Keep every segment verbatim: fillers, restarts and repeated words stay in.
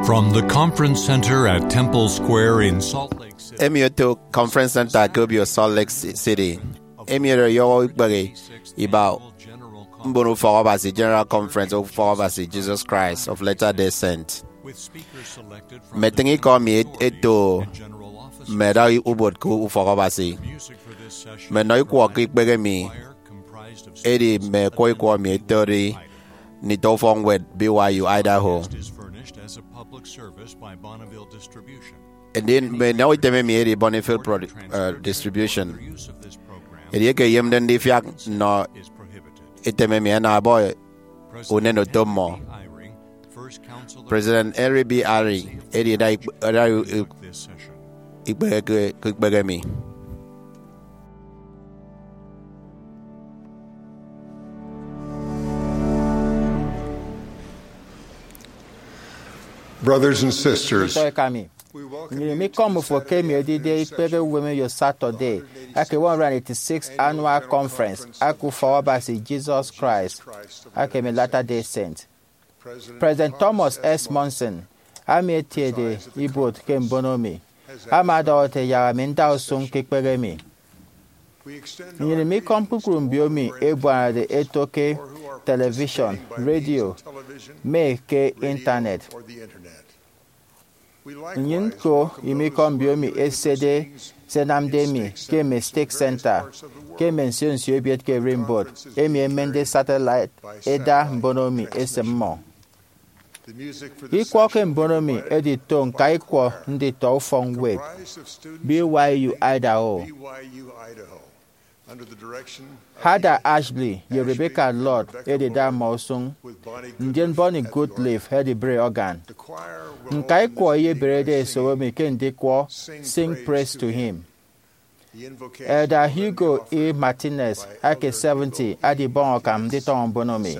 From the Conference Center at Temple Square in Salt Lake City. Emi oto Conference Center ke obio Salt Lake Ci- City. Emi oro ọyọhọ ikpehe iba mbon ufọk Abasi General Conference of Ufọk Abasi Jesus Christ of Latter-day Saint. Mmetịñ ikọ mi et- eto mme ẹda ubot ke ufọk Abasi. Mme nnọ ikwọ ke ikpehe mi edi mme ẹkwọ ikwọ mi ẹtode nditọ ufọkñwed B Y U Idaho. Ndien mme nnọ item emi edi Bonneville Pro- uh, Distribution. Edieke eyomde ndifiak nnọ item emi, ẹnam ẹbọ unen oto mmọ. President Henry B. Eyring edi ẹda ikp- ẹda u- u- ikpehe ke ke ikpehe mi. Brothers and sisters, Ntọeka mi, nnyịn imikọm fo ke emi edide ikpehe uwem eyo Saturday eke one hundred eighty-six Annual Conference eke Ufọk Abasi Jesus Christ eke mme Latter-day Saint. President Thomas S. Monson, ami etiede ibuot ke mbono mi, ama ọdọhọ ete yak ami nda usụñ ke ikpehe mi. Nnyịn imikọm kpukpru mbiomi ebuanade eto ke television, radio, mme ke Intanet. Nnyịn ñko imikọm mbiomi ẹsede se ẹnamde mi ke mme stake center, ke mme nsio nsio ebiet ke ererimbot emi ẹmende satellite ẹda mbono mi esịm mmọ. Ikwọ ke mbono mi edi to ñka ikwọ nditọ ufọkñwed B Y U Idaho. Hada Ashley ye Rebecca Lord ẹdida mmọ usụñ, ndien Bonnie Goodliffe ẹdibre organ. Ñka ikwọ ẹyeberede ẹsobo mi ke ndikwọ Sing Praise to Him. Elder Hugo E. Martinez ake seventy adibọñ akam nditọñọ mbono mi.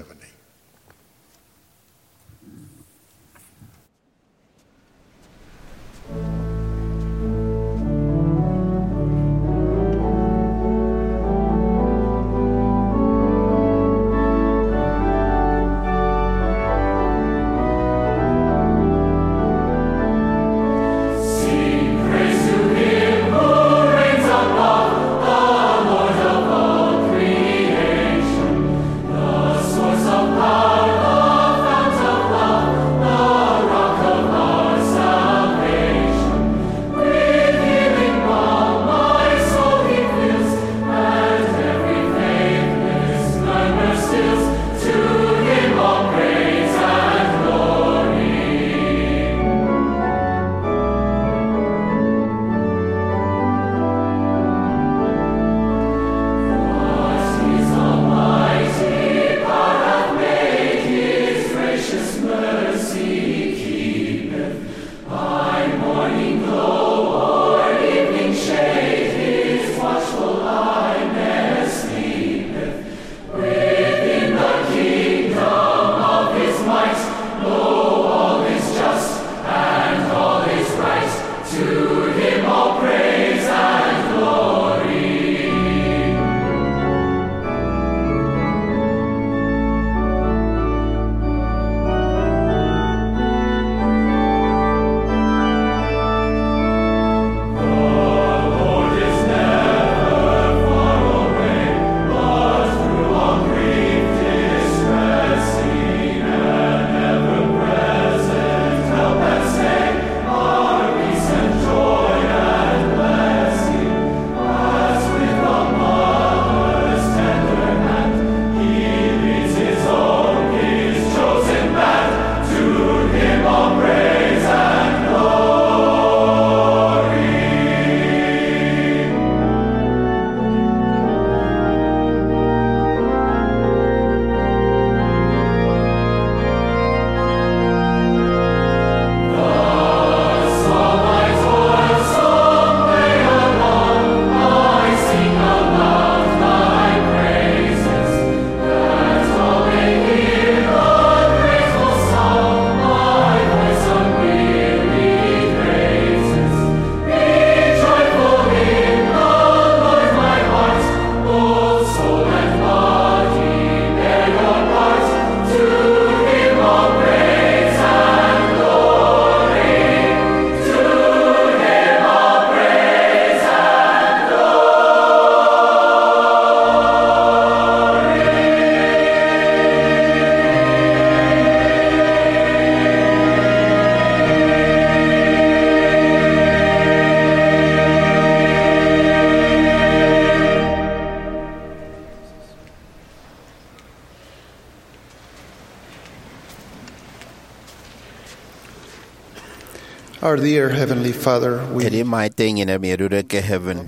Our dear Heavenly Father, we Edi Mma Ete nnyịn emi odude ke heaven,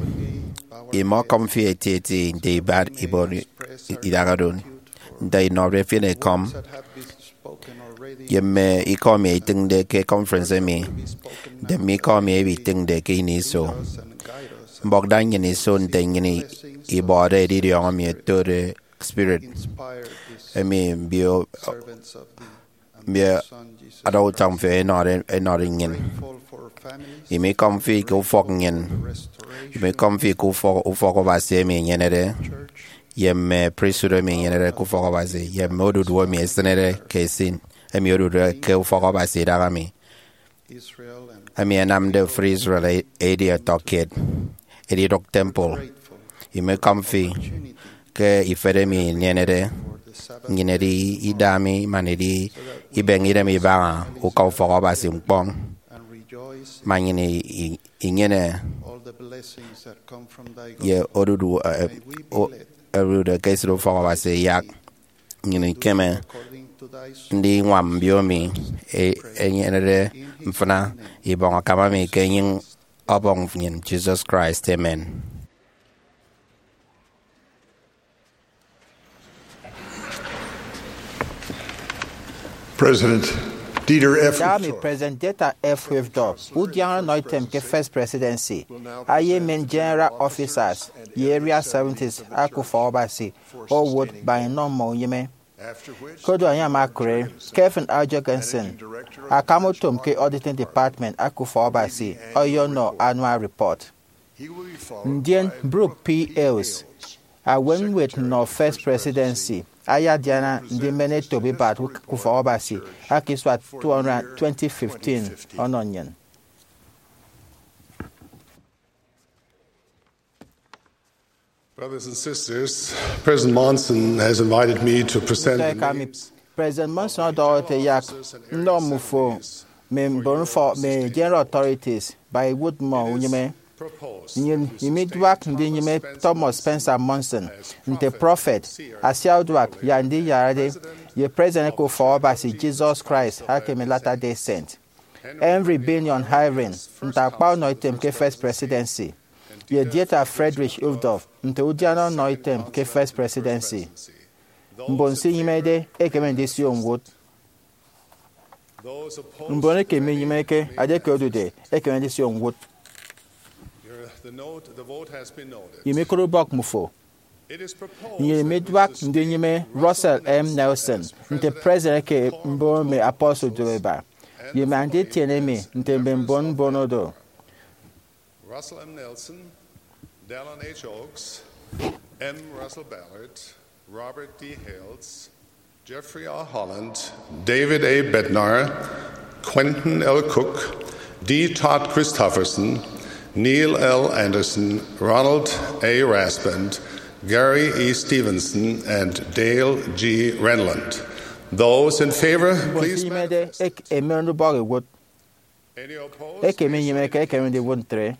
imọkọm fi etieti nte ibat ibon idaha do, nte inọde efiene ekọm, ye mme ikọ emi itịñde ke conference emi, nte mme ikọ emi ibitịñde ke ini iso. Mbọk da nnyịn iso nte nnyịn ibọde edidiọñ emi ẹtode spirit, emi mbio mbio ada utọñ fi ẹnọde ẹnọde nnyịn. Imikọm fi ke ufọk nnyịn. Imikọm fi ke ufọk, ufọk Abasi emi enyenede, ye mme priesthood emi enyenede ke ufọk Abasi, ye mme odudu emi esịnede ke esin, emi odude ke ufọk Abasi idaha mi, emi ẹnamde ofụri Israel e-, edi ọtọkiet, edidụk temple. Imikọm fi ke ifet emi inyenede nnyịn edi ida mi man edi ibeñe idem ibaña uka ufọk Abasi ñkpọñ, ma nnyịn i-, i-, inyene ye odudu, eh, o-, odudu ke esịt ufọk Abasi iyak. Nnyịn ikeme ndiñwam mbio emi e-, enyenede mfịna ibọñ akam emi ke enyịñ Ọbọñ nnyịn Jesus Christ. Amen. President Dieter F. Dami Uchtdorf. President Dieter F. Uchtdorf, udiana ọnọ item ke First Presidency, ayemen General Officers ye Area seventies aka ufọk Abasi owụt baña inọ mmọ unyịme. Kodu emi ama akụre, Kevin R. Jorgensen, akam utom ke Auditing Department aka ufọk Abasi, ọyọnọ annual report. Ndien Brooke P. Hales, awet ñwed nnọ First Presidency, ayadiana ndimen etop ibat ufọk Abasi aka isua two hundred twenty fifteen ọnọ nnyịn. Brothers and sisters, President Monson has invited me to present the Nditọ eka mi, names President Monson ọdọhọ ete yak nnọ mmufo mme mbon ufọk mme general authorities ba iwụt mmọ unyịme. Nnyịn imiduak ndinyịme Thomas Spencer Monson nte prophet, asiauduak ye andiyarade, ye President eke ufọk Abasi Jesus Christ aka mme Latter-day Saint. Henry Bennion Eyring nte akpa ọnọ item ke First Presidency, ye Dieter Friedrich Uchtdorf nte udiana ọnọ item ke First Presidency. Mbon se inyịmede ẹkeme ndisio ñwụt. Mbon eke minyịmeke, edieke odude, ẹkeme ndisio ñwụt. Imikụre ubọk mmufo. Nnyịn imiduak ndinyịme Russell M. Nelson nte President eke Mbon Mme Apostle Duoeba, ye mme anditiene emi nte mme mbon mbon oro. Russell M. Nelson, Dallin H. Oaks, M. Russell Ballard, Robert D. Hales, Jeffrey R. Holland, David A. Bednar, Quentin L. Cook, D. Todd Christofferson, Neil L. Andersen, Ronald A. Rasband, Gary E. Stevenson, and Dale G. Renlund. Those in favor, please. Mbon se inyịmede, ẹk-, ẹmen ubọk ẹwot. Eke minyịmeke, ẹkeme ndiwụt ntre.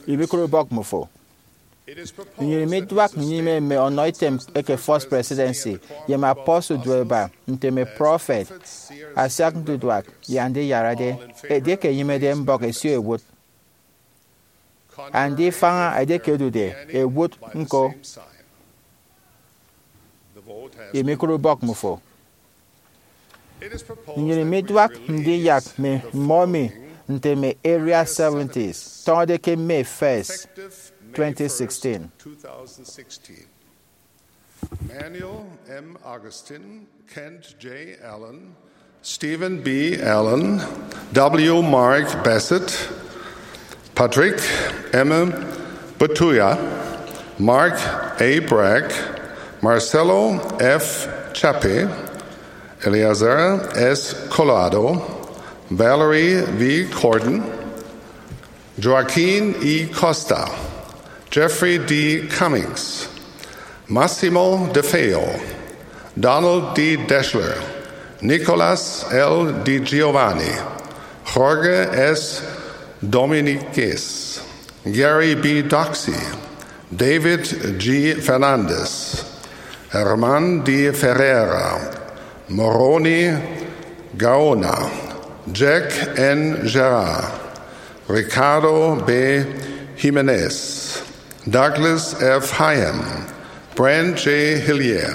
Imikụre ubọk mmufo. Nnyịn imiduak ndinyịme mme ọnọ item eke First Presidency ye mme apostle duoeba nte mme prophet, asiak nduduak ye andiyarade. Edieke enyịmede, mbọk ẹsio ẹwot. Andifaña edieke odude, ẹwot ñko. Imikụre ubọk mmufo. Nnyịn imiduak ndiyak mme mmọ emi nte mme Area seventies tọñọde ke May first, twenty sixteen. Manuel M. Augustine, Kent J. Allen, Stephen B. Allen, W. Mark Bassett, Patrick M. Batuya, Mark A. Bragg, Marcelo F. Chape, Eleazar S. Collado, Valerie V. Cordon, Joaquin E. Costa, Jeffrey D. Cummings, Massimo De Feo, Donald D. Deshler, Nicolas L. Di Giovanni, Jorge S. Dominiquez, Gary B. Doxey, David G. Fernandez, Herman D. Ferreira, Moroni Gaona, Jack N. Gerard, Ricardo B. Jimenez, Douglas F. Hyam, Brent J. Hillier,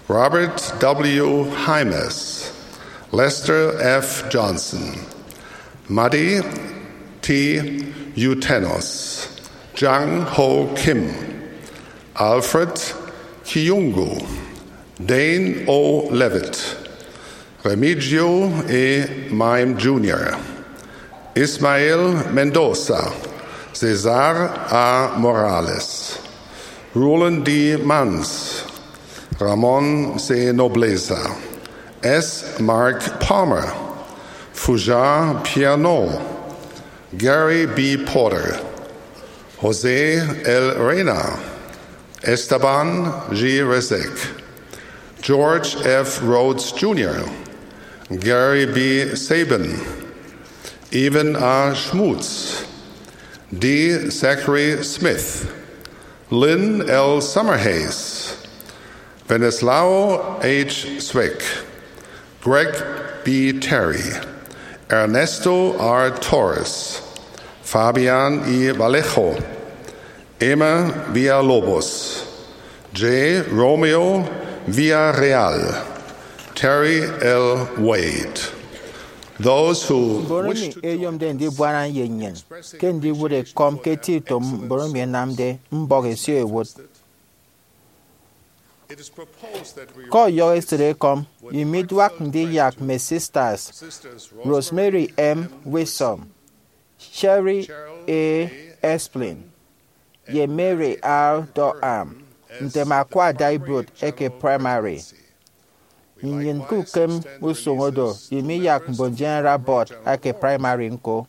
Robert W. Hymas, Lester F. Johnson, Madi T. Utenos, Jang Ho Kim, Alfred Kiyungu, Dane O. Levitt, Remigio E. Maim Junior, Ismael Mendoza, Cesar A. Morales, Roland D. Mans, Ramon C. Nobleza, S. Mark Palmer, Fujar Pierno, Gary B. Porter, Jose L. Reina, Esteban G. Resek, George F. Rhodes Junior, Gary B. Sabin, Ivan A. Schmutz, D. Zachary Smith, Lynn L. Summerhays, Venislao H. Swick, Greg B. Terry, Ernesto R. Torres, Fabian E. Vallejo, Emma Villalobos, J. Romeo Villarreal, Terry L. Wade. Those who Mbon wish emi to join eyomde us ndibuana ye nnyịn ke ndiwụt ekọm ke eti utom mbon emi ẹnamde mbọk ẹsio ẹwụt. Ke ọyọhọ esịt ekọm, imiduak ndiyak mme sisters Rosemary M. Wilson, Sherry A. Esplin, ye Mary R. Durham ntem akwa adaibuot eke praimari. Nnyịn ke ukem usụñ odo imiyak mbon General Board eke praimari ñko.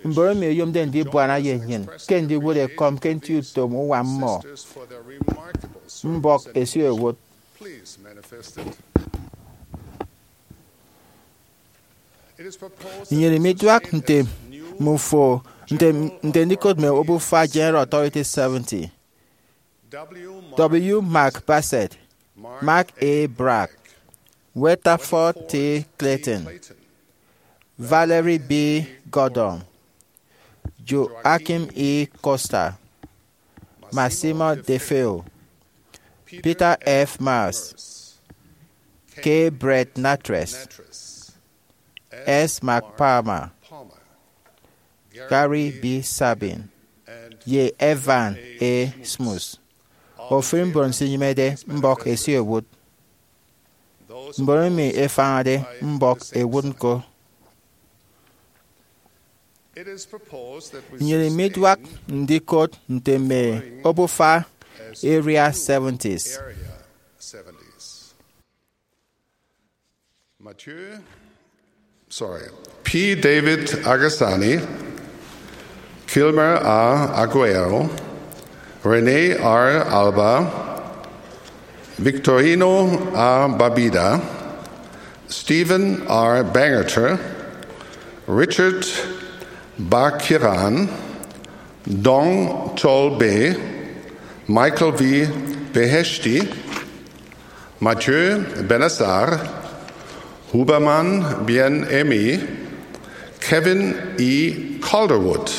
Mbon emi ẹyomde ndibuana ye nnyịn ke ndiwụt ekọm ke nti utom uwa mmọ mbọk ẹsio ẹwụt. Nnyịn imiduak nte mmufo nte nte ndikot mme obufa General Authority seventy: W. Mark Bassett, Mark A. Bragg, Weatherford T. Clayton, Valerie B. Gordon, Joachim E. Costa, Massimo De Feo, Peter F. Mars, K. Brett Natres, S. Mark Palmer, Gary B. Sabin, ye Evan A. Smuts. Ofụri mbon nsinyịmede mbọk ẹsio ẹwụt. Mbon emi ẹfañade mbọk ẹwụt ñko. Nnyịn imiduak ndikot nte mme obufa Area seventies: Mathieu, sorry, P. David Agasani, Kilmer A. Aguero, Rene R. Alba, Victorino A. Babida, Stephen R. Bangerter, Richard Bakiran, Dong Chol Be, Michael V. Beheshti, Mathieu Benassar, Huberman Bien Aimé, Kevin E. Calderwood,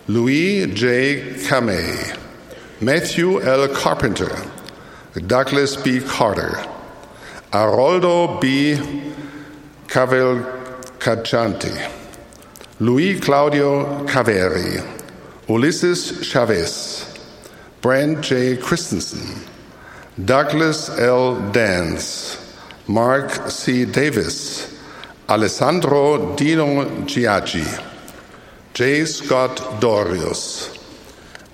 Louis J. Kamei, Matthew L. Carpenter, Douglas B. Carter, Aroldo B. Cavalcanti, Luis Claudio Caveri, Ulisses Chavez, Brent J. Christensen, Douglas L. Dance, Mark C. Davis, Alessandro Dino Giaggi, J. Scott Dorius,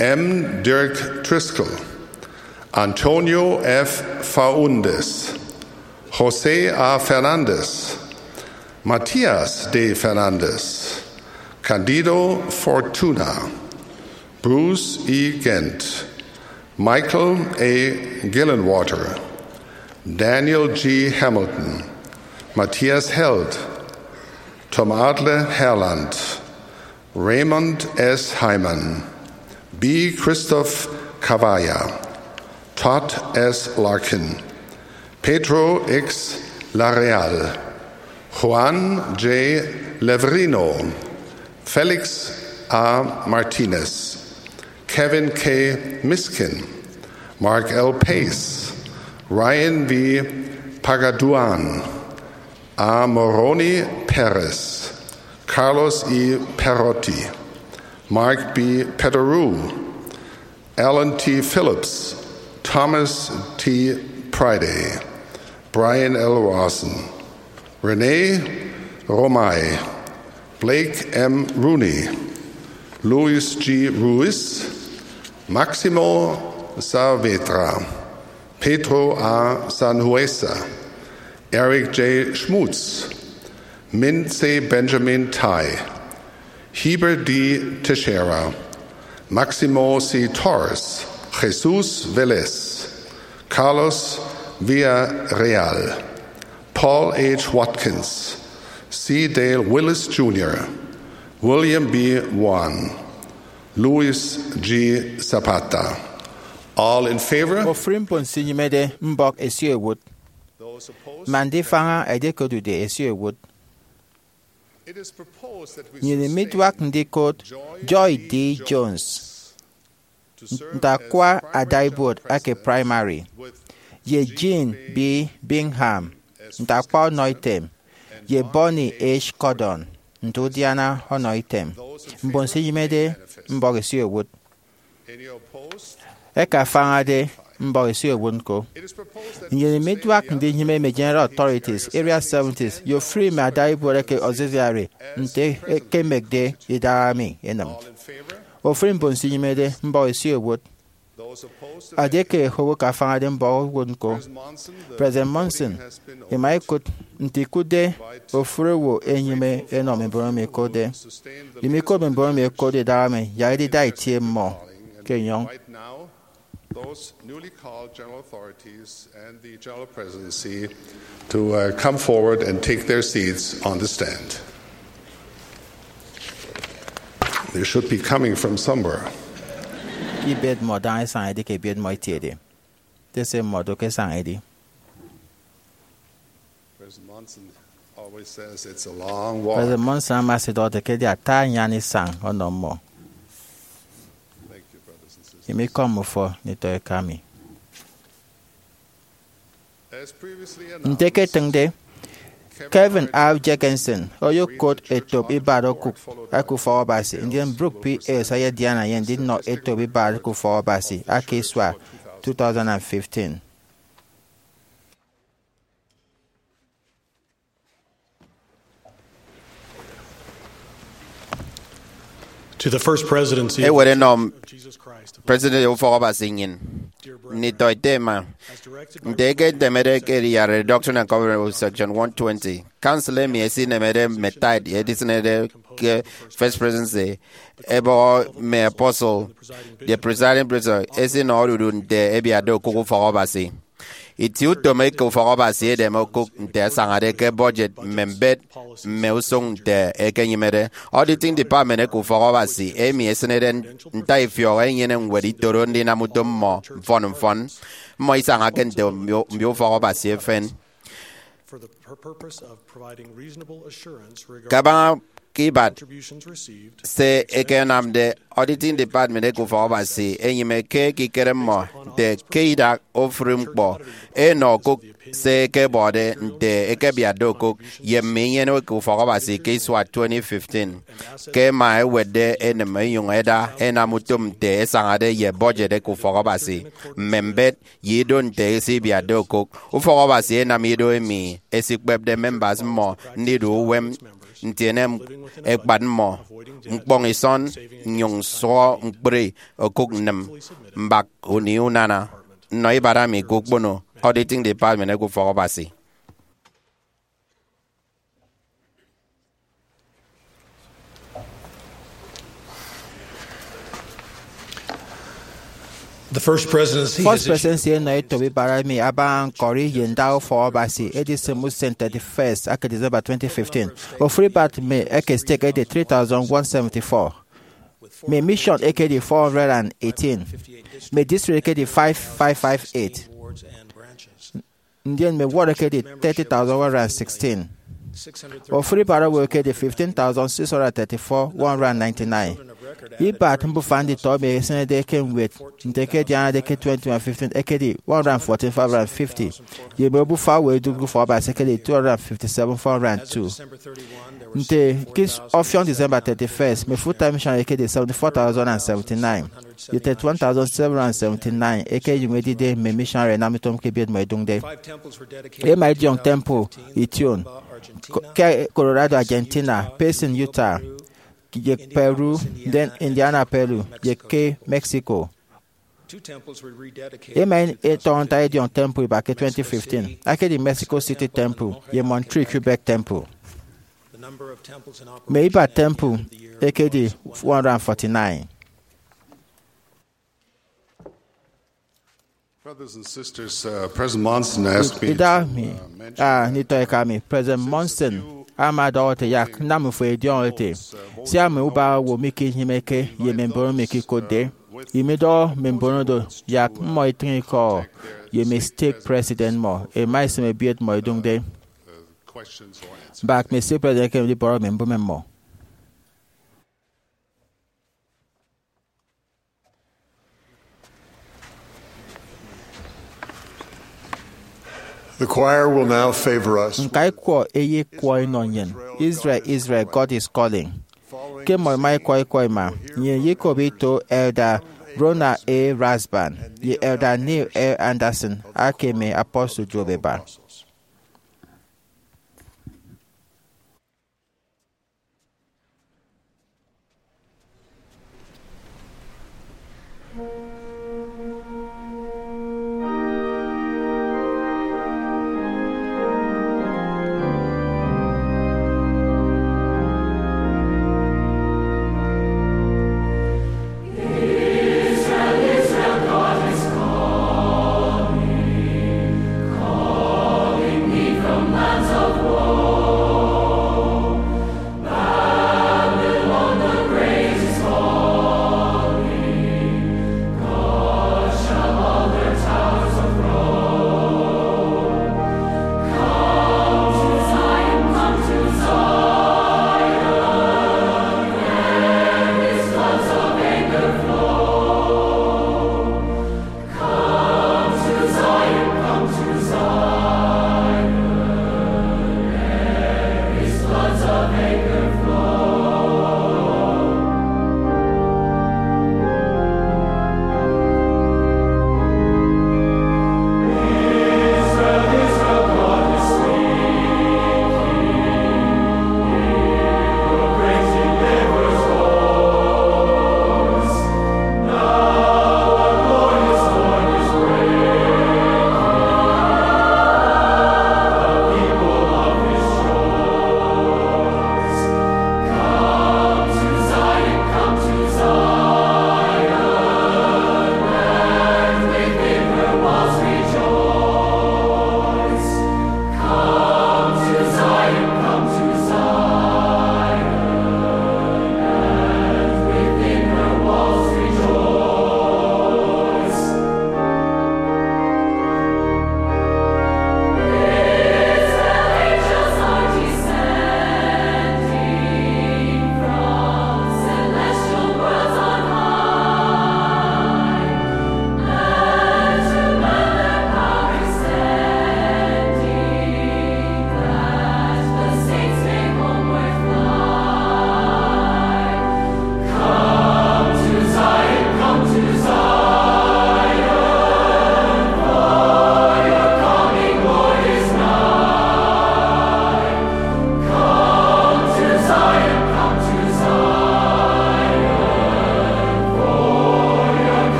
M. Dirk Driscoll, Antonio F. Faundes, Jose A. Fernandez, Matias D. Fernandez, Candido Fortuna, Bruce E. Gent, Michael A. Gillenwater, Daniel G. Hamilton, Matthias Held, Tom Adler Herland, Raymond S. Hyman, B. Christoph Cavalla, Todd S. Larkin, Pedro X. Lareal, Juan J. Levrino, Felix A. Martinez, Kevin K. Miskin, Mark L. Pace, Ryan V. Pagaduan, A. Moroni Perez, Carlos E. Perotti, Mark B. Pederou, Alan T. Phillips, Thomas T. Priday, Brian L. Rawson, Rene Romay, Blake M. Rooney, Luis G. Ruiz, Maximo Saavedra, Pedro A. Sanhueza, Eric J. Schmutz, Minse Benjamin Tai, Heber D. Teixeira, Maximo C. Torres, Jesus Velez, Carlos Villarreal, Paul H. Watkins, C. Dale Willis Junior, William B. Wan, Luis G. Zapata. All in favor? Ofụri mbon se inyịmede mbọk ẹsio ẹwụt, man ndifaña edieke odude ẹsio ẹwụt. Nnyịn miduak ndikot Joy D. Jones nte akwa adaibuot eke Primary, ye Jean B. Bingham nte akwa ọnọitem, ye Bonnie H. Cordon nte udiana ọnọitem. Mbon se inyịmede mbọk ẹsio ẹwụt, ẹkafañade mbọk ẹsio ẹwụt ñko. Nnyịn miduak ndinyịme mme General Authorities, Area seventies, ye ofụri mme adaibuot eke Auxiliary nte ẹkemekde idahaemi ẹnịm. Ofụri mbon se inyịmede mbọk ẹsio ẹwụt, edieke owo akafañade mbọk ẹwụt ñko. President Monson ima ikụt nte ikụtde ofụri owo ẹnyịme ẹnọ mme mbon emi ẹkotde. Ima ikot mme mbon emi ẹkotde idahaemi yak edida itie mmọ ke enyọñ. Those newly called general authorities and the General Presidency to, uh, come forward and take their seats on the stand. They should be coming from somewhere. Ibet mmọ daña isañ edi ke ebiet mmọ etiede. Nte se mmọ do ke isañ edi. President Monson always says it's a long walk. President Monson ama esidọhọde ke edi ata anyan isañ ọnọ mmọ. Thank you, brothers and sisters. Emi ikọ mmufo nditọ eka mi. As previously announced, Nte ke etịñde, Kevin R. Jenkinson oyokot etop ibat okụk eke ufọk Abasi, ndien Brooke P. Hales ayedian enye ndinọ etop ibat eke ufọk Abasi aka isua two thousand and fifteen. To the First Presidency of Ewet enọ Jesus Christ of President Ufọk Abasi nnyịn. Nditọ ete ẹma. Nte ke ntemede ke eriyarade Doctrine and Covenants Section one twenty, Council emi esinemede mme tithe edisịnede ke First Presidency ebọhọ mme apostle, the presiding president esinọ odudu nte ẹbiatde okụk ufọk Abasi. Itieutom eke ufọk Abasi edem okụk nte asañade ke budget mme mbet mme usụñ nte ẹkenyịmede. Auditing Department eke ufọk Abasi emi esịnede ntaifiọk enyene ñwed itoro ndinam utom mmọ mfọn mfọn. Mmọ isañake nte mbio mbio ufọk Abasi efen. For the pur- purpose of providing reasonable assurance regarding Kabaña ke ibat contributions received, se ẹkenamde, Auditing Department eke ufọk Abasi enyịme ke ekikere mmọ nte ke idak ofụri ñkpọ enọ okụk se ẹkebọde nte ẹkebiatde okụk ye mme inyene eke ufọk Abasi ke isua twenty fifteen, ke ẹma ẹwetde enịm ẹnyụñ ẹda ẹnam utom nte ẹsañade ye budget eke ufọk Abasi, mme mbet, ye ido nte ẹsibiatde okụk. Ufọk Abasi enam ido emi ẹsikpepde members mmọ ndidu uwem, ntiene ekpat mmọ, ñkpọñ isọn, nnyụñ sụhọ ñkpri okụk nnịm mbak ini unana nnọ ibat ami ke ukpono Auditing Department eke ufọk Abasi. The First Presidency First has issued Presidency enọ etop ibat emi abaña ñkọri ye nda ufọk Abasi edisịm usen thirty-first eke December twenty fifteen. Ofụri ibat mme eke stake edi three thousand one seventy-four. Mme mission ekedi four hundred and eighteen. Mme district ekedi five five five eight. Ndien mme ward ekedi thirty thousand one hundred and sixteen. Ofụri ibara owo ekedi fifteen thousand six hundred thirty-four one hundred ninety-nine. Ibat mbufa nditọ emi ẹsenede ke ñwed nte ke ẹdianade ke twenty fifteen ekedi one hundred fourteen five hundred fifty, ye mme obufa owo ẹdụkde Ufọkabasi ekedi two hundred fifty-seven four hundred two. Nte ke ọfiọñ December thirty-first, mme full-time missionary ekedi seventy-four thousand and seventy-nine, ye thirty-one thousand seven hundred seventy-nine eke ẹnyụñ ẹdide mme missionary ẹnam utom ke ebiet mmọ ẹdụñde. Ẹma ẹdiọñ temple ition ke Colorado, Argentina, Payson, Utah, ye Peru, then Indiana, Peru, ye ke Mexico. Ẹma ẹtọñọ ntak ẹdiọñ temple iba ke twenty fifteen, akedi Mexico City Temple ye Montreal, Quebec Temple. Mme ibat temple ekedi one hundred forty-nine. Brothers and sisters, uh, President Monson asked me to, Ida mi, uh, mention a nditọ eka mi, President Monson ama ọdọhọ ete yak nnam mfo ediọñ ete, sia mme ubaña owo mi ke inyịmeke ye mme mbon mi ke ikotde, imidọhọ mme mbon oro yak mmọ itịñ ikọ ye mme stake president mmọ ẹma ẹsịm ebiet mmọ ẹdụñde. Mbak mme stake president ẹkeme ndibọrọ mme mbụme mmọ. The choir will now favor us. Ñkaikwọ eyekwọ inọ nnyịn, Israel, Israel, God is calling. Ke mmọ ẹma ẹkwọ ikọ ima, nnyịn iyekop ito Elder Ronald A. Rasband ye Elder Neil L. Andersen aka mme apostle duop ẹba.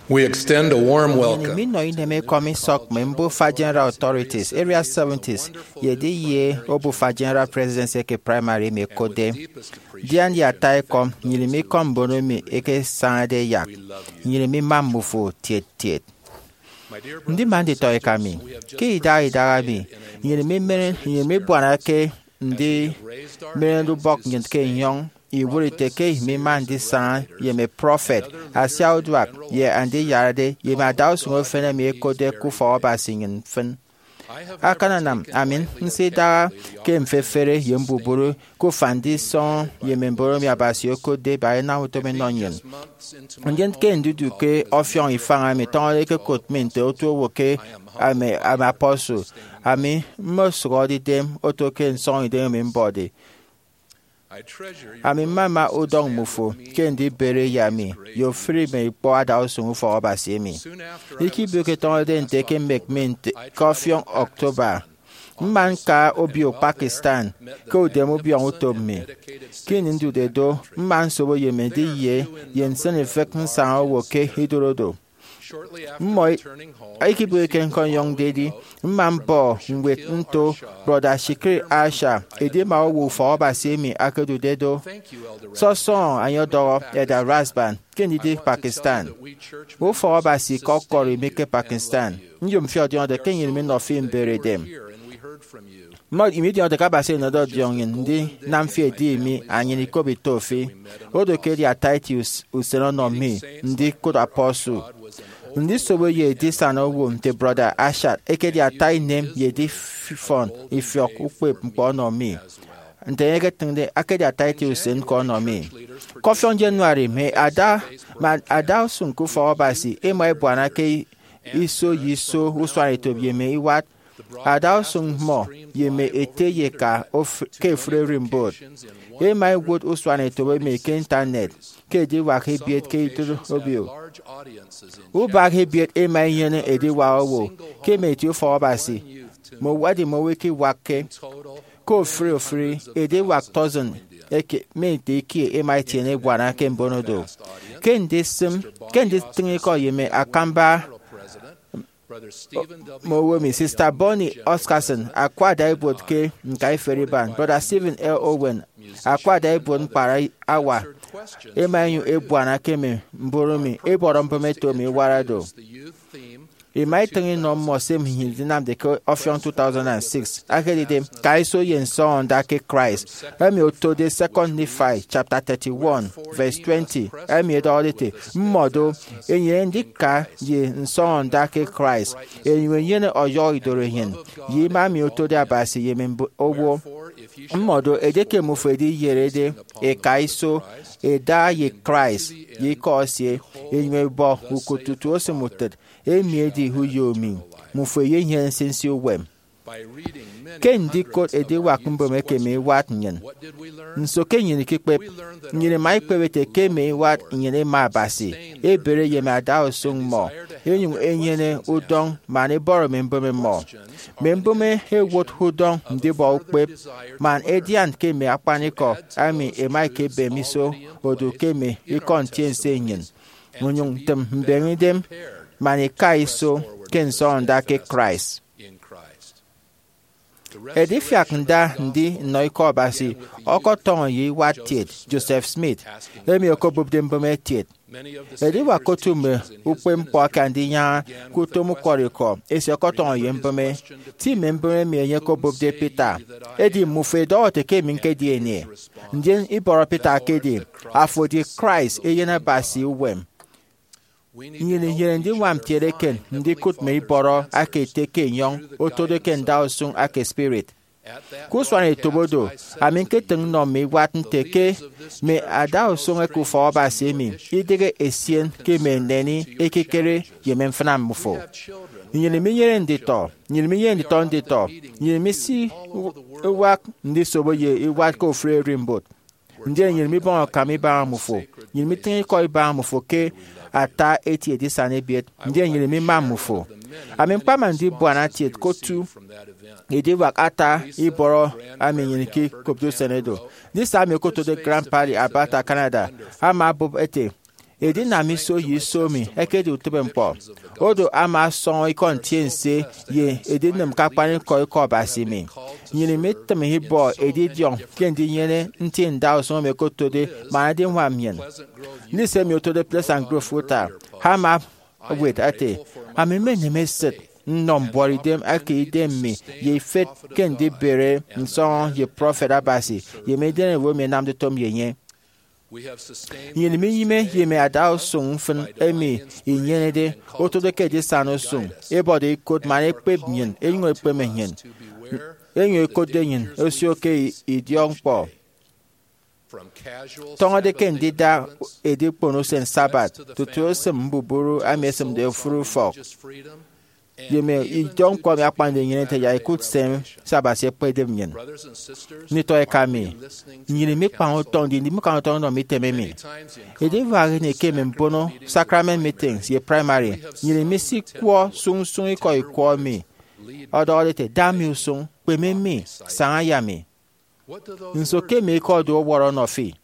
We extend a warm welcome. Nnyịn minọ inem ekọm isọk mme mbufa General Authorities, Area seventies, ye edi ye obufa General Presidency eke Primary emi ẹkotde. Ndian ye ata ekọm, nnyịn mikọm mbon emi ẹkesañade ẹyak. Nnyịn mima mmufo tiet tiet. Ndima nditọ eka mi, ke idaha idaha emi, nnyịn mimere, nnyịn mibuana ke ndimerede ubọk nnyịn ke enyọñ iwụt ite ke mima ndisaña ye mme prọfet, asiauduak, ye andiyarade, ye mme adausụñ efen emi ẹkotde ke ufọk Abasi nnyịn mfịn. Akananam ami nsidaha ke mfefere ye mbubru ke ufan ndisọñọ ye mme mbon emi Abasi okotde ẹbaña inam utom ẹnọ nnyịn. Ndien ke ndidu ke ọfiọñ ifañ emi tọñọde ẹkekot mi nte otu owo ke mme apostle, ami mmosụhọde idem oto ke nsọñidem emi mbọde. Ami mmama udọñ mmufo ke ndibere ye ami ye ofụri mme ikpọ adausụñ ufọk Abasi emi. Ikebio ke tọñọde nte ẹkemek mi nte ke ọfiọñ October, mma ñka obio Pakistan ke udeme ubiọñ utom mi. Ke ini ndude do, mma nsobo ye mme ediye ye nsịn ifịk nsaña owo ke idụt odo. Mmọ ikebịghike ñkọnyọñde edi, mma mbọ ñwed nto Brọda Shikri Asha, edima owo ufọk Abasi emi akedude do. Sọsọñọ enye ọdọhọ Elder Rasband ke ndidi Pakistan. Ufọk Abasi ke ọkọri mi ke Pakistan. Nyom fi ọdiọñde ke nnyịn minọ fi mberedem. Mmọ imidiọñde ke Abasi enọde ọdiọñ nnyịn ndinam fi edi mi anyin ikop ito fi. Odo ke edi ata eti us- usen ọnọ mi ndikot apostle. Ndisobo ye edisana owo nte Brọda Ashat ekedi ata inem ye edifọn ifiọk ukpep ñkpọ ọnọ mi. Nte enye eketịñde, akedi ata eti usen ñko ọnọ mi. Ke ọfiọñ January, mme ada, mme adausụñ ke ufọk Abasi ẹma ẹbuana ke iso ye iso usuanetop ye mme iwat adausụñ mmọ ye mme ete ye eka of- ke ofụri ererimbot. Ẹma ẹwot usuanetop emi ke Intanet ke ediwak ebiet ke idụt obio. Ubak ebiet ẹma ẹnyene ediwak owo ke mme eti ufọk Abasi, mme uwat mme owo ẹkewakke. Ke ofụri ofụri ediwak tọsịn eke mme nte ikie ẹma ẹtiene ebuana ke mbono do. Ke ndisịm, ke nditịñ ikọ ye mme akamba mme owo emi, Sister Bonnie Oscarson akwa ada ibuot ke ñkaiferi iban, Brother Stephen L. Owen akwa ada ibuot ñkpara awa, ẹma ẹnyụñ ẹbuana ke mme mbon emi ẹbọrọ mbụme eto emi iwara do. Ima itịñ inọ mmọ se nnyịn idinamde ke ọfiọñ two thousand and six, akedide Kaiso ye Nsọñọnda ke Christ, emi otode Second Nephi chapter thirty-one, verse twenty, emi edọhọde ete, mmọ do, enyene ndika ye nsọñọnda ke Christ, enyụñ enyene ọyọhọ idoro enyịn, ye ima emi otode Abasi ye mme mb- owo. Mmọ do, edieke mmufo ediyerede eka iso, eda ye Christ ye ikọ esie, enyụñ ebọ ukot tutu osịm utịt, emi edi uyo mi, mmufo eyenyene nsinsi uwem. Ke ndikot ediwak mbụme eke mme iwat nnyịn, nso ke nnyịn ikekpep? Nnyịn ima ikpep ete ke mme iwat nnyịn ẹma Abasi, ẹbere ye mme adausụñ mmọ, ẹnyụñ ẹnyene udọñ man ẹbọrọ mme mbụme mmọ. Mme mbụme ẹwot udọñ ndibọ ukpep man ẹdian ke mme akpanikọ emi ẹma ẹkebem iso odu ke mme ikọ ntiense nnyịn, ẹnyụñ ẹtịm mbeñe idem man ẹka iso ke nsọñọnda ke Christ. Edifiak nda ndi nnọ Ikọ Abasi ọkọtọñọ ye iwat kiet Joseph Smith, emi okobụpde mbụme kiet. Ediwak otu mme ukpepñkpọ aka ndinyaña ke utom ukwọrọikọ esie ọkọtọñọ ye mbụme. Ti mme mbụme emi enye okobụpde Peter, edi, mmufo idọhọ ete ke emi ñkedi enye. Ndien ibọrọ Peter akedi, afo edi Christ, Eyen Abasi uwem. Nnyịn inyene ndiñwam kiet eken ndikụt mme ibọrọ aka ete ke enyọñ otode ke ndausụñ aka spirit. Ke usuanetop odo, ami ñketịñ nnọ mme iwat nte ke mme adausụñ eke ufọk Abasi emi idịghe esien ke mme neni ekikere ye mme mfịna mmufo. Nnyịn minyene nditọ, nnyịn minyene nditọ nditọ, nnyịn misiwak ndisobo ye iwat ke ofụri ererimbot. Ndien nnyịn mibọñ akam ibaña mmufo, nnyịn mitịñ ikọ ibaña mmufo ke ata eti edisana ebiet, ndien nnyịn mima mmufo. Ami ñkpama ndibuana kiet ke otu ediwak ata ibọrọ emi nnyịn ikekopde usen edo. Ndise ami okotode Grand Valley, Alberta, Canada, ama obụp ete, Edinam iso ye iso mi ẹkedi utịbeñkpọ. Odo ama ọsọñọ ikọ ntiense ye edinịm ke akpanikọ Ikọ Abasi mi. Nnyịn imitịm ibọ edidiọñ ke ndinyene nti ndausụñ emi okotode man adiñwam nnyịn. Lisa emi otode Pleasant Grove, Utah, ama ewet ete, ami mmenem esịt nnọ mbuọtidem eke idem mi ye ifet ke ndibere nsọñọ ye prọfet Abasi ye mme idem owo emi ẹnamde utom ye enye. Nnyịn minyịme ye mme adausụñ mfịn emi inyenede otode ke edisana usụñ, ebọde ikot man ekpep nnyịn, enyụñ ekpeme nnyịn, enyụñ ekotde nnyịn osio ke idiọkñkpọ. Tọñọde ke ndida edikpono usen Sabbath tutu esịm mbubru emi esịmde ofụri ufọk, ye mme idiọkñkpọ emi akpañde nnyịn nte yak ikụt se Abasi ekpedep nnyịn. Nditọ eka mi, nnyịn imikpañ utọñ, ndi ndimikpañ utọñ nnọ mme item emi. Ediwak ini ke mme mbono sacrament meetings ye primary, nnyịn imisikwọ sụñsụñ ikọ ikwọ emi ọdọhọde ete, da mi usụñ, kpeme mi, saña ye ami. Nso ke mme ikọ ẹdu ọwọrọ ọnọ fi?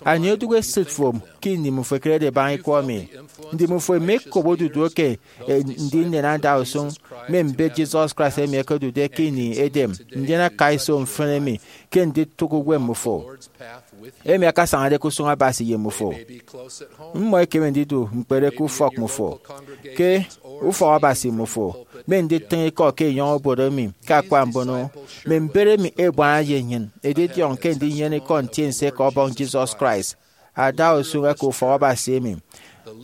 Anie odụk esịt fo ke ini mmịfo ẹkerede ẹbaña ikọ emi? Ndi mmịfo imekop odudu eke e, ndinyene adausụñ mme mbet Jesus Christ emi ẹkedude ke ini edem, ndien aka iso mfịn emi ke nditụk uwem mmịfo, emi akasañade ke usụñ Abasi ye mmịfo? Mmọ ẹkeme ndidu ñkpere ke ufọk mmịfo, ke ufọk Abasi mmịfo, mme nditịñ ikọ ke enyọñ obodo emi, ke akpa mbono, mme mbet emi ẹbuana ye nnyịn, edidiọñ ke ndinyene ikọ ntiense ke Ọbọñ Jesus Christ, adausụñ eke ufọk Abasi emi,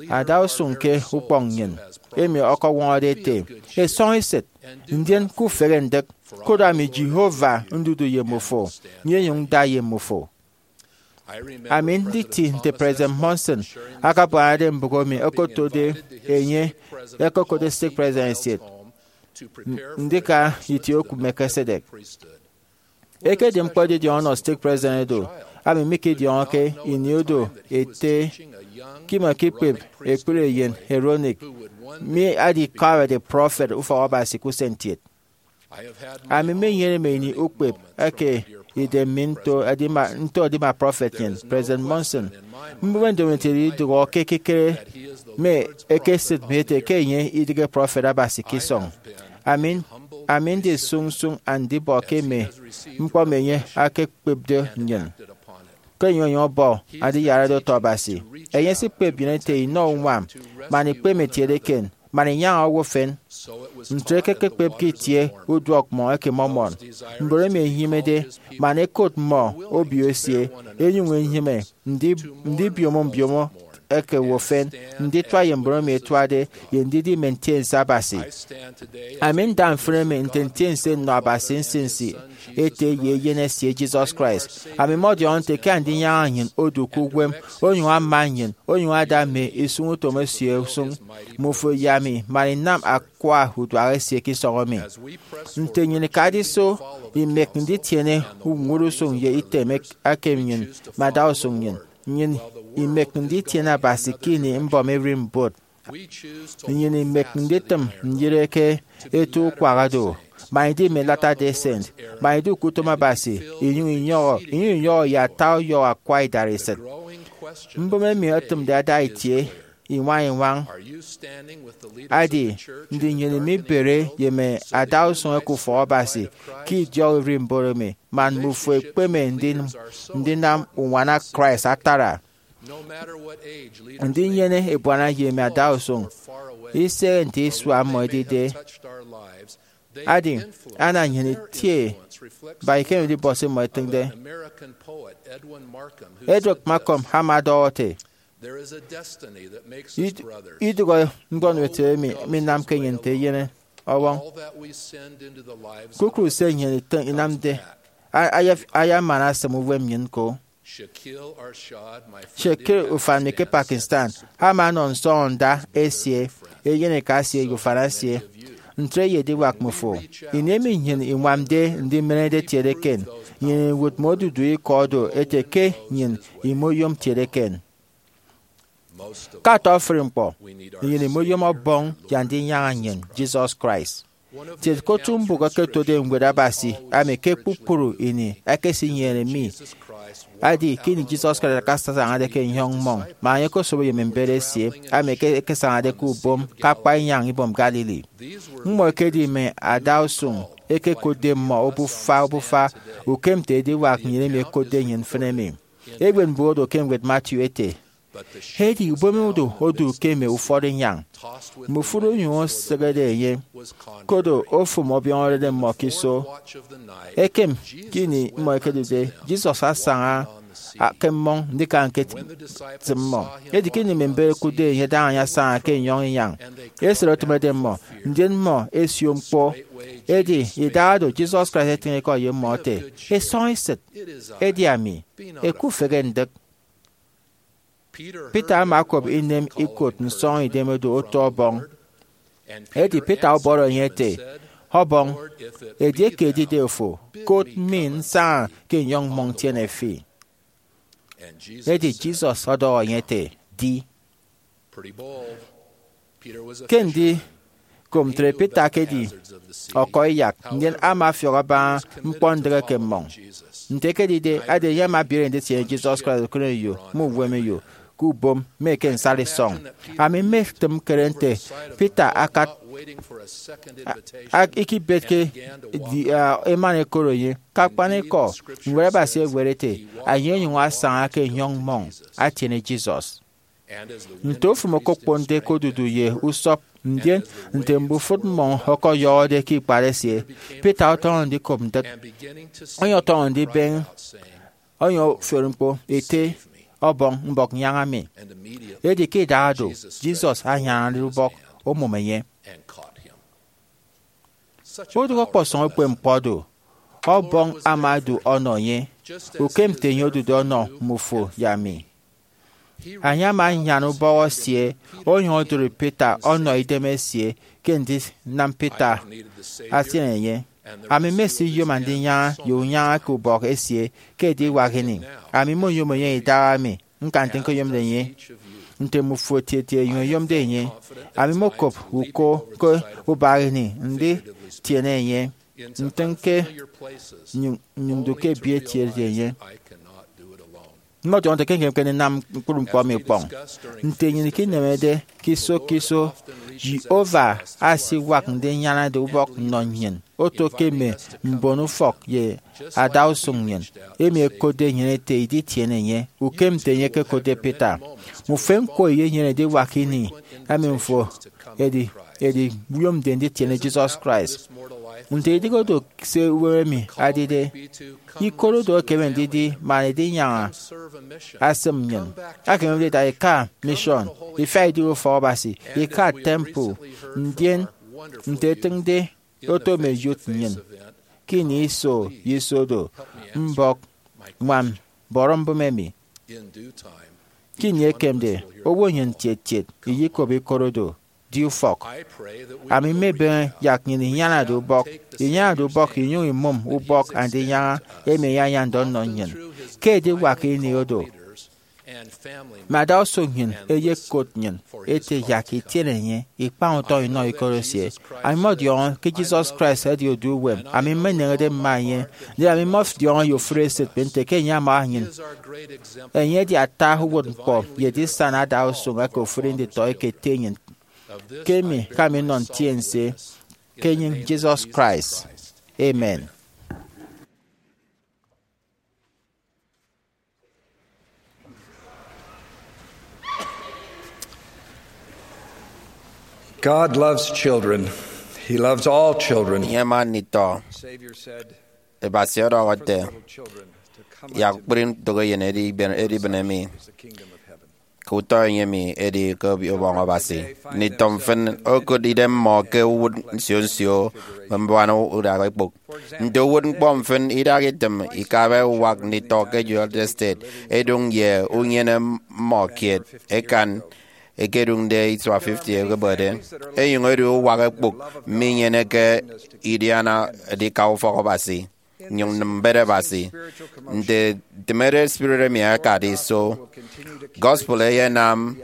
adausụñ ke ukpọñ nnyịn, emi ọkọñwọñọde ete, esọñ esịt, ndien kufehe ndịk, koro ami Jehovah ndudu ye mmịfo, nyenyụñ nda ye mmịfo. Ami nditi nte President Monson akabuanade mbụk emi okotode enye ekokụt stake president esie, ndika itie oku Melchizedek. Ekedi ñkpọ edidiọñ ọnọ stake president do, ami mikidiọñọke ini odo ete ke imekikpep ekpri eyen Aaronic mi adikọrede prọfet ufọk Abasi ke usen kiet. Ami mmenyene mme ini ukpep eke idem mi nto edima, nto edima prọfet nnyịn, President Monson. Mbụme ndomokiet idụhe ke ekikere mme ekesịt mi ete ke enye idịghe prọfet Abasi ke isọñ. Ami, ami ndi sụñsụñ andibọ ke mme ñkpọ emi enye akekpepde nnyịn. Ke enye onyụñ ọbọ andiyarade utọ Abasi, enye esikpep nnyịn ete inọ uñwam man ikpeme etiede eken, man inyaña owo efen. Ntre ke ẹkekpep ke itie uduọk mmọ eke Mormon, mbon emi ẹnyịmede man ẹkot mmọ obio esie, ẹnyụñ ẹnyịme ndi-, ndibiomo mbiomo eke owo efen, nditua ye mbon emi ẹtuade, ye ndidi Mme Ntiense Abasi. Ami nda mfịn emi nte ntiense nnọ Abasi nsinsi Ete ye Eyen esie Jesus Christ. Ami mmọdiọñọ nte ke Andinyaña nnyịn odu ke uwem, onyụñ ama nnyịn, onyụñ ada mme isụñutom esie usụñ, mmufo ye ami, man inam akwa uduak esie ke isọñ emi. Nte nnyịn ikade iso imek nditiene ñwụrusụñ ye item ek-, ekem nnyịn mme adausụñ nnyịn, nnyịn imek nditiene Abasi ke ini mbọm ererimbot. Nnyịn imek nditịm nyịre ke eto ukwak do, man idi mme Latter-day Saint, man idu ke utom Abasi, inyụñ inyọhọ, inyụñ inyọhọ ye ata uyọhọ akwa idareset. Mbụme emi ẹtịmde ada itie iñwañ-iñwañ adi, ndi nnyịn imibere ye mme adausụñ eke ufọk Abasi ke idiọk ererimbot emi, man mmufo ẹkpeme ndin-, ndinam uñwana Christ atara? Ndinyene ebuana ye mme adausụñ, isehe nte isua mmọ edide, adi, ana nnyịn itie ba ikemede ibọs mmọ itịñde. Edward Markham ama ọdọhọ ete, "Id-, idụhe ñkpọntịbe emi minamke nnyịn nte eyen ọwọñ. Kpukpru se nnyịn itịñ inamde a-, aya-, ayamana asịm uwem nnyịn ko." Shakil ufan mi ke Pakistan ama ọnọ nsọñọnda esie, eyeneka esie, ye ufan esie. Ntre ye ediwak mmifo, ini emi nnyịn iñwamde ndimenede etiede eken, nnyịn iwụt mme odudu ikọ do ete ke nnyịn imoyom etiede eken. Ke ata ofụri ñkpọ, nnyịn imoyom Ọbọñ ye Andinyaña nnyịn, Jesus Christ. Tiet ke otu mbụk ẹkotode Ñwed Abasi emi ke kpukpru ini ẹkesinyene mi Edi ke ini Jesus Christ akasañade ke enyọñ mmọñ, man enye okosobo ye mme mbet esie, emi ke ekesañade ke ubom ke akpa inyañ ibom Galilee. Mmọ ekedi mme adausụñ eke ekotde mmọ obufa obufa, ukem nte ediwak nnyịn emi ekotde nnyịn mfịn emi. Eñwen mbon odu ke ñwed Matthew ete, edi ubom odu odu ke mme ufọt inyañ, mme ofụri onyụñ osịghede enye, koro ofụm ọbiọñọrede mmọ ke iso. Ekem, ke ini mmọ ẹkedude, Jesus asaña ke mmọñ ndika ñketịm mmọ. Edi ke ini mme mbet ẹkụtde enye adaña enye asaña ke enyọñ inyañ, esịt otịmede mmọ, ndien mmọ ẹsio ñkpọ. Edi idaha do Jesus Christ etịñ ikọ ye mmọ ete, Isọñ esịt, edi ami, ẹkufehe ndịk. Peter ama okop inem ikot nsọñidem do oto Ọbọñ. Edi Peter ọbọrọ enye ete, Ọbọñ, edieke edide ofo, kot mi nsaña ke enyọñ mmọñ ntiene fi. Edi Jesus ọdọhọ enye ete, Di. Ke ndikop ntre, Peter ekedi ọkọiyak, ndien ama ọfiọk abaña ñkpọndịk eke mmọñ. Nte ekedide, adi enye ama ebiere nditiene Jesus Christ ke ukeneyo, mme uwemeyo, ke ubom, mme eke nsari isọñ. Ami mmetịm ñkere nte Peter akat ak- ikibetke di- a, emana ekot enye. Ke akpanikọ, Ñwed Abasi ewet ete, Enye onyụñ asaña ke enyọñ mmọñ atiene Jesus. Nte ofụm okokponde ke odudu ye usọp, ndien nte mbufụt mmọñ ọkọyọhọde ke ikpat esie, Peter ọtọñọ ndikop ndịk. Enye ọtọñọ ndibeñe, enye ofiori ñkpo, ete, Ọbọñ, mbọk nyaña mi. Edi ke idaha do, Jesus anyanade ubọk omụm enye. Odụk ọkpọsọñ ukpepñkpọ do, Ọbọñ ama odu ọnọ enye, ukem nte enye odude ọnọ mmufo ye ami. Enye ama anyan ubọk esie, onyụñ odụri Peter ọnọ idem esie ke ndinam Peter asian enye. Ami mmesiyom andinyaña ye unyaña ke ubọk esie ke ediwak ini. Ami mmoyom enye idaha mi ñka nte ñkoyomde enye, nte mmufo etieti enyụñ eyomde enye. Ami mmokop uko ke ubak ini nditiene enye, ntịñ ke nnyụñ ndu ke ebiet etieti enye. Mmọdiọñọ nte ke ñkemeke ndinam ñkpri ñkpọ emi ikpọñ. Nte nnyịn ikinemede ke iso ke iso, Jehovah asiwak ndinyanade ubọk nnọ nnyịn, oto ke mme mbonufọk ye adausụñ nnyịn, emi ẹkotde nnyịn ete iditiene enye, ukem nte enye ekekotde Peter. Mme ufen ñko ẹyenyene ediwak ini emi mfo edi ediyomde nditiene Jesus Christ. Nte idịghe do se uwem emi adide, ikot odo ekeme ndidi man edinyaña asịm nnyịn. Akememde ida ika mission, ifiak idighe ufọk Abasi, ika temple, ndien nte etịñde oto mme youth nnyịn. Ke ini iso ye iso do, mbọk, ñwam, bọrọ mbụme emi. Ke ini ekemde, owo nnyịn ntiet-tiet iyekop ikot odo, di ufọk. Ami mmebeñe yak nnyịn inyanade ubọk, inyanade ubọk inyụñ imụm ubọk Andinyaña emi enye anyande ọnọ nnyịn. Ke ediwak ini odo, mme adausụñ nnyịn ẹyekot nnyịn ẹte yak itiene enye, ikpañ utọñ inọ ikot esie. Ami mmọdiọñọ ke Jesus Christ edi odu uwem. Ami mmeneñede mma enye, ndien ami mmọdiọñọ ye ofụri esịt mi nte ke enye ama nnyịn. Enye edi ata uwụtñkpọ ye edisana adausụñ eke ofụri nditọ eke ete nnyịn. Ke emi ke ami nnọ ntiense ke enyịñ Jesus Christ. Amen. God loves children. He loves all children. Enye ama nditọ. Savior said, Abasi ọdọhọ ete, Little children, to come yak unto me, kpri ntụk eyen edibịn, edibịn emi, is the kingdom of heaven. Ke utọ enye emi edi ke ubọñ Abasi. Nditọ mfịn okụt idem mmọ ke uwụt nsio nsio mme mbuana udak ekpụk. Nte uwụtñkpọ mfịn, idaha itịm ikabe uwak nditọ ke United States ẹdụñ ye unyene mmọ kiet ẹkan ẹkedụñde isua fifty ẹkebede, ẹnyụñ ẹdu uwak ekpụk minyeneke idiana edika ufọk Abasi, nnyụñ nnịm mbet Abasi. Nte ntịmede spirit emi akade iso, gospel eyenam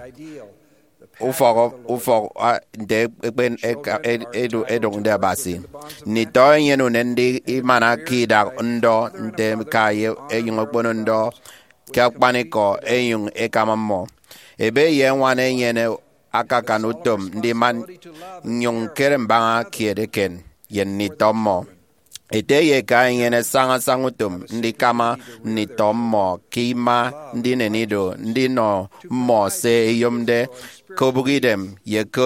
ufọk, ufọk, a, nte ekpen eka, ed, edu, edụñde Abasi. Nditọ enyene unen ndi imana ke idak ndọ, nte ka ye enyịñ okpono ndọ, ke akpanikọ ẹnyụñ ẹkama mmọ. Ebe ye ñwan ẹnyene akakan utom ndima nnyụñ ñkere mbaña kiet eken ye nditọ mmọ. Ete ye eka ẹnyene sañasaña utom ndikama nditọ mmọ ke ima, ndinen ido, ndinọ mmọ se ẹyomde ke obụkidem ye ke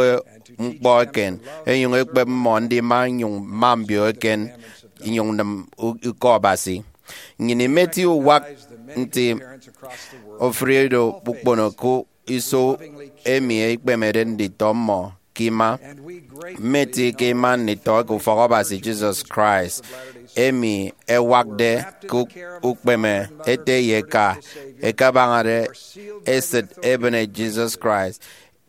ñkpọ eken, ẹnyụñ ẹkpep mmọ ndima nnyụñ mma mbio eken nnyụñ nnịm u-, ikọ Abasi. Nnyịn imeti uwak nti ofụri ido ukpono ke iso emi ikpemede nditọ mmọ ke ima. Mmeti ke ima nditọ ke ufọk Abasi Jesus Christ, emi ẹwakde ke ukpeme ete ye eka ẹkabañade esịt ebịne Jesus Christ,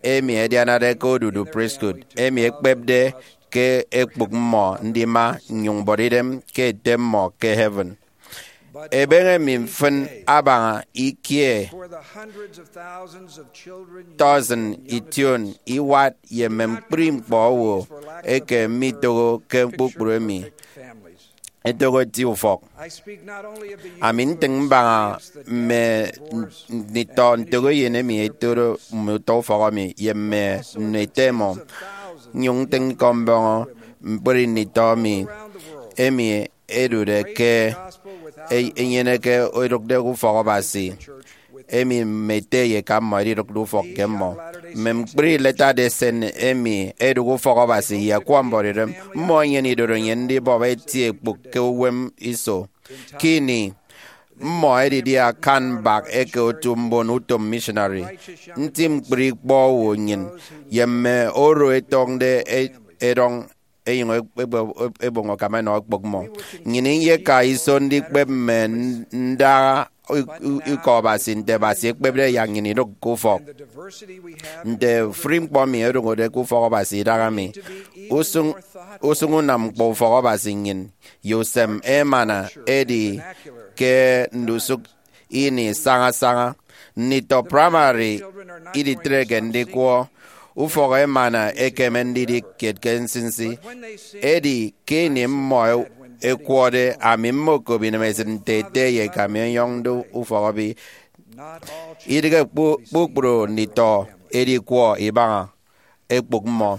emi ẹdianade ke odudu priesthood, emi ẹkpepde ke ekpụk mmọ ndima nnyụñ bọt idem ke Ete mmọ ke heaven. Ebeñe mi mfịn abaña ikie tọsịn ition iwat ye mme ñkpri ñkpọ owo eke mitoho ke kpukpru emi ẹtoho eti ufọk. Ami ntịñ mbaña mme nditọ ntoho eyen emi ẹtode mme utọ ufọk emi ye mme nnọ ete ẹmọ, nnyụñ ntịñ ikọ mbọñọ ñkpri nditọ mi emi ẹdude ke e-, ẹnyeneke idụkde ke ufọk Abasi, emi mme ete ye eka mmọ ẹdidụkde ufọk ke mmọ. Mme ñkpri Latter-day Saint emi ẹdụk ufọk Abasi ye akwa mbuọtidem, mmọ ẹnyene idorenyin ndibọp eti ekpụk ke uwem iso. Ke ini mmọ ẹdidi akan mbak eke otu mbon utom missionary, nti ñkpri ikpọ owo nnyịn ye mme oro ẹtọñde e-, ẹdọñ ẹnyụñ ẹboño akam ẹnọ ekpụk mmọ. Nnyịn iyeka iso ndikpep mme ndaha ikọ Abasi nte Abasi ekpepde yak nnyịn idụk ke ufọk. Nte ofụri ñkpọ mi odụñọde ke ufọk Abasi idaha mi, usụñ, usụñ unam ñkpọ ufọk Abasi nnyịn ye usem emana edi ke ndusụk ini sañasaña. Nditọ praimari iditreke ndikwọ ufọk emana ekeme ndidi kiet ke nsinsi. Edi ke ini mmọ e-, ekwọde, ami mmokop inemesịt nte ete ye eka mi ọyọñde ufọk ebe. Idịghe kpu-, kpukpru nditọ edikwọ ibaña ekpụk mmọ.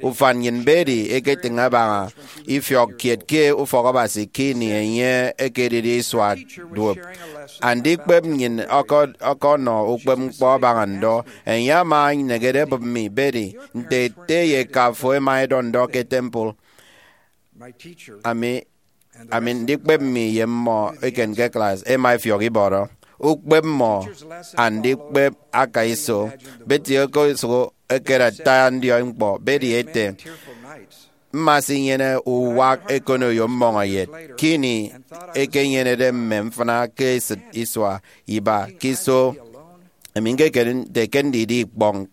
Ufan nnyịn Betty eketịñ abaña ifiọk kiet ke ufọk Abasi ke ini enye ekedide isua duop. Andikpep nnyịn ọkọ-, ọkọnọ ukpepñkpọ abaña ndọ. Enye ama enegede ebịp mi, Betty, nte ete ye eka fo ẹma ẹdọ ndọ ke temple. Ami, ami ndikpep mi ye mmọ eken ke klas ẹma ẹfiọk ibọrọ. Ukpep mmọ andikpep aka iso. Betty okosụk ekere ata ndiọi ñkpọ. Betty ete, mma sinyene uwak ekonoyo mmọñeyet ke ini ekenyenede mme mfịna ke esịt isua iba ke iso. Ami ñkekere nte ke ndidi ikpọñ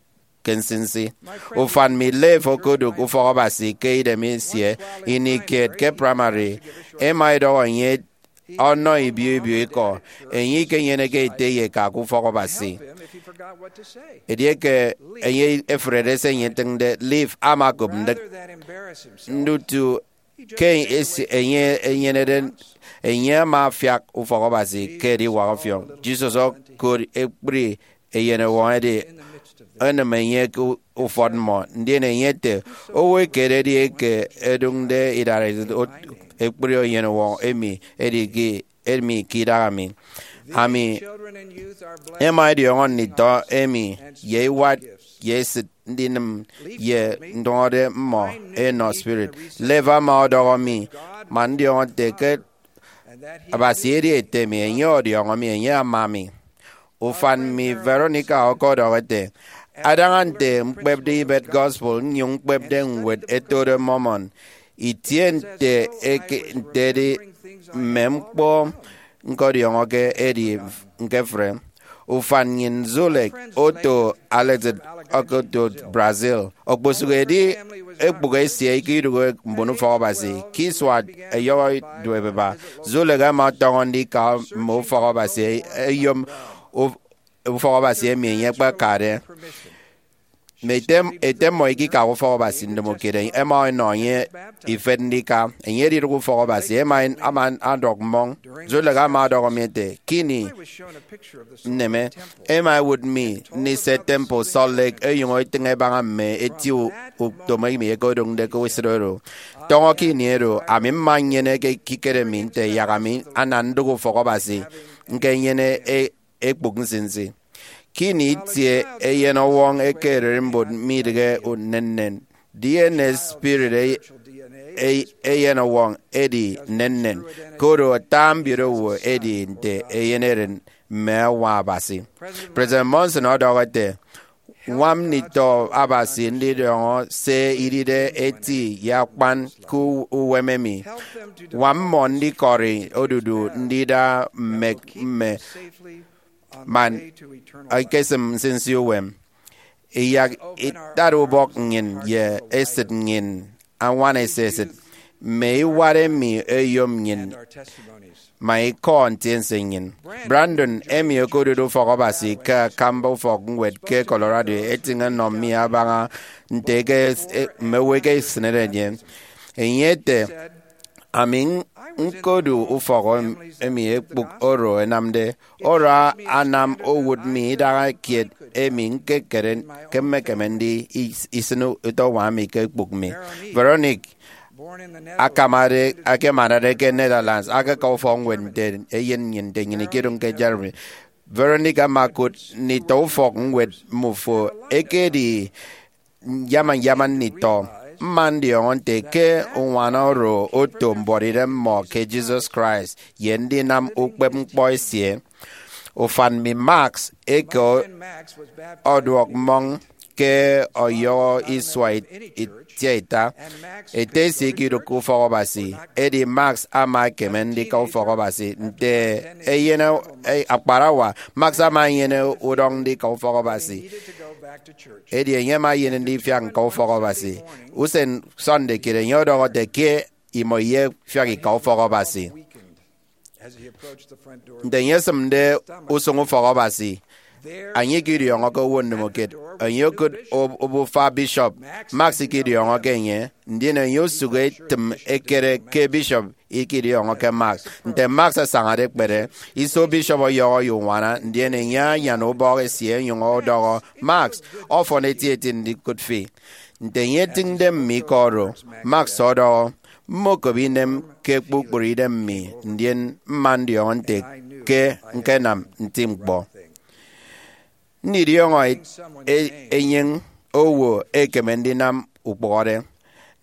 ke nsinsi. Ufan mi Leif okodụk ufọk Abasi ke idem esie ini kiet ke praimari. Ẹma ẹdọhọ enye ọnọ ibio ibio ikọ. Enye ikenyeneke ete ye eka ke ufọk Abasi. Edieke enye efrede se enye etịñde, Leif ama okop ndịk. Ndutu ke esi-, enye enyenede, enye ama afiak ufọk Abasi ke ediwak ọfiọñ. Jesus okot ekpri eyenọwọñ edi enịm enye ke ufọt mmọ, ndien enye ete, owo ekededi eke ẹdụñde idaresit ot-, ekpri eyenọwọñ emi edi ke, emi ke idaha mi. Ami ẹma ẹdiọñọ nditọ emi ye iwat ye esịt ndinịm ye ndụñọde mmọ ẹnọ spirit. Leif ama ọdọhọ mi, man ndiọñọ nte ke Abasi edi Ete mi, enye ọdiọñọ mi, enye ama mi. Ufan mi Veronica ọkọdọhọ ete, adaña nte ñkpepde ibet gospel nnyụñ ñkpepde ñwed ẹtode Mormon, itie nte eke, nte edi mme ñkpọ ñkọdiọñọke edi ñkefre. Ufan nnyịn Zulek oto Alexander okoto Brazil. Okposụk edi ekpụk esie eke idụhe mbon ufọk Abasi. Ke isua ẹyọhọ duop ẹba, Zulek ama ọtọñọ ndika mme ufọk Abasi ẹyom uf-, ufọk Abasi emi enye akpakade. Mme ete, ete mmọ ikika ufọk Abasi ndomokiet, ẹma ẹnọ enye ifet ndika. Enye edidụk ufọk Abasi, ẹma ama ọdọk mmọñ. Zulek ama ọdọhọ mi ete, ke ini nneme, ẹma ẹwụt mi ndise Temple Salt Lake ẹnyụñ ẹtịñ ẹbaña mme eti u-, utom emi ẹkedụñde ke esịt oro. Tọñọ ke ini oro, ami mma nnyene ekikere mi nte yak ami ana ndụk ufọk Abasi, ñkenyene e-, ekpụk nsinsi. Ke ini itie eyenọwọñ eke ererimbot midịghe nnennen, D N A spirit e-, e-, eyenọwọñ edi nnennen, koro ata mbiodo owo edi nte eyeneren mme añwa Abasi. President Monson ọdọhọ ete, ñwam nditọ Abasi ndidiọñọ se idide eti ye akpan ke u-, uwem emi. Ñwam mmọ ndikọri odudu ndida mme, mme man ekesịm nsinsi uwem. Iyak itat ubọk nnyịn ye esịt nnyịn añwana esisịt, mme iwat emi ẹyom nnyịn, ma ikọ ntiense nnyịn. Brandon, emi okodude ufọk Abasi ke akamba ufọk ñwed ke Colorado, etịñ ẹnọ mi abaña nte eke, e, mme owo ẹkesịnede enye. Enye ete, ami ñkodu ufọk em-, emi ekpụk oro ẹnamde. Oro anam owụt mi idaha kiet emi ñkekere ke mmekeme ndi is-, isịn utọ uñwam mi ke ekpụk mi. Veronique, akamade, akemanade ke Netherlands, akaka ufọkñwed nte eyen nnyịn nte nnyịn ikidụñ ke Germany. Veronique ama okụt nditọ ufọk ñwed mmufo ẹkedi nyama nyama nditọ. Mma ndiọñọ nte ke uñwana oro oto mbuọtidem mmọ ke Jesus Christ ye ndinam ukpepñkpọ esie. Ufan mi Max eke ọ-, ọduọk mmọñ ke ọyọhọ isua it-, itiaita. Ete esie ikidụkke ufọk Abasi, edi Max ama ekeme ndika ufọk Abasi. Nte eyen e-, akparawa, Max ama enyene udọñ ndika ufọk Abasi. Edi enye ama enyene ndifiak ñka ufọk Abasi. Usen Sunday kiet enye ọdọhọ ete ke imọ iyefiak ika ufọk Abasi. Nte enye esịmde usụñ ufọk Abasi, enye ikidiọñọ ke owo ndomokiet. Enye okụt o-, obufa bishop. Max ikidiọñọ ke enye, ndien enye osụk etịm ekere ke bishop ikidiọñọ ke Max. Nte Max asañade ekpere, iso bishop ọyọhọ ye uñwana, ndien enye anyan ubọk esie onyụñ ọdọhọ, Max, ọfọn etieti ndikụt fi. Nte enye etịñde mme ikọ oro, Max ọdọhọ, mmokop inem ke kpukpru idem mi, ndien mma ndiọñọ nte ke ñkenam nti ñkpọ. Ndidiọñọ e-, e-, enyịñ owo ekeme ndinam ukpụhọde.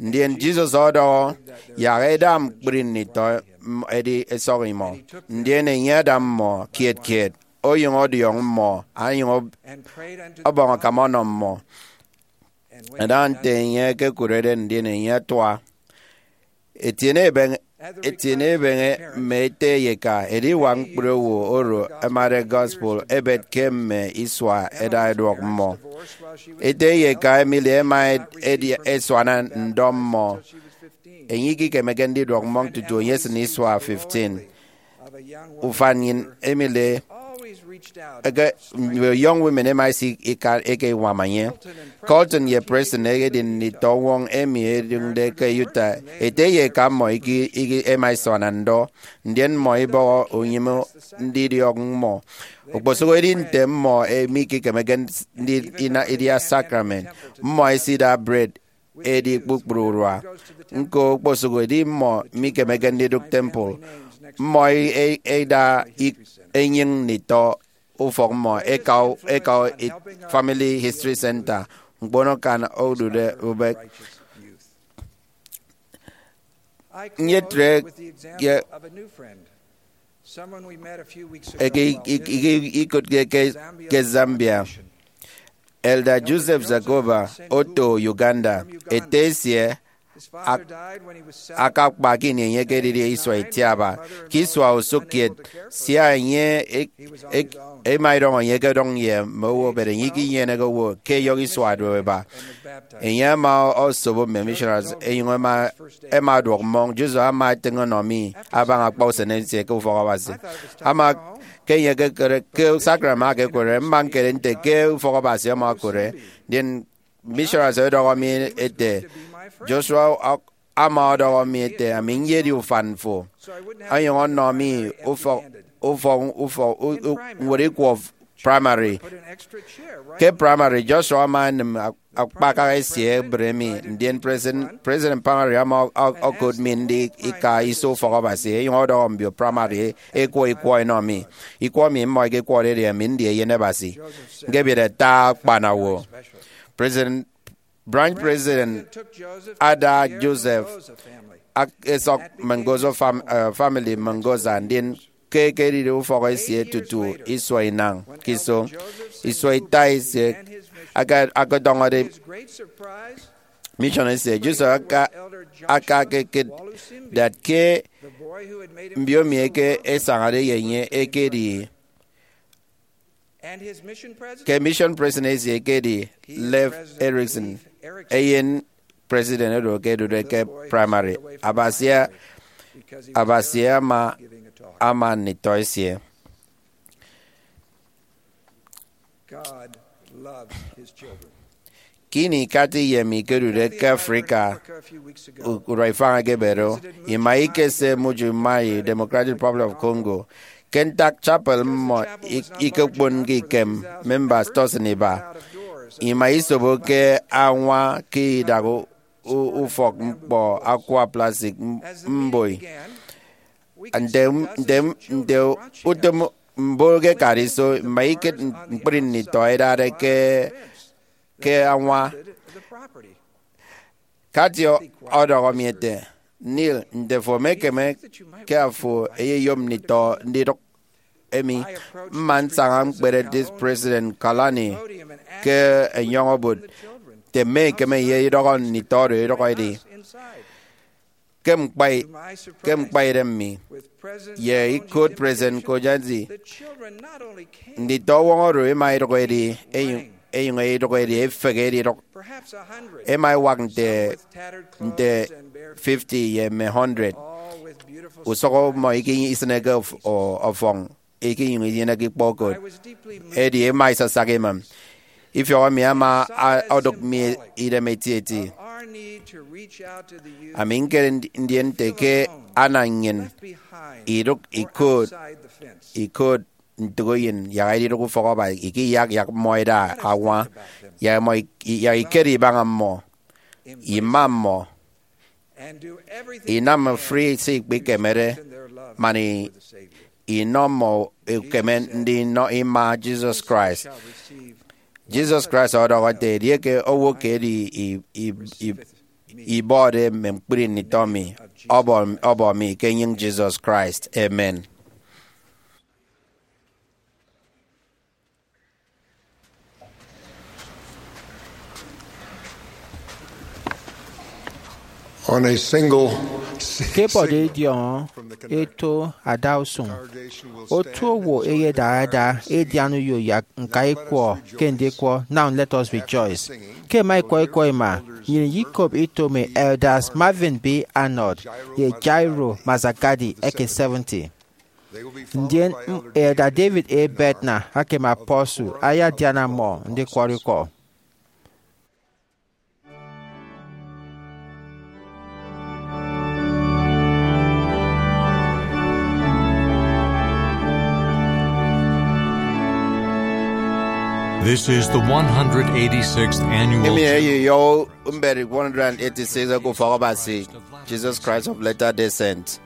Ndien Jesus ọdọhọ, yak ẹda ñkpri nditọ m-, ẹdi ẹsọk imọ. Ndien enye ada mmọ kiet kiet, onyụñ ọdiọñ mmọ, onyụñ ọb-, ọbọñ akam ọnọ mmọ. Ẹda nte enye ekekụrede, ndien enye atua. Etiene ebeñe, etiene ebeñe mme ete ye eka ediwak ñkpri owo oro ẹmade gospel ẹbet ke mme isua ẹda ẹduọk mmọ. Ete ye eka Emily ẹma ed-, edi ẹsuana ndọ mmọ. Enye ikikemeke ndiduọk mmọñ tutu enye esịn isua fifteen. Ufan nnyịn Emily eke, Young Women ẹma ẹsika eke iñwam enye. Colton ye Preston ẹdi nditọ uñwọñ emi ẹdụñde ke Utah. Ete ye eka mmọ iki, iki, ẹma ẹsuana ndọ, ndien mmọ ibọhọ unyịme ndidiọk mmọ. Okposụkedi nte mmọ mikikemeke ndi, ina, idia sacrament, mmọ ẹsida bred edi kpukpru urua. Ñko, okposụkedi mmọ mikemeke ndidụk temple, mmọ e-, e-, ẹda ik-, enyịñ nditọ ufọk mmọ ẹka, ẹka Family History Center, ñkpono kan odude ubek. Nyetre ke eke ik-, ik-, ik-, ikụtke ke, ke Zambia. Elder Joseph Zagoba oto Uganda, ete esie ak-, akakpa ke ini enye ekedidi isua itiaba. Ke isua usụkkiet, sia enye ek-, ek-, ema idọñọ enye ke edọñ ye mme owo, but enye ikinyeneke owo ke eyọk isua duop eba. Enye ama osobo mme missionaries, enyụñ ema, ema ọduọk mmọñ. Joseph ama etịñ ọnọ mi abaña akpa usen esie ke ufọk Abasi. Ama ke enye ekekere ke sacrament ama ekekwere, mma ñkere nte ke ufọk Abasi ama okụre, ndien Missionaries ọdọhọ mi ete, Joshua ama ọdọhọ mi ete, ami nyedi ufan fo, onyụñ ọnọ mi ufọk ufọk ufọk u- u- ñwed ikwọ primary. Ke primary, Joshua ama enịm akpakaha esie ebre mi, ndien president, president primary ama ọ- ọ- okot mi ndi ika iso ufọk Abasi, enyụñ ọdọhọ mbio primary ekwọ ikwọ enọ mi. Ikwọ mi mmọ ẹkekwọde edi Ami Ndi Eyen Abasi, Ñkebiet Ata Akpana Owo. President, branch president ada Joseph ak- esọk Mengoza fam- eh, family Mengoza, ndien ke ekedide ufọk esie tutu isua inañ ke iso, isua ita esie aka- akatọñọde mission esie, Joseph aka aka ekekịt that ke mbiomi eke esañade ye enye ekedi ke mission president esie ekedi Leif Erickson, eyen president oro ke edude ke primary. Abasi, Abasi ama ama nditọ esie. Ke ini Kathy ye mi ikedude ke Africa, u- urua ifañ ekebede, ima ikese Mbuji-Mayi, Democratic Republic of Congo. Ke ntak chapel mmọ ik- ikekponke ikem members tọsịn iba, ima isobo ke añwa ke idak u- u- ufọk ñkpọ akwa plastic m- mboi. Nte nte nte utom mbon ke kadiso, ima ikịt ñkpri nditọ ẹdade ke ke añwa. Kathy ọdọhọ mi ete, Neil, nte afo emekeme ke afo eyeyom nditọ ndidụk emi? Mma nsaña ñkpere Dis- President Kalani ke enyọñ-obot nte mme ikeme ye idọhọ nditọ oro idụk edi. Ke ñkpai ke ñkpaidem mi, ye ikot President Kojanzi, nditọ uwọñ oro ẹma ẹdụk ẹdi, ẹnyụñ ẹdụk ẹdi, ẹfehe ẹdidụk. Ẹma ẹwak nte nte fifty ye mme hundred. Usụk mmọ ikenyịn isịneke ọfọñ, ikenyụñ inyeneke ikpọ okot, edi ẹma ẹsasak emem. Ifiọk emi ama odụk mi idem etieti. Ami ñkere ndien nte ke ana nnyịn idụk ikot ikot ntụk eyen yak edidụk ufọk Abasi, ikeyak yak mmọ ẹda añwa, yak mmọ yak ikere ibaña mmọ, ima mmọ, inam free se ikpikemede, man inọ mmọ ukeme ndinọ ima Jesus Christ. Jesus Christ ọdọhọ ete, edieke owo ke edi ibọde mme ñkpri nditọ mi, ọbọ mi ke enyịñ Jesus Christ. Amen. On a single ke ebọde ediọñọ eto adausụñ, otu owo eyedara ada edian uyo yak ñka ikwọ ke ndikwọ Now Let Us Rejoice. Ke ẹma ẹkwọ ikwọ ima, nnyịn iyikop ito mme Elders Marvin B. Arnold ye Jairo Mazagadi eke seventy. Ndien Elder David A. Bednar ake mme apostle ayadiana mmọ ndikwọrọ ikọ. This is the one hundred eighty-sixth annual Emi eyo mberi one hundred eighty-six eke Ufọk Abasi Jesus Christ of Latter-day Saints.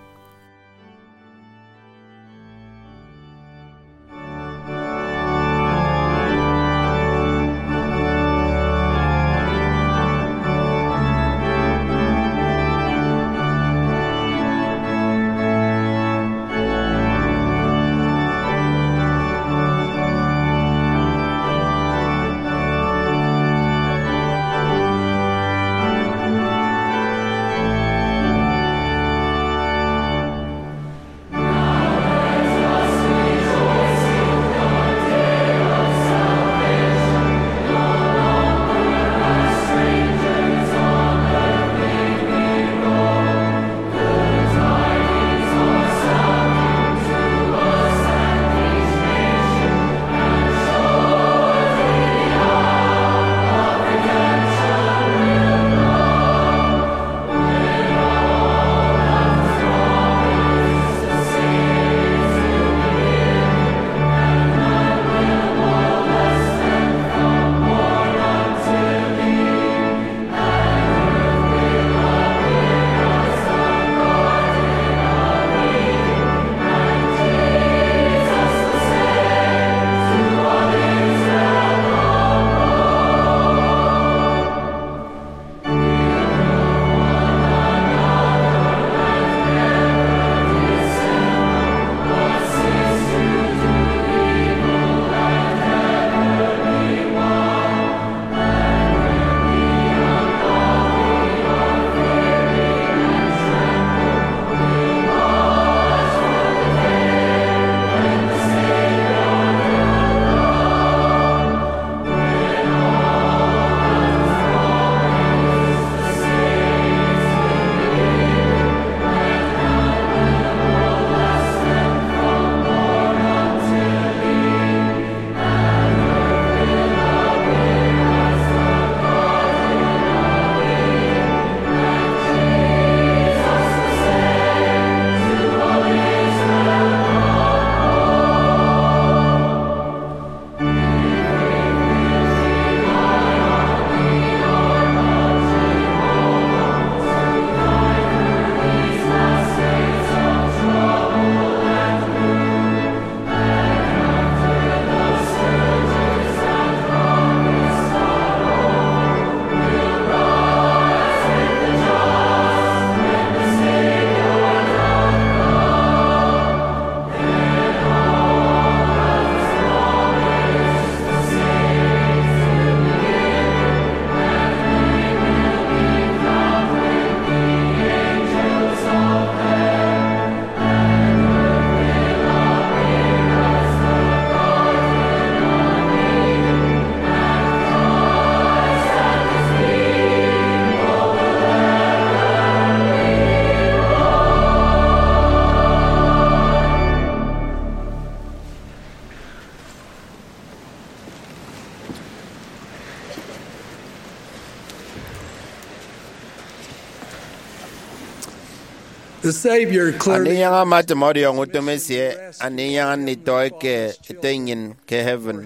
The Savior clearly Andinyaña amatịm ọdiọñ utom esie andinyaña nditọ eke Ete nnyịn ke heaven,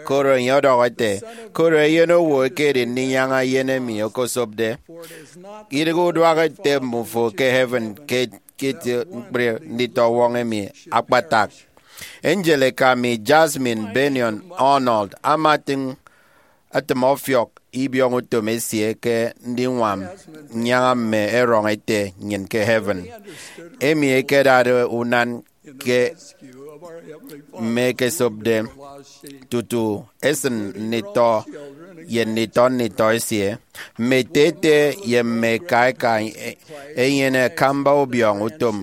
koro enye ọdọhọ ete, koro Eyen Owo ekedi ndinyaña eyen emi okosopde. Idịghe uduak Ete mmufo ke heaven ke, ke eti ñkpri nditọwọñ emi akpatak. Angel eka mi, Jasmine Bennion Arnold, ama atịñ atịm ọfiọk ibiọñ utom esie ke ndiñwam nnyaña mme erọñ Ete nnyịn ke heaven, emi ẹkedade unan ke mme ẹkesopde, tutu ẹsịn nditọ ye nditọ nditọ esie. Mme ete ete ye mme eka eka ẹnyene akamba ubiọñ utom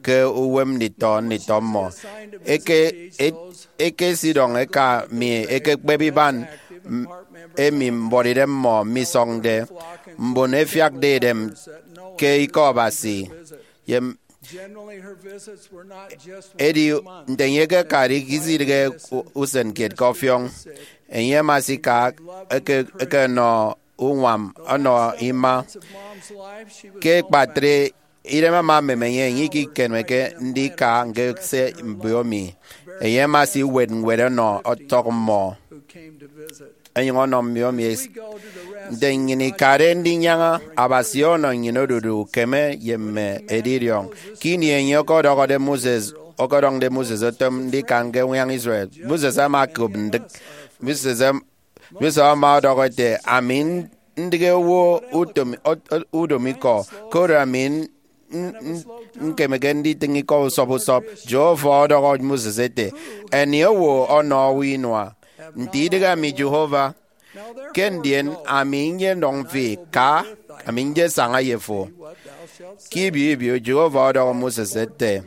ke uwem nditọ nditọ mmọ. Eke, e-, ekesidọñ eka mi ekekpep iban, m-, emi mbuọtidem mmọ misọñde, mbon ẹfiakde idem ke Ikọ Abasi, ye m-, Generally, her visits were not just edi once a month. Nte enye ekekade isidịghe u-, usen kiet ke ọfiọñ. Enye ama asika eke, ekenọ uñwam ọnọ ima. Ke ekpatre, idem ama emem enye, enye ikikemeke ndika ñkese mbiomi. Enye ama asiwet ñwed ọnọ ọtọk mmọ, enyụñ ọnọ mbiomi. Nte nnyịn ikade ndinyaña, Abasi ọnọ nnyịn odudu ukeme ye mme edidiọñ. Ke ini enye ọkọdọhọde Moses, ọkọdọñde Moses otom ndika ñke uñwañ Israel, Moses ama okop ndịk. Moses em-, Moses ama ọdọhọ ete, ami n-, ndịghe owo utom, o-, o-, udomo ikọ, koro ami n-, n-, n-, ñkemeke nditịñ ikọ usọp usọp. Jehovah ọdọhọ Moses ete, eni owo ọnọ owo inua, nte idịghe ami Jehovah? Ke ndien ami nyedọñ fi, ka, ami nyesaña ye fo. Ke ibio ibio, Jehovah ọdọhọ Moses ete,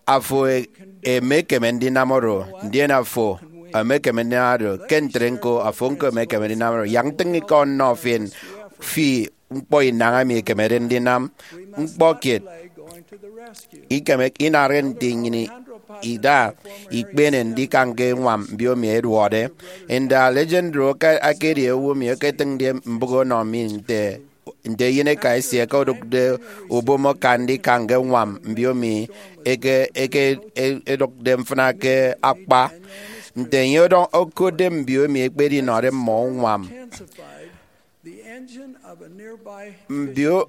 afo e-, emekeme ndinam oro, ndien afo emekeme ndinam oro, ke ntre ñko, afo ñko emekeme ndinam oro. Yak ntịñ ikọ nnọ fi, fi ñkpọ inañ emi ekemede ndinam ñkpọ kiet. Ikeme inarre nte nnyịn ida ikpene ndika ñke ñwam mbiomi ẹduọkde. Nda Alejandro aka-, akedi owo emi eketịñde mbụk ọnọ mi nte, nte eyeneka esie eke odụkde ubom aka ndika ñke ñwam mbiomi eke, eke e-, edụkde mfịna ke akpa. Nte enye ọdọñ-, okotde mbiomi ekpedinọde mmọ uñwam. Mbio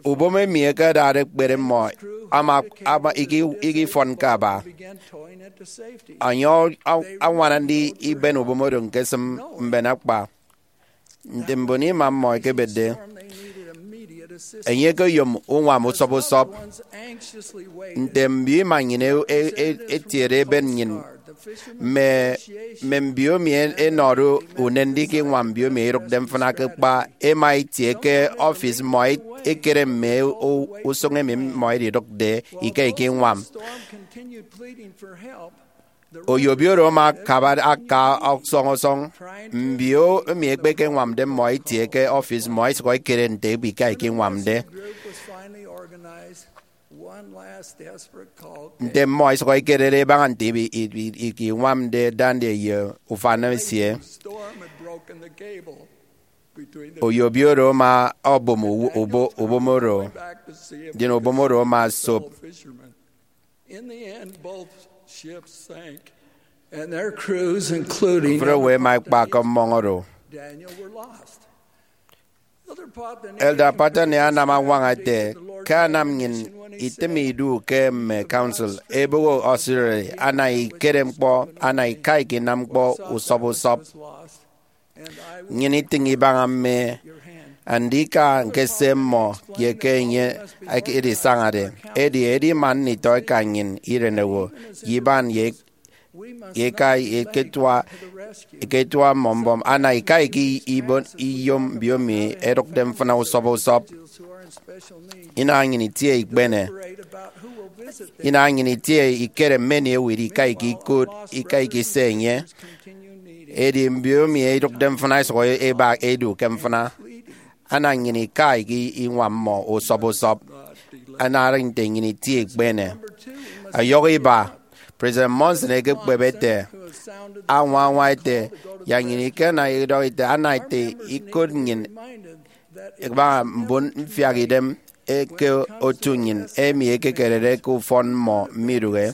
ubom emi ẹkedade ẹkpere mmọ ama, ama iki-, ikifọn ke aba. Enye ọ-, añwana ndi iben ubom oro ñkesịm mben akpa. Nte mbon ima mmọ ẹkebetde, enye ekeyom uñwam usọp usọp. Nte mbio ima nnyịn e-, e-, e-, etiede eben nnyịn, mme, mme mbiomi ẹnọde unen ndika iñwam mbiomi idụkde mfịna ke kpa, ẹma ẹtie ke ọfis mmọ, ẹkere mme u-, usụñ emi mmọ ẹdidụkde ika ikiñwam. Oyobi oro ama akaba aka ọsọñ ọsọñ. Mbio emi ẹkpekeñwamde mmọ ẹtie ke ọfis mmọ, ẹsụk ẹkere nte ika ikiñwamde. Nte mmọ ẹsụk ẹkerede ẹbaña nte ibi-, ibi-, ikiñwamde Daniel ye ufan esie. Oyobi oro ama ọbom u-, ubo-, ubom oro, ndien ubom oro ama sop. Mfre owo ẹma ẹkpa ke mmọñ oro. Elder Patton anam añwaña ete, ke anam nnyịn itịm idu ke mme council, eboho auxiliary, ana ikere ñkpọ, ana ika ikinam ñkpọ usọp usọp. Nnyịn itịñ ibaña mme andika ñkese mmọ ye ke enye edisañade. Edi, edi man nditọ eka nnyịn, irenowo, ye iban ye ye eka eketua, eketua mmọ mbọm, ana ika eke ibon iyom mbiomi ẹdụkde mfịna usọp usọp. Inaha nnyịn itie ikpene. Inaha nnyịn itie ikere mme emi ewet ika eke ikot, ika eke ise enye. Edi mbiomi idụkde mfịna ẹsụk ẹba edu ke mfịna. Ana nnyịn ika eke iñwam mmọ usọp usọp. Ana nte nnyịn itie ikpene. Ọyọhọ iba, President Monson ekekpep ete, añwa añwa ete, yak nnyịn ikena idọhọ ete, ana ete ikot nnyịn Ẹbaña mbon mfiak idem eke otu nnyịn emi ẹkekerede ke ufọn mmọ midụhe.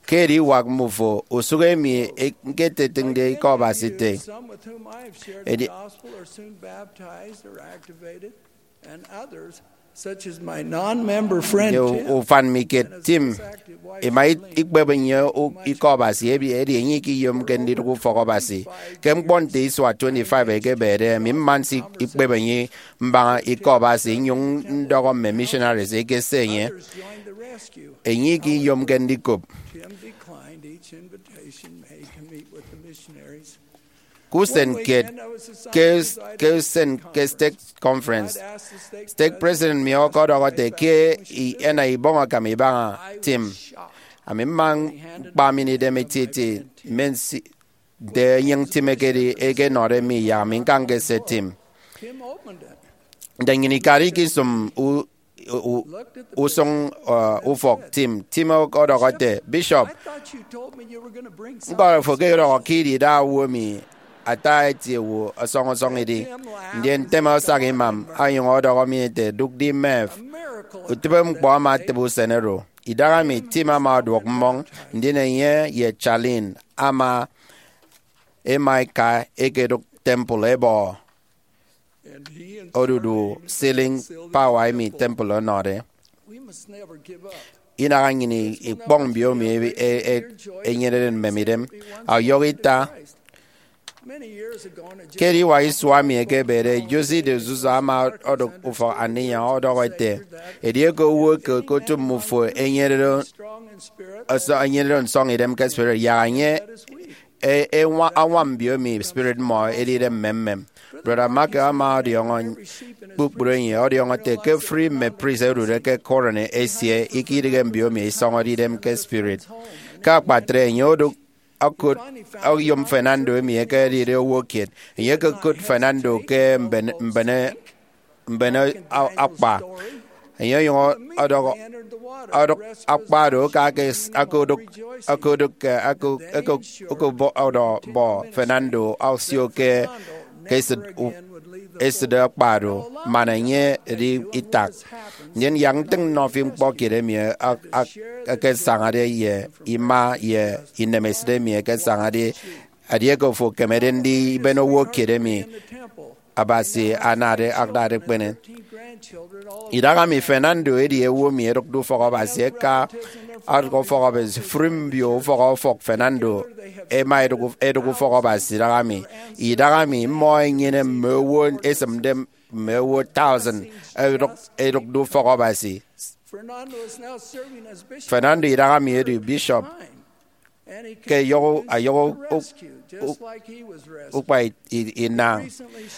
Ke ediwak mmufo usụk emi ñketetịñde Ikọ Abasi ete, edi- Such as my non-member friend ye Tim. Ufan mi kiet Tim ima ikpep enye Ikọ Abasi, edi enye ikiyomke ndidụk ufọk Abasi. Ke ñkpọ nte isua twenty-five ekebede, ami mma nsi ikpep enye mbaña Ikọ Abasi, nnyụñ ndọhọ mme missionaries eke se enye, enye ikiyomke ndikop. Tim declined each invitation made to meet with the missionaries. Ke usen kiet, ke, ke usen ke stake conference, stake president mi ọkọdọhọ ete ke i- ena ibọñ akam ibaña Tim. Ami mma ñkpa mi idem etieti, mme nsi nte enyịñ Tim ekedi ekenọde mi, yak ami ñkanke se Tim. Tim opened it. Nte nnyịn ikade ikisụm u- u- usụñ, uh, ufọk Tim, Tim ọdọhọ ete, Bishop, I thought you told me you were going to bring ñkọrọ fo ke ọdọhọ ke idida owo emi ata eti owo ọsọñ ọsọñ idi. Ndien Tim asak imam, onyụñ ọdọhọ mi ete, Dụk di Merv, utịbe ñkpọ ama atịbe usen oro. Idaha emi Tim ama ọduọk mmọñ, ndien enye ye Charlene ama ema eka ekedụk temple ebọ odudu ceiling power emi temple ọnọde. Inaha nnyịn ikpọñ mbiomi e- e- enyenede mmemidem. Ọyọhọ ita, ke ediwak isua emi ekebede, José de Souza ama odụk ufọk aniñyaña ọdọhọ ete, Edieke owo eke ke otu mmufo enyenede nsọñ idem ke spirit, yak enye e- eñwa- añwam mbiomi spirit mmọ edide mmemmem. Brother Mark ama ọdiọñọ kpukpru enye ọdiọñọ ete ke ofụri mme priest ẹdude ke Quran esie ikidịghe mbiomi isọñọde idem ke spirit. Ke akpatre, enye odụk okụt oyom Fernando emi ekedide owo kiet. Enye ekekụt Fernando ke mbene mbene akpa. Enye onyụñ ọdọhọ ọdụk akpa oro aka ke akodụk akodụk ke okobọ Fernando osio ke esịt akpa oro man enye edi itak. Ndien yak ntịñ nnọ fi ñkpọ kiet emi ẹkesañade ye ima ye inemesịt emi ẹkesañade edieke ofo ekemede ndiben owo kiet emi Abasi anade adade ekpene. Idaha mi Fernando edi owo emi ẹdụkde ufọk Abasi ẹka. Ọdụk ufọk Abasi, ofụri mbio ufọk ọfọk Fernando ẹma ẹdụk ufọk Abasi idaha mi. Idaha mi mmọ ẹnyene mme owo ẹsịmde mme owo thousand ẹdụkde ufọk Abasi. Fernando idaha mi edi bishop ke ọyọhọ ukpa inañ.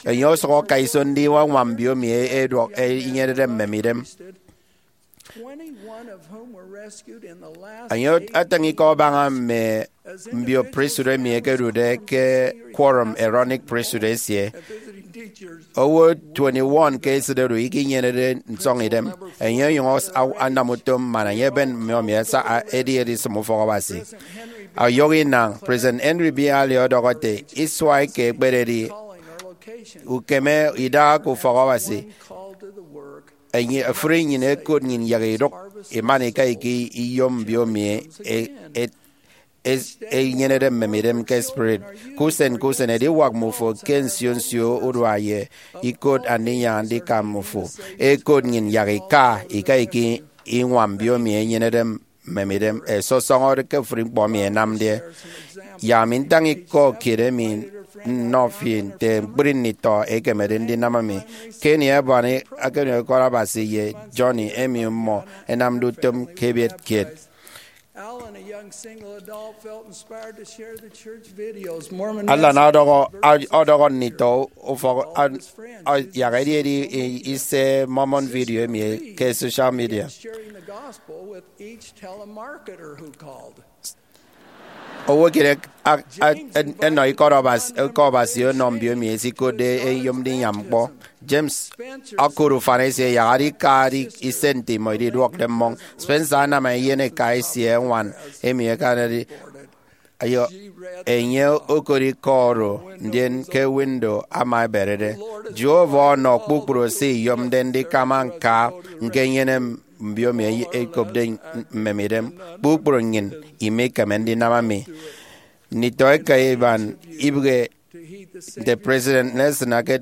Enye osụk ọka iso ndiñwam mbio emi ẹduọk inyenede mmemidem. Enye etịñ ikọ abaña mme mbio priesthood emi ẹkedude ke Quorum Aaronic Priesthood esie. Owo twenty-one ke esịt oro ikinyenede nsọñidem, enye onyụñ anam utom man enye eben mbiomi edi edisịm ufọk Abasi. Ọyọhọ inañ, President Henry B. Alley ọdọhọ ete, Isua eke ekpededi ukeme idaha ke ufọk Abasi, ofụri nnyịn ẹkot nnyịn yak idụk iman ika ika iyom mbiomi enyenede mmemidem ke spirit. Ke usen ke usen, ediwak mmufo ke nsio nsio urua ye ikot aniñyaña ndika mmufo. Ẹkot nnyịn yak ika ika ika iñwam mbiomi enyenede mmemidem ẹsọsọñọde ke ofụri ñkpọ emi ẹnamde. Yak ami ntañ ikọ kiet emi nnọ fi nte ñkpri nditọ ẹkemede ndinam mi. Kenny Ebony, akani Ikọ Abasi, ye Johnny emi mmọ ẹnamde utom ke ebiet kiet. Alan ọdọhọ ọdọhọ nditọ ufọk yak ẹdi ẹdi ise Mormon video emi ke social media. Owo kiet ẹnọ Ikọ Abasi ọnọ mbiomi ẹsikotde ẹyom ndiñwam ñkpọ. James okụt ufan esie yak adika ise nte imọ ididuọkde mmọñ. Spencer anam eyen eka esie ñwan emi akanade Enye okot ikọ oro, ndien ke window ama eberede. Jehovah ọnọ kpukpru se iyomde ndikama ñka ñkenyene mbiomi ekopde mmemidem. Kpukpru nnyịn imikeme ndinam mi. Nditọeka iban ibịghi nte President Nelson eke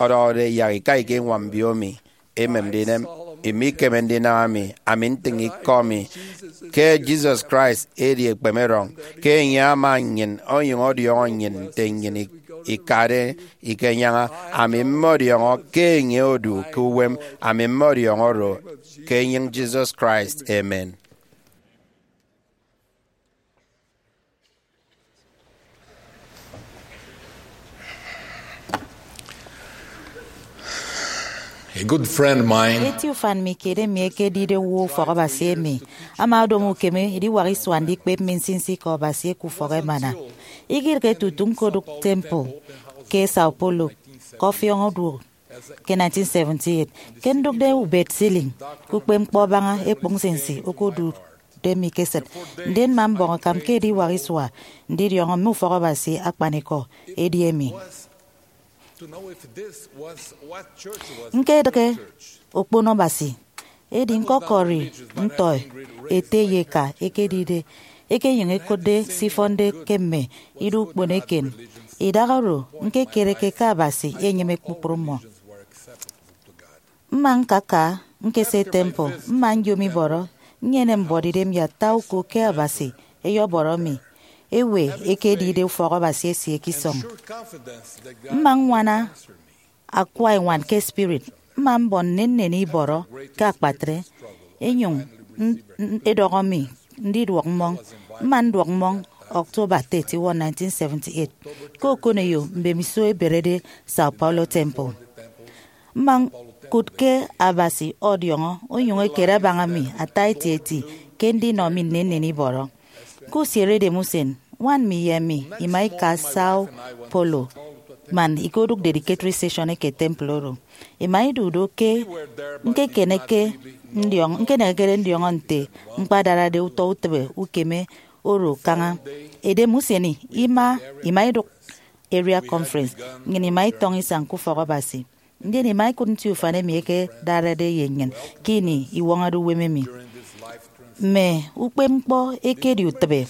ọdọhọde, yak ika ika iñwam mbiomi emem ndinem, imikeme ndinam mi. Ami ntịñ ikọ mi ke Jesus Christ edi ekpemerọñ, ke enye ama nnyịn onyụñ ọdiọñọ nnyịn nte nnyịn ikade ikenyaña. Ami mmọdiọñọ ke enye odu ke uwem. Ami mmọdiọñọ oro ke enyịñ Jesus Christ. Amen. A good friend of mine. Eti ufan mi kiet emi ekedide owo ufọk Abasi emi ama odom ukeme ediwak isua ndikpep mi nsinsi ke Abasi eke ufọk emana. Ikidịghe tutu ñkodụk temple ke Sao Paulo ke ọfiọñ oduok ke nineteen seventy-eight. Ke ndụkde ubet ceiling ke ukpepñkpọ abaña ekpụk nsinsi okodu de mi ke esịt, ndien mma mbọñ akam ke ediwak isua ndidiọñọ mme ufọk Abasi akpanikọ edi emi. Ñkedịghe okpono Abasi, edi ñkọkọri ntọi ete ye eka ekedide, ekenyụñ ekotde se ifọnde ke mme ido ukpono eken. Idaha oro, ñkekereke ke Abasi enyịme kpukpru mmọ. Mma ñkaka ñkese temple, mma nyom ibọrọ, nnyene mbuọtidem ye ata uko ke Abasi eyọbọrọ mi ewe ekedide ufọk Abasi esie ke isọñ. Mma ññwana akwa eñwan ke spirit, mma mbọ nnennen ibọrọ ke akpatre, enyụñ n- n- edọhọ mi ndiduọk mmọñ. Mma nduọk mmọñ October thirty-one, nineteen seventy-eight, ke okoneyo mbemiso eberede Sao Paulo Temple. Mma ñkụt ke Abasi ọdiọñọ onyụñ ekere abaña mi ata etieti ke ndinọ mi nnennen ibọrọ. Ke usieredem usen, ñwan mi ye emi ima ika Sao Paulo man ikodụk dedicatory session eke temple oro. Ima idu do ke ñkekeneke ndiọñ- ñkenekere ndiọñọ nte ñkpadarade utọ utịbe ukeme oro kaña. Edem usen ima ima idụk area conference, nnyịn ima itọñ isañ ke ufọk Abasi. Ndien ima ikụt nti ufan emi ẹkedarade ye nnyịn ke ini iwọñọde uwem emi. Mme ukpepñkpọ ekedi utịbe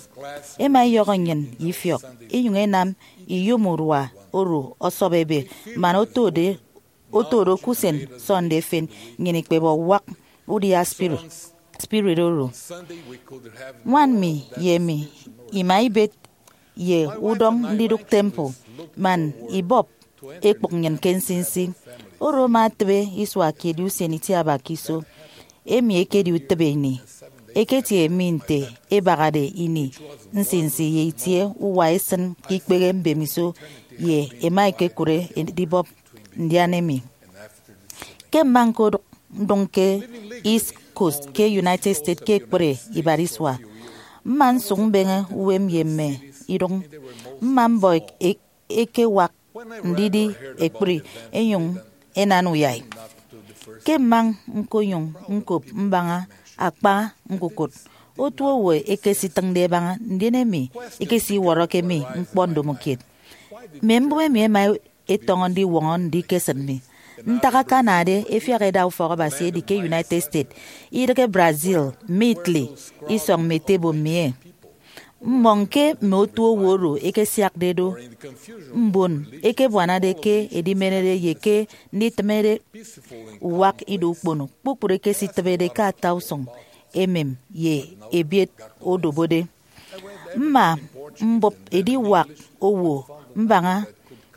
ẹma ẹyọhọ nnyịn ye ifiọk, inyụñ ẹnam iyom urua oro ọsọp ebe man otode otode ke usen Sunday efen, nnyịn ikpebe uwak udia spirit spirit oro. Ñwan mi ye emi ima ibet ye udọñ ndidụk temple man ibọp ekpụk nnyịn ke nsinsi. Oro ama etịbe isua kiet ye usen itiaba ke iso. Emi ekedi utịbe ini. Eketie mi nte ebahade ini nsinsi ye itie uwa esịn ke ikpehe mbemiso, ye ẹma ẹkekụre edibọp ndian emi. Ke mma ñkodụk ndụñ ke East Coast ke United States ke ekpri ibat isua, mma nsụk mbeñe uwem ye mme idụñ. Mma mbọ ek- ekewak ndidi ekpri, enyụñ enan uyai. Ke mma ñkonyụñ ñkop mbaña akpa ñkukụt, otu owo ekesitịñde ẹbaña, ndien emi ikesiwọrọke mi ñkpọ ndomokiet. Mme mbụme emi ẹma ẹtọñọ ndiwọñọ ndikesịt mi. Ntak akanade ẹfiak ẹda ufọk Abasi edi ke United States, idịghe Brazil, mme Italy, isọñ mme ete ebo mmie. Mmọñ ke mme otu owo oro ẹkesiakde do, mbon ẹkebuanade ke edimenede ye ke nditịmede uwak ido ukpono, kpukpru ẹkesitịbede ke ata usụñ emem ye ebiet odobode. Mma mbụp ediwak owo mbaña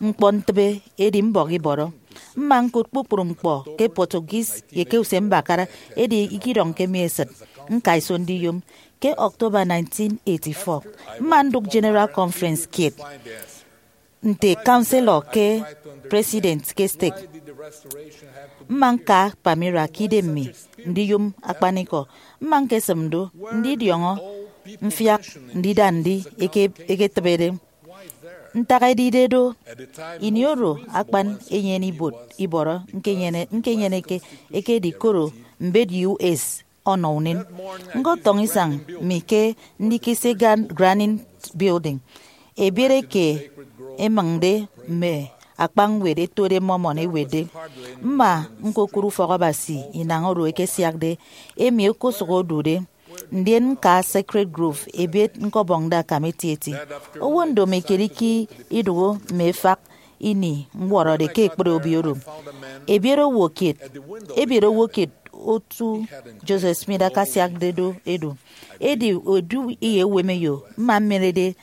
ñkpọ ntịbe, edi mbọk ibọrọ. Mma ñkụt kpukpru ñkpọ ke Portuguese ye ke usembakara, edi ikidọñke mi esịt ñka iso ndiyom. Ke October nineteen eighty-four, mma ndụk General Conference kiet nte counselor ke president ke stake. Mma ñka Palmyra ke idem mi ndiyom akpanikọ. Mma ñkesịm do ndidiọñọ mfiak ndida ndi eke- eketịbede. Ntak edide do, ini oro akpan enyene ibuot ibọrọ ñkenyene- ñkenyeneke ekedi koro mbet U S ọnọ unen. Ñkọtọñọ isañ mi ke ndikisi gan- granite Building, ebiet eke emịñde mme akpa ñwed ẹtode Mormon ẹwetde. Mma ñkokụt ufọkabasi inañ oro ẹkesiakde, emi okosụk odude, ndien ñka Sacred Grove, ebiet ñkọbọñde akam etieti. Owo ndomo ikediki idụhe mme efak ini ñwọrọde ke ekpri obio oro. Ebiet owo kiet, ebiet owo kiet otu Joseph Smith akasiakde do edu. Edi edu iyeuwemeyo mma mmerede,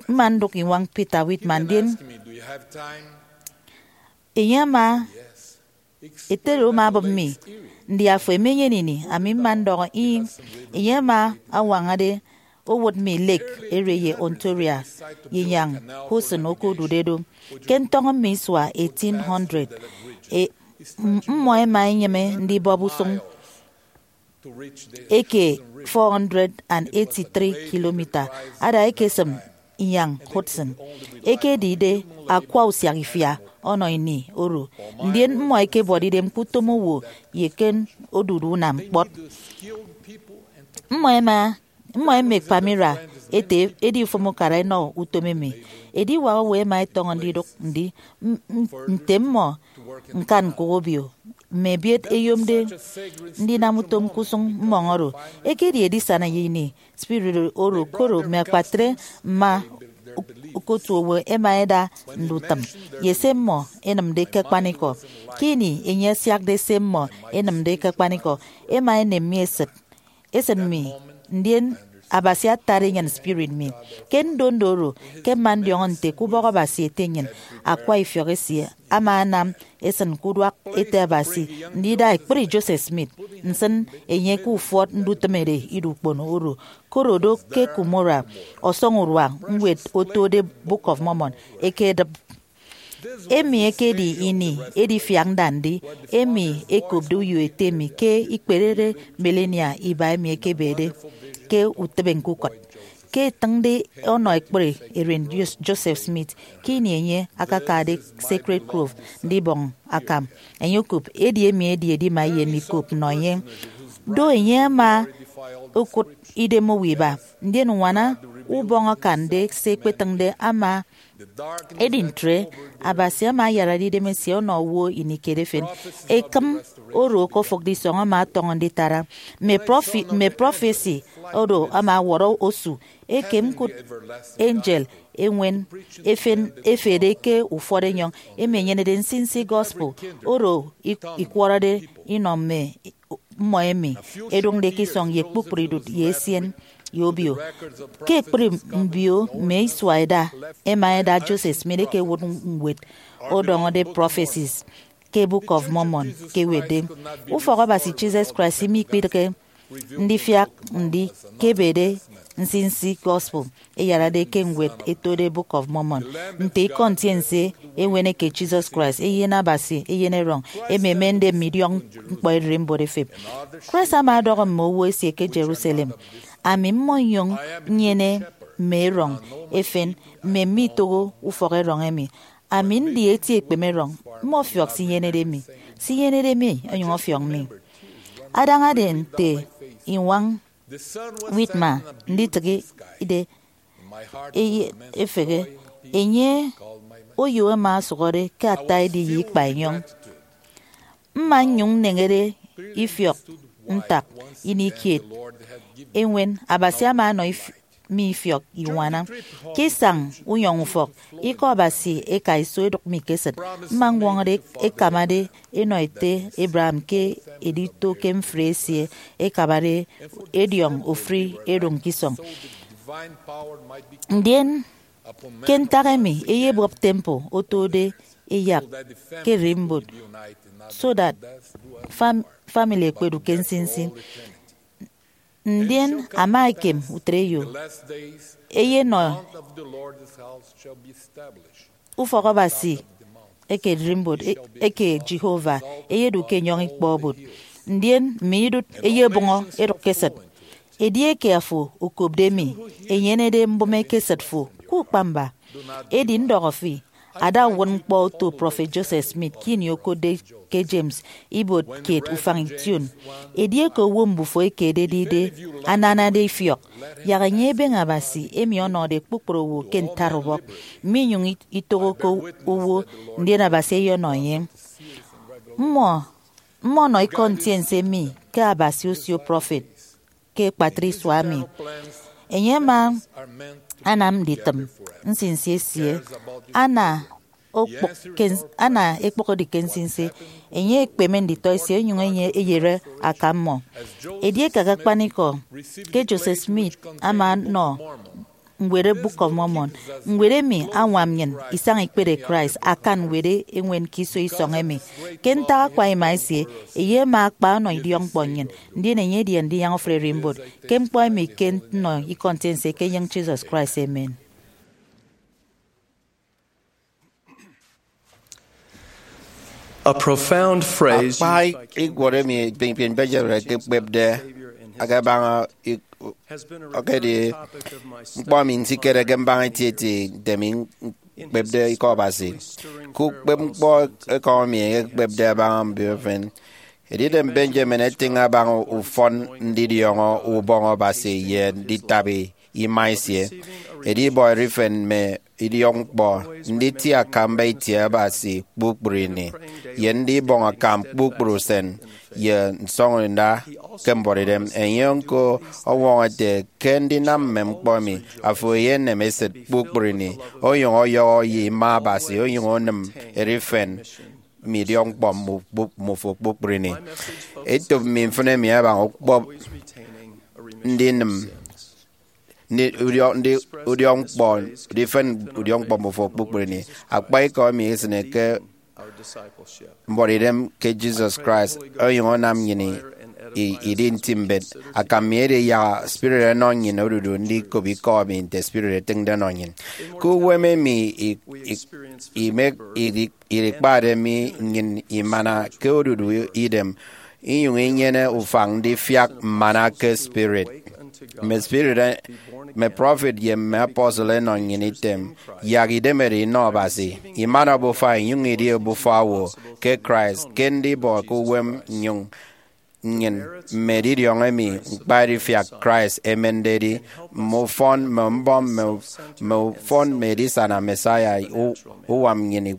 mma ndụk iñwañ Peter Whitmer, ndien enye ama, etere ama abịp mi, ndi afo emenyene ini? Ami mma ndọhọ, ih. Enye ama añwañade owụt mi lake ere ye Ontario ye inyañ Hudson okodude do. Ke ntọñọ mme isua eighteen hundred, e, m- mmọ ẹma ẹnyịme ndibọp usụñ eke four hundred and eighty-three kilomita ada ekesịm inyañ Hudson, ekedide akwa usiak ifia ọnọ ini oro, ndien mmọ ẹkebọde idem ke utom owo ye ke odudu unam kpọt. Mmọ ẹma, mmọ ẹmek Palmyra ete edi ufom ukara ẹnọ utom emi. Ediwak owo ẹma ẹtọñọ ndidụk ndi, m- m- nte mmọ ñkan ñkụk obio mme ebiet ẹyomde ndinam utom ke usụñ mmọñ oro. Ekedi edisana ye ini spirit oro koro mme akpatre mma okotu owo ẹma ẹda ndutịm ye se mmọ ẹnịmde ke akpanikọ. Ke ini enye asiakde se mmọ ẹnịmde ke akpanikọ, ẹma ẹnem mi esịt, esịt mi, ndien Abasi atade enyịn spirit mi. Ke ndondo oro, ke mma ndiọñọ nte ke ubọk Abasi ete nnyịn, akwa ifiọk esie ama anam esịn ke uduak ete Abasi ndida ekpri Joseph Smith, nsịn enye ke ufọt ndutịmede ido ukpono oro, koro do ke Cumorah, ọsọñurua ñwed otode Book of Mormon ekedịp. Emi ekedi ini edifiak ndandi emi ekopde uyo ete mi ke ikperede millennia iba emi ekebede ke utịbe ñkukụt. Ke itịñde ọnọ ekpri eren Jos- Joseph Smith, ke ini enye akakade Sacred Grove ndibọñ akam, enye okop, edi emi edi edima ye ndikop nnọ enye. Do enye ama okụt idem owo iba, ndien uñwana ubọñ akande se ekpetịñde ama. Edi ntre, Abasi ama ayarade idemesie ọnọ owo ini kiet efen. Ekịm oro okofụkde isọñ ama ọtọñọ nditara mme profi- mme prọfesi oro ama ọwọrọ osu. Ekem ñkụt angel eñwen efen efede ke ufọt enyọñ emi enyenede nsinsi gospel oro ik- ikwọrọde inọ mme mmọ emi ẹdụñde ke isọñ ye kpukpru idụt ye esien ye obio. Ke ekpri mbio mme isua ẹda, ẹma ẹda Joseph Smith ekewụt ñwed ọdọñọde Prophecies ke Book of Mormon ke ewetde. Ufọk Abasi Jesus Christ imikpidịghe ndifiak ndi ke ebede nsinsi gospel eyarade ke ñwed etode Book of Mormon. Nte ikọ ntiense eñwen eke Jesus Christ, Eyen Abasi, Eyen Erọñ, emi emende mme idiọkñkpọ ererimbot efep. Christ ama ọdọhọ mme owo esie ke Jerusalem, ami mmọnyụñ nnyene mme erọñ efen, mme mme itoho ufọk erọñ emi. Ami ndi eti ekpeme erọñ, mmọfiọk se inyenede mi, se inyenede mi onyụñ ọfiọk mi. Adañade nte iñwañ Whitmer nditịgide eye efehe, enye oyo ema ọsụhọde ke ata edi ye ikpa enyọñ. Mma nnyụñ nneñede ifiọk ntak ini kiet eñwen Abasi ama ọnọ if- mi ifiọk iñwana. Ke isañ unyọñ ufọk, Ikọ Abasi eka iso edụk mi ke esịt. Mma ñwọñọde ekamade enọ ete Abraham ke edito ke mfri esie ekabade ediọñ ofụri edụñ ke isọñ. Ndien ke ntak emi eyebọp temple otode eyak ke ererimbot, so that fam- family ekpedu ke nsinsi. Ndien ama ekem utre eyo eyenọ ufọk Abasi eke ererimbot e- eke Jehovah eyedu ke enyọñ ikpọ obot, ndien mme idụt eyebụñọ edụk ke esịt. Edieke afo okopde mi, enyenede mbụme ke esịt fo ke ukpamba. Edi ndọhọ fi, ada uwụtñkpọ oto Prọfet Joseph Smith ke ini okotde ke James ibuot kiet ufañ ition. Edieke owo mbufo eke ededide ananade ifiọk, yak enye ebeñe Abasi emi ọnọde kpukpru owo ke ntaubọk, minyụñ itohọke owo, ndien Abasi eyọnọ enye. Mmọ mmọ nọ ikọ ntiense mi ke Abasi osio prọfet ke akpatre isua emi. Enye ama anam nditịm nsinsi esie. Ana okpụk ke ns- ana ekpọk edi ke nsinsi, enye ekpeme nditọ esie onyụñ enye eyere aka mmọ. Edieke akakpanikọ ke Joseph Smith ama nọ ñwed Book of Mormon, ñwed emi añwam nnyịn isañ ikpere Christ akan ñwed eñwen ke iso isọñ emi. Ke ntak akwa ima esie, enye ama akpa ọnọ idiọkñkpọ nnyịn, ndien enye edi Andinyaña Ofụri Ererimbot ke ñkpọ emi ke nnọ ikọ ntiense ke enyịñ Jesus Christ. Amen. A profound phrase akpa used by King ikwọrọ emi Benjamin ekekpepde akebaña ọkedi ñkpọ emi nsikereke mbaña etieti nte mi ñkpepde ikọ Abasi. Ke ukpepñkpọ ekọñ emi ekekpepde abaña mbiofen, Edidem Benjamin etịñ abaña ufọn ndidiọñọ ubọñ Abasi ye nditabi ima esie, edibọ erifen mme idiọkñkpọ, nditie akamba itie Abasi kpukpru ini, ye ndibọñ akam kpukpru usen ye nsọñọnda ke mbuọtidem. Enye ñko ọñwọñọ ete, ke ndinam mme ñkpọ emi, afo eyenem esịt kpukpru ini, onyụñ ọyọhọ ye ima Abasi, onyụñ onịm erifen mme idiọkñkpọ mmufo kpukpru ini. Etop mme mfịn emi abaña ukpọp ndinịm ndi- udiọ- ndi- udiọkñkpọ, ndifen udiọkñkpọ mmufo kpukpru ini. Akpa ikọ emi esịne ke mbuọtidem ke Jesus Christ onyụñ anam nnyịn i- i- idi nti mbet. Akam mi edi yak Spirit ọnọ nnyịn odudu ndikop ikọ emi nte Spirit etịñde ọnọ nnyịn. Ke uwem emi i- i- ime- idi- idikpade mi nnyịn imana ke odudu idem, inyụñ inyene ufañ ndifiak mmana ke Spirit. Mme Spirit, mme prọfet ye mme apostle ẹnọ nnyịn item, yak idemede inọ Abasi, imana obufa, inyụñ idi obufa owo ke Christ, ke ndibọ ke uwem nnyụñ nnyịn mme edidiọñ emi ñkpa edifiak Christ emende edi, mme ufọn, mme mbọm, mme, mme ufọn, mme edisana Messiah u- uwam nnyịn,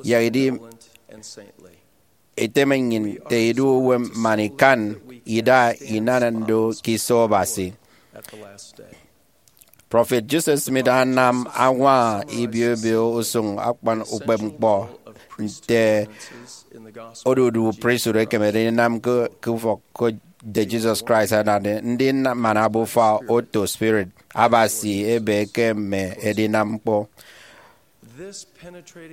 yak idi iteme nnyịn nte idu uwem man ikan ida inana ndo ke iso Abasi. Prọfet Joseph Smith anam añwaña ibio ibio usụñ akpan ukpepñkpọ nte odudu priesthood ekemede ndinam ke ke ufọk ke nte Jesus Christ anade. Ndi mmana obufa oto Spirit Abasi ebe ke mme edinam ñkpọ.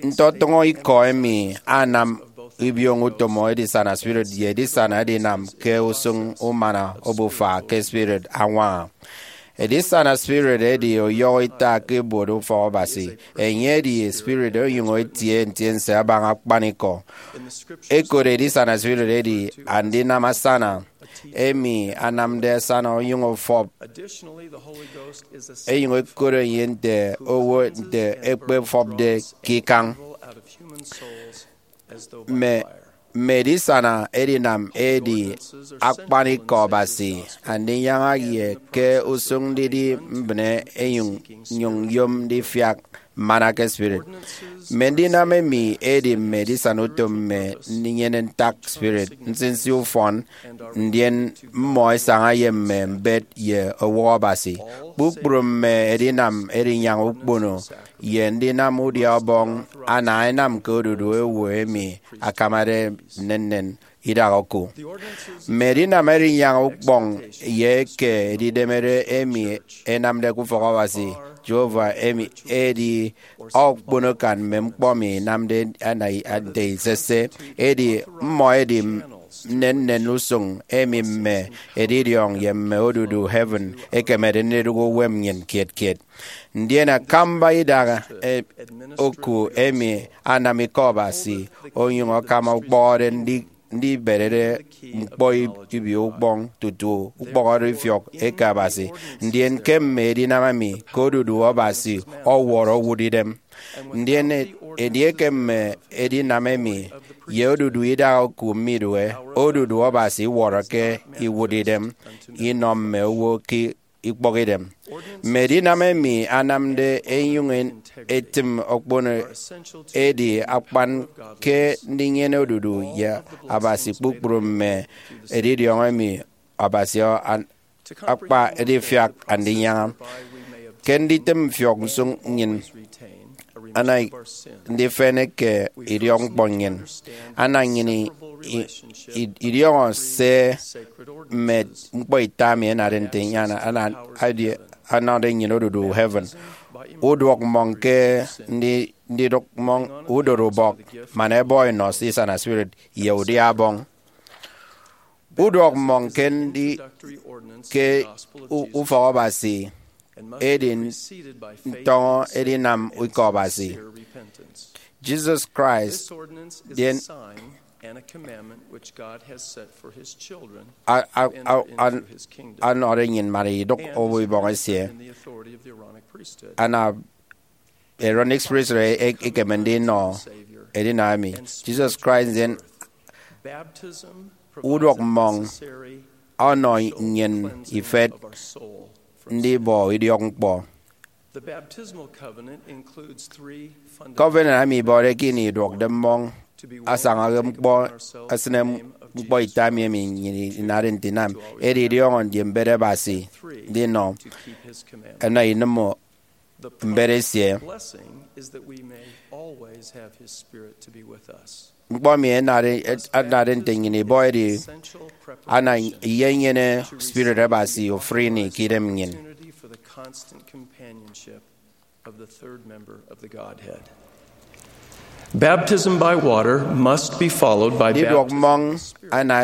Ntọtọñọ ikọ emi anam ibioñ utom edisana spirit ye edisana edinam ke usụñ umana obufa ke spirit añwaña. Edisana spirit edi ọyọhọ ita ke ibuot ufọk Abasi. Enye edi spirit onyụñ etie ntiense abaña akpanikọ. Ekot edisana spirit edi andinam asana, emi anamde asana onyụñ ọfọp, enyụñ ekot enye nte owo nte ekpefọpde ke ikañ. Mme mme edisana edinam edi akpanikọ Abasi, andinyaña ye ke usụñ ndidi mbịne enyụñ nyụñ yom ndifiak mmana ke spirit. Mme ndinam emi edi mme edisana utom mme ndinyene ntak spirit, nsinsi ufọn, ndien mmọ ẹsaña ye mme mbet ye owụk Abasi. Kpukpru mme edinam edinyaña ukpono ye ndinam udia ọbọñ ana ẹnam ke odudu owo emi akamade nnennen idak oku. Mme edinam edinyaña ukpọñ ye eke edidemede emi ẹnamde ke ufọk Abasi Jehovah emi edi okpono akan mme ñkpọ emi inamde ana nte isese, edi mmọ edi nnennen usụñ emi mme edidiọñ ye mme odudu heaven ẹkemede ndidụk uwem nnyịn kiet kiet. Ndien akamba idak, eh, oku emi anam ikọ Abasi onyụñ akama ukpọhọde ndi- ndiberede ñkpọ ibio ukpọñ tutu ukpọhọde ifiọk eke Abasi. Ndien ke mme edinam emi ke odudu Abasi ọwọrọ owụt idem. Ndien edieke mme edinam emi ye odudu idaha oku midue, odudu Abasi iwọrọke iwụt idem inọ mme owo ke ikpọkidem. Mme edinam emi anamde enyụñ etịm okpono edi akpan ke ndinyene odudu ye Abasi. Kpukpru mme edidiọñ emi Abasi akpa edifiak Andinyaña. Ke nditịm mfiọk nsụñ nnyịn, ana ndifen eke idiọkñkpọ nnyịn, ana nnyịn i- i- idiọñọ se mme ñkpọ ita mi ẹnade nte enye ana- ana- edi- anọde nnyịn odudu heaven. Uduọk mmọñ ke ndi- ndidụk mmọñ udorubọk man ẹbọ enọ se isana spirit ye udia Ọbọñ. Uduọk mmọñ ke ndi- ke u- ufọk Abasi edi ntọñọ edinam ikọ Abasi. Jesus Christ, ndien a- a- a- an- anọde nnyịn man idụk owo ibọñ esie. Ana Aaronic Priesthood e- ekeme ndinọ edinam emi. Jesus Christ, ndien uduọk mmọñ ọnọ nnyịn ifet ndibọ idiọkñkpọ. Covenant emi ibọde ke ini iduọkde mmọñ asaña ke ñkpọ esịne ñkpọ ita mi emi nnyịn inade nte inam, edi idiọñọ ndimbet Abasi ndinọ ẹnọ inịm mbet esie. Ñkpọ emi anade nte nnyịn ibọ edi ana iyenyene Spirit Abasi ofụri ini ke idem nnyịn. Baptism by water must be followed by ndidụk mmọñ ana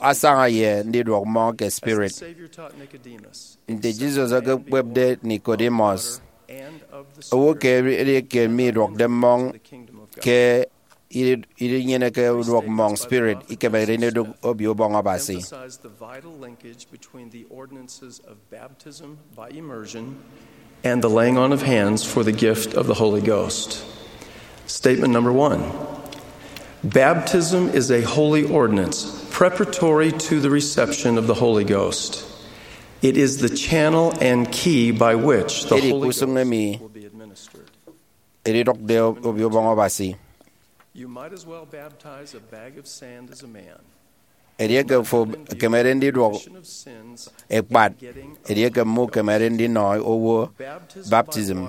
asaña ye ndidụk mmọñ ke Spirit. Nte Jesus ekekpepde Nicodemus, owo ke edi eke midụkde mmọñ ke irinyeneke uduọk mmọñ Spirit, ikemekde ndidụk Obio Ubọñ Abasi. And the laying on of hands for the gift of the Holy Ghost. Statement number one. Baptism is a holy ordinance preparatory to the reception of the Holy Ghost. It is the channel and key by which the Holy Ghost will be administered. Edidụkde Obio Ubọñ Abasi. You might as well baptize a bag of sand as a man. Edieke fo ekemede ndidụk ekpat, edieke mme ukemede ndinọ owo baptism,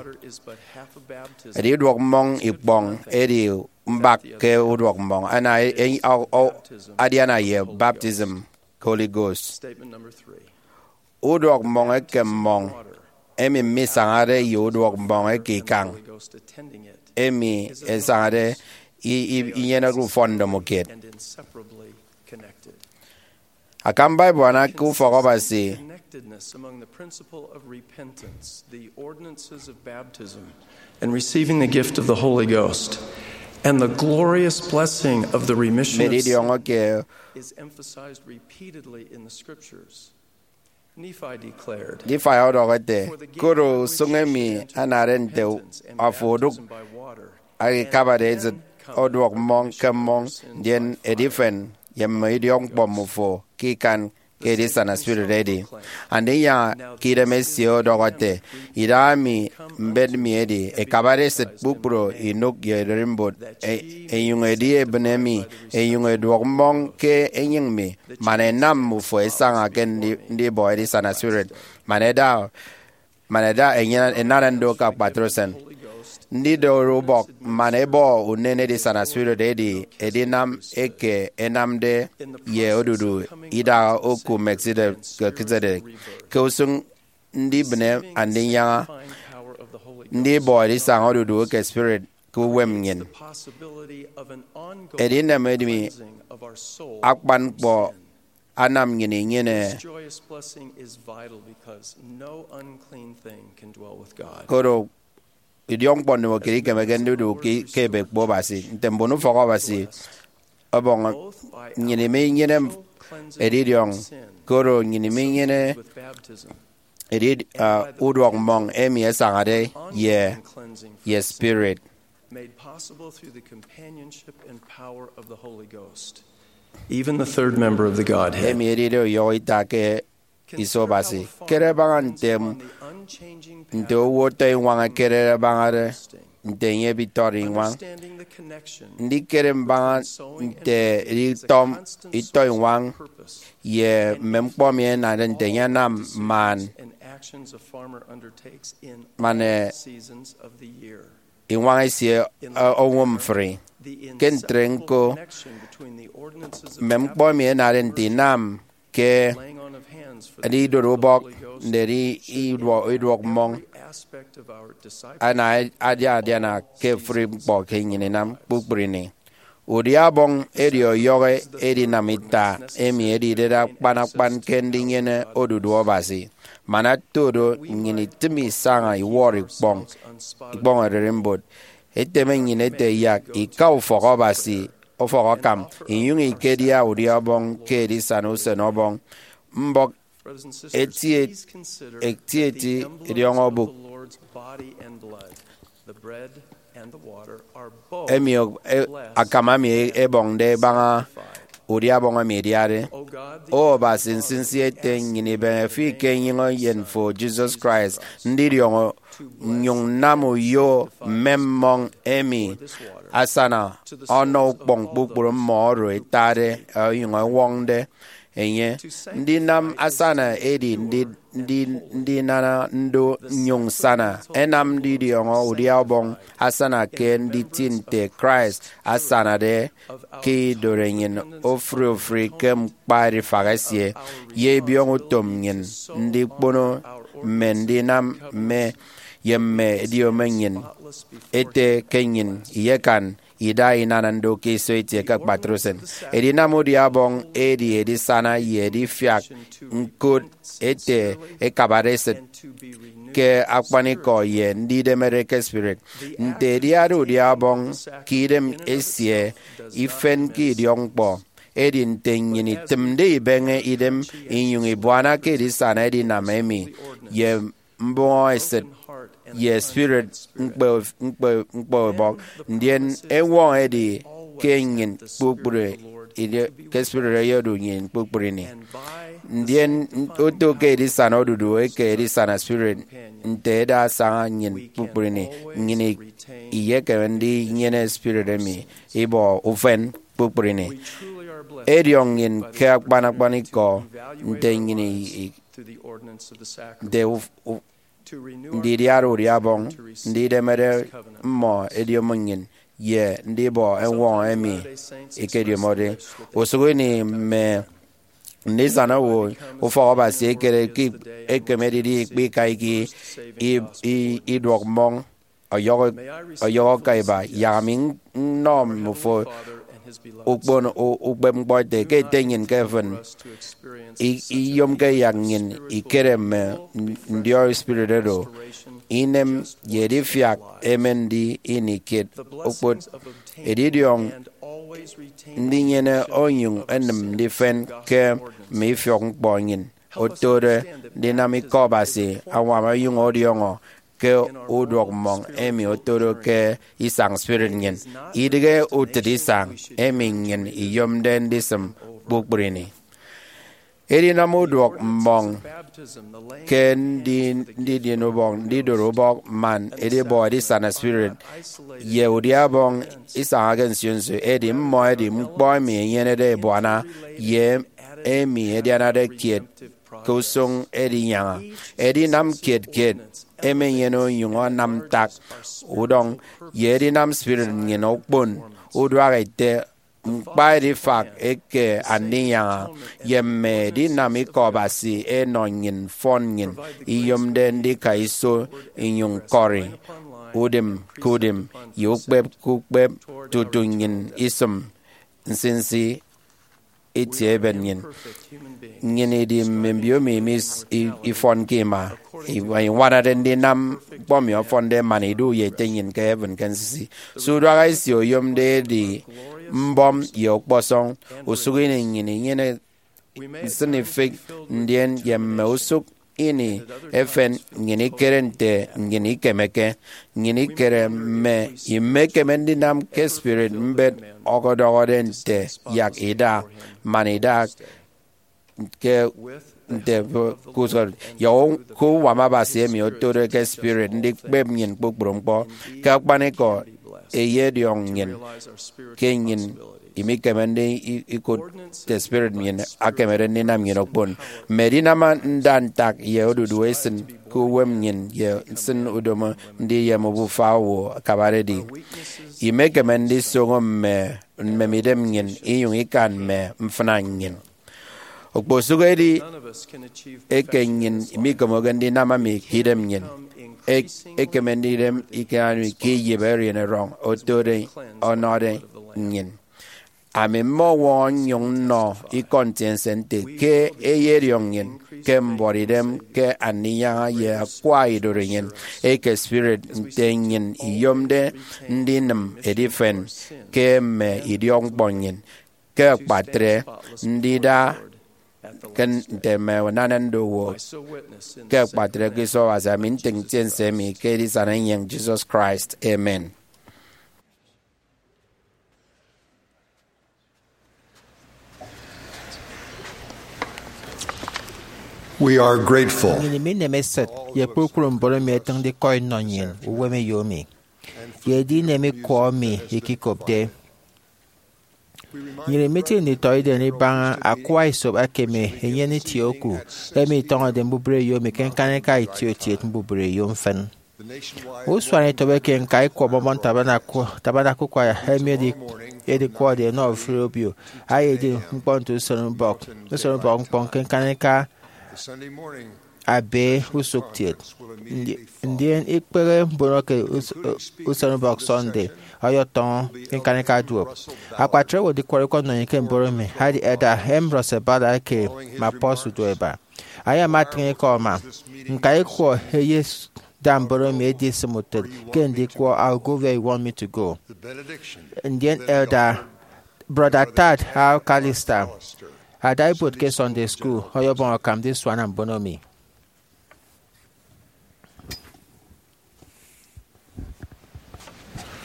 edidụk mmọñ ikpọñ edi mbak ke uduọk mmọñ ana e- e- o- o- adiana ye baptism ke Holy Ghost. Uduọk mmọñ eke mmọñ emi misañade ye uduọk mmọñ eke ikañ emi esañade i- i- inyeneke ufọn ndomokiet. Akam Bible ana ke ufọk Abasi and receiving the gift of the Holy Ghost and the glorious blessing of the remission of sin is emphasized repeatedly in the scriptures. Nephi declared, Nephi ọdọhọ ete, koro usụñ emi anade nte afo odụk akabade esịt oduọk mmọñ ke mmọñ, ndien edifen ye mme idiọkñkpọ mmufo ke ikan ke edisana spirit edi. Andinyaña ke idem esie ọdọhọ ete, idahaemi mbet mi edi ekabade esịt kpukpru inụk ye ererimbot, e- enyụñ edi ebịne mi, enyụñ eduọk mmọñ ke enyịñ mi, man ẹnam mmufo ẹsaña ke ndi- ndibọ edisana spirit, man ẹda man ẹda ẹnyene- ẹnana ndo ke akpatre usen. Ndidorubọk man ẹbọ unen edisana spirit edi edinam eke ẹnamde ye odudu idaha oku Melchizedek. Ke usụñ ndibịne Andinyaña, ndibọ edisaña odudu eke spirit ke uwem nnyịn. Edinem emi akpan ñkpọ anam nnyịn inyene. Koro idiọkñkpọ ndomokiet ikemeke ndidu ke ke ebe ekpo Abasi. Nte mbon ufọk Abasi ọbọñ nnyịn iminyene edidiọñ, koro nnyịn iminyene edid, uh, uduọk mmọñ emi esañade ye, ye spirit. Made possible through the companionship and power of the Holy Ghost. Even the third member of the Godhead. Emi edide uyọhọ ita ke iso Abasi. Kere baña ntem nte owo ọtọ iñwañ ekerede baña nte enye ebitọrọ iñwañ. Ndikere mbaña nte editọm itọ iñwañ ye mme ñkpọ emi enade nte enye anam man, man, eh, iñwañ esie, eh, owo mfri. Ke ntre ñko, mme ñkpọ emi enade nte inam ke edi idoro ubọk, ndedi iduọ-, iduọk mmọñ, ana adiana ke ofuri ñkpọ ke nnyịn inam kpukpru ini. Udia Ọbọñ edi ọyọhọ edinam ita emi edidede akpan akpan ke ndinyene odudu Abasi. Man ata do, nnyịn itịm isaña iwọrọ ikpọñ, ikpọñ ererimbot. Eteme nnyịn ete yak ika ufọk Abasi, ufọk akam, inyụñ ikedia udia Ọbọñ ke edisana usen Ọbọñ. Mbọk etieti, etieti idiọñọ obụk emi, e, akam emi ebọñde ebaña udia Ọbọñ emi idiade. O Abasi, nsinsi ete nnyịn ibeñe fi ke enyịñ eyen fo, Jesus Christ, ndidiọñọ nnyụñ nnam uyo mme mmọñ emi asana ọnọ ukpọñ kpukpru mmọ oro etade onyụñ ewọñde enye. Ndinam asana edi ndi, ndi, ndinana ndo nnyụñ nsana, ẹnam ndidiọñọ udia Ọbọñ asana ke nditi nte Christ asanade ke idoro enyịn ofụri ofụri ke ñkpa edifak esie, ye ibiọñọ utom nnyịn ndikpono mme ndinam mme ye mme ediyom nnyịn ete ke nnyịn iyekan ida inana ndo ke iso itie ke akpatre usen. Edinam udia Ọbọñ edi edisana ye edifiak ñkot ete ekabade esịt ke akpanikọ ye ndidemede ke spirit. Nte ediade udia Ọbọñ ke idem esie ifen ke idiọkñkpọ, edi nte nnyịn itịmde ibeñe idem inyụñ ibuana ke edisana edinam emi ye mbụñọ esịt ye spirit ñkpe, ñkpe, ñkpe ubọk, ndien ewọñọ edi ke nnyịn kpukpru edi ke spirit eyedu nnyịn kpukpru ini. Ndien oto ke edisana odudu eke edisana spirit nte eda asaña nnyịn kpukpru ini, nnyịn i, iyekeme ndinyene spirit emi ibọ ufen kpukpru ini. Ediọñ nnyịn ke akpan akpan ikọ nte nnyịn i, i, nte uf, uf, ndidiade udia Ọbọñ, ndidemede mmọ ediyom nnyịn, ye ndibọ ewọñọ emi ikediomode. Usụk ini mme ndisana owo ufọk Abasi ẹkere ke ekem edidi ikpika iki i, i, iduọk mmọñ ọyọhọ, ọyọhọ ka iba. Yak ami nnọ mmufo ukpon u, ukpep ñkpọ ete ke Ete nnyịn ke efen i, iyomke yak nnyịn ikere mme ndiọi spirit oro, inem ye edifiak emen ndi ini kiet okpot. Edidiọñ ndinyene onyụñ enịm ndifen ke mme ifiọk ñkpọ nnyịn otode ndinam ikọ Abasi añwam onyụñ ọdiọñọ ke uduọk mmọñ emi otode ke isañ spirit nnyịn, idịghe utịt isañ emi nnyịn iyomde ndisịm kpukpru ini. Edinam uduọk mmọñ ke ndi, ndidien ubọk, ndidoro ubọk, man edibọ edisana spirit ye udia Ọbọñ isañake nsio nsio, edi mmọ ẹdi ñkpọ emi ẹnyenede ebuana ye emi ẹdianade kiet ke usụñ edinyaña. Edinam kiet kiet emenyene onyụñ anam ntak udọñ ye edinam spirit nnyịn okpon uduak ete ñkpa edifak eke andinyaña, ye mme edinam ikọ Abasi ẹnọ nnyịn mfọn nnyịn iyomde ndika iso inyụñ ñkọri udịm ke udịm ye ukpep ke ukpep tutu nnyịn isịm nsinsi itie eben nnyịn. Nnyịn idi mme mbiomi emi is-, i-, ifọnke ima, iñwanade ndinam ñkpọ emi ọfọnde man idu ye Ete nnyịn ke heaven ke nsinsi. Se uduak esie oyomde edi mbọm ye ọkpọsọñ. Usụk ini nnyịn inyene nsịnifịk, ndien ye mme usụk ini efen, nnyịn ikere nte nnyịn ikemeke. Nnyịn ikere mme imekeme ndinam ke spirit mbet ọkọdọhọde nte yak ida man ida ke nte ke usọrọ ye ke uwam Abasi emi otode ke spirit ndikpep nnyịn kpukpru ñkpọ. Ke akpanikọ, eyediọñ nnyịn ke nnyịn imikemede i- ikụt nte spirit nnyịn akemede ndinam nnyịn okpon. Mme edinam nda ntak ye odudu esịn ke uwem nnyịn ye nsịn udomo ndiyem obufa owo akabade edi. Imekeme ndisoño mme mmemidem nnyịn inyụñ ikan mme mfịna nnyịn. Okposụkedi eke nnyịn mikomoke ndinam emi ke idem nnyịn, e- ekeme ndidem ikan emi ke iyịp erien erọñ otode ọnọde nnyịn. Ami mmọwọñọ nnyụñ nnọ ikọ ntiense nte ke eyediọñ nnyịn ke mbuọtidem ke Andinyaña ye Akwa Idorenyin eke spirit nte nnyịn iyomde ndinịm edifen ke mme idiọkñkpọ nnyịn, ke akpatre ndida ke nte mme unana ndowo, ke akpatre ke iso Abasi. Ami ntịñ ntiense emi ke edisana enyịñ Jesus Christ. Amen. We are grateful. Nnyịn imineme esịt ye kpukpru mbon emi ẹtịñde ikọ inọ nnyịn uwem eyo emi, ye edinem ikwọ emi ikikopde. Nnyịn imitiñ nditọidet ibaña akwa esop akeme enyene itie oku emi itọñọde mbubreyo emi ke ñkanika itiokiet mbubreyo mfịn. Usuanetop eke ñka ikwọ Mormon Tabernacle, Tabernacle Choir emi edi- edikwọde ẹnọ ofụri obio ayedi ñkpọ nte usenubọk, usenubọk ñkpọ ke ñkanika ebe usụkkiet. Ndi- ndien ikpehe mbono ke us- usenubọk Sunday ọyọtọñọ ke ñkanika duop. Akpatre owo ndikwọrọ ikọ nnọ nnyịn ke mbon emi adi Elder Ambrose Ballard eke Maposo Udueba. Ayama atịñ ikọ ama. Ñka ikwọ eyeda mbon emi edisịm utịt ke ndikwọ I'll Go Where You Want Me to Go. Ndien Elder Brother Tad Alcalister ada ibuot ke Sunday School ọyọbọñ akam ndisuana mbon emi.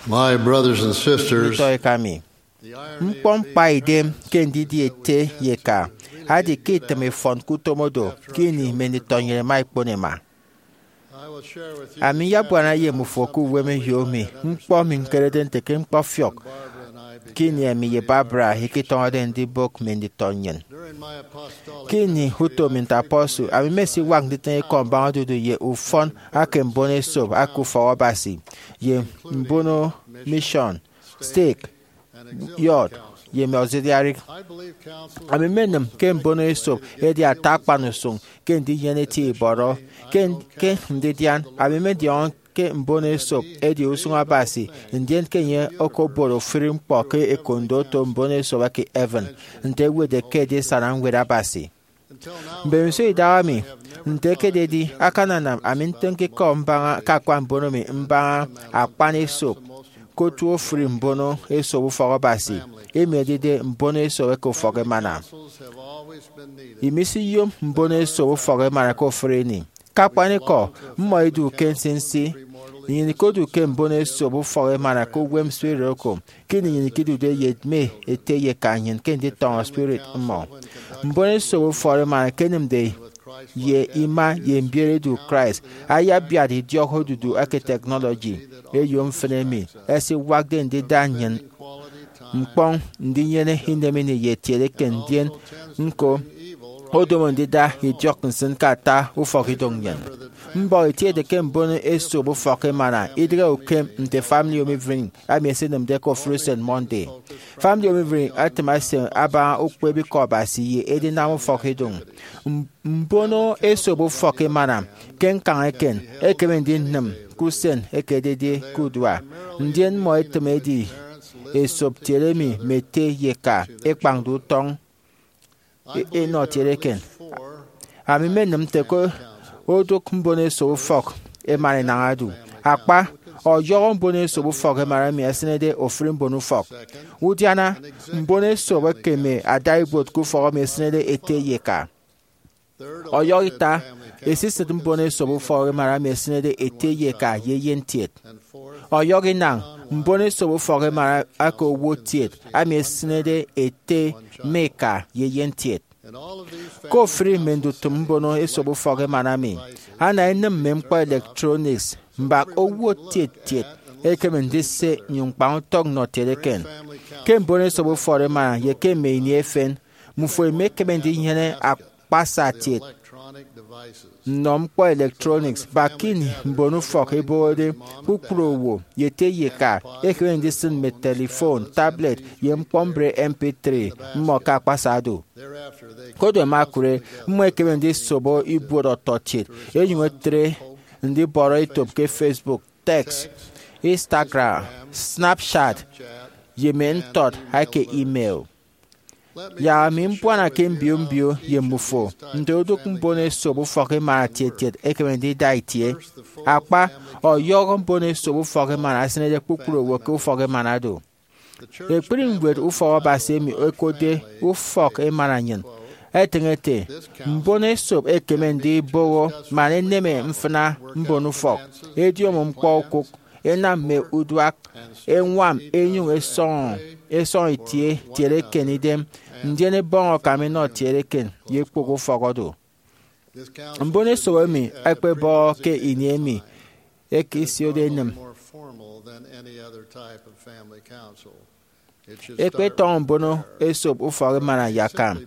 My brothers and sisters, nditọ eka mi, ñkpọ ñkpaidem ke ndidi ete ye eka adi ke itịm ifọn ke utom odo ke ini mme nditọ nnyịn ẹma ẹkpon ẹma. Ami nyabuana ye mmufo ke uwem eyo mi ñkpọ mi ñkerede nte ke ñkpọfiọk ke ini emi ye Barbara ikitọñọde ndibụk mme nditọ nnyịn. Ke ini utom mi nte apostle, ami mmesiwak nditịñ ikọ mbaña odudu ye ufọn ake mbono esop aka ufọk Abasi ye mbono mission, stake, yọt, ye mme ọsịdiarịk. Ami mmenịm ke mbono esop edi ata akpan usụñ ke ndinyene itie ibọrọ. Ke, ke ndidian, ami mmediọñọ ke mbono esop edi usụñ Abasi, ndien ke enye okobot ofụri ñkpọ ke ekondo oto mbono esop eke heaven, nte ewetde ke edisana Ñwed Abasi. Mbemiso idahaemi, nte ekededi, akananam ami ntịñke ikọ mbaña ke akpan mbono mi mbaña akpan esop ke otu ofụri mbono esop ufọk Abasi, emi edide mbono esop eke ufọk emana. Imisiyom mbono esop ufọk emana ke ofụri ini. Ke akpanikọ, mmọ idu ke nsinsi. Nnyịn ikodu ke mbono esop ufọk emana ke uwem spirit oko, ke ini nnyịn ikidude ye mme ete ye eka nnyịn ke nditọñọ spirit mmọ. Mbono esop ufọk emana ke ẹnịmde ye ima ye mbiere edu Christ ayabiat idiọk odudu eke technology eyo mfịn emi ẹsiwakde ndida nnyịn ñkpọñ ndinyene inemini ye etiede eken, ndien ñko odomo ndida idiọk nsịn ke ata ufọkidụñ nnyịn. Mbọk itiede ke mbono esop ufọk emana idịghe ukem nte Family Home Evening emi ẹsinịmde ke ofụri usen Monday. Family Home Evening atịm ase abaña ukpep Ikọ Abasi ye edinam ufọkidụñ. M- mbono esop ufọk emana ke ñkañ eken ekeme ndinịm ke usen eke ededi ke udua, ndien mmọ etịm edi esop tiede emi mme ete ye eka ẹkpañde utọñ e- enọ tiede eken. Ami mmenịm nte ke odụk mbono esop ufọk emana enaña odu. Akpa, ọyọhọ mbono esop ufọk emana emi ẹsịnede ofụri mbono ufọk. Udiana, mbono esop ekeme ada ibuot ke ufọk emi esịnede ete ye eka. Ọyọhọ ita, esisịt mbono esop ufọk emana emi esịnede ete ye eka ye eyen kiet. Ọyọhọ inañ, mbono esop ufọk emana aka owo kiet emi esịnede ete mme eka ye eyen kiet. Ke ofụri mme ndutịm mbono esop ufọk emana mi, ana enịm mme ñkpọ electronics mbak owo kiet kiet ekeme ndise nnyụñ ñkpañ utọñ nnọ kiet eken. Ke mbono esop ufọk emana ye ke mme ini efen, mmufo imekeme ndinyene akpasa kiet nnọ ñkpọ electronics. Bak ke ini mbon ufọk ẹbọhọde, kpukpru owo, ye ete ye eka, ekeme ndisịn mme telephone, tablet, ye ñkpọmbre M P three mmọ ke akpasa do. Koro ẹma ẹkụre, mmọ ẹkeme ndisobo ibuot ọtọkiet, ẹnyụñ ẹtre ndibọrọ etop ke Facebook, text, Instagram, Snapchat, ye mme ntọt eke email. Yak ami mbuana ke mbio mbio ye mmufo nte odụk mbono esop ufọk emana kiet kiet ekeme ndida itie. Akpa, ọyọhọ mbono esop ufọk emana esịnede kpukpru owo ke ufọk emana do. Ekpri ñwed ufọk Abasi emi ẹkotde Ufọk Emana Nnyịn etịñ ete, mbono esop ẹkeme ndibọhọ man ẹneme mfịna mbon ufọk, ẹdiọñọ ñkpọ okụk, ẹnam mme uduak, ẹñwam, ẹnyụñ ẹsọñọ ẹsọñ itie kiet eken idem, ndien ẹbọñ akam ẹnọ kiet eken ye ekpok ufọk odu. Mbono esop emi ẹkpebọhọ ke ini emi ẹkesiode enịm. Ẹkpetọñọ mbono esop ufọk emana ye akam,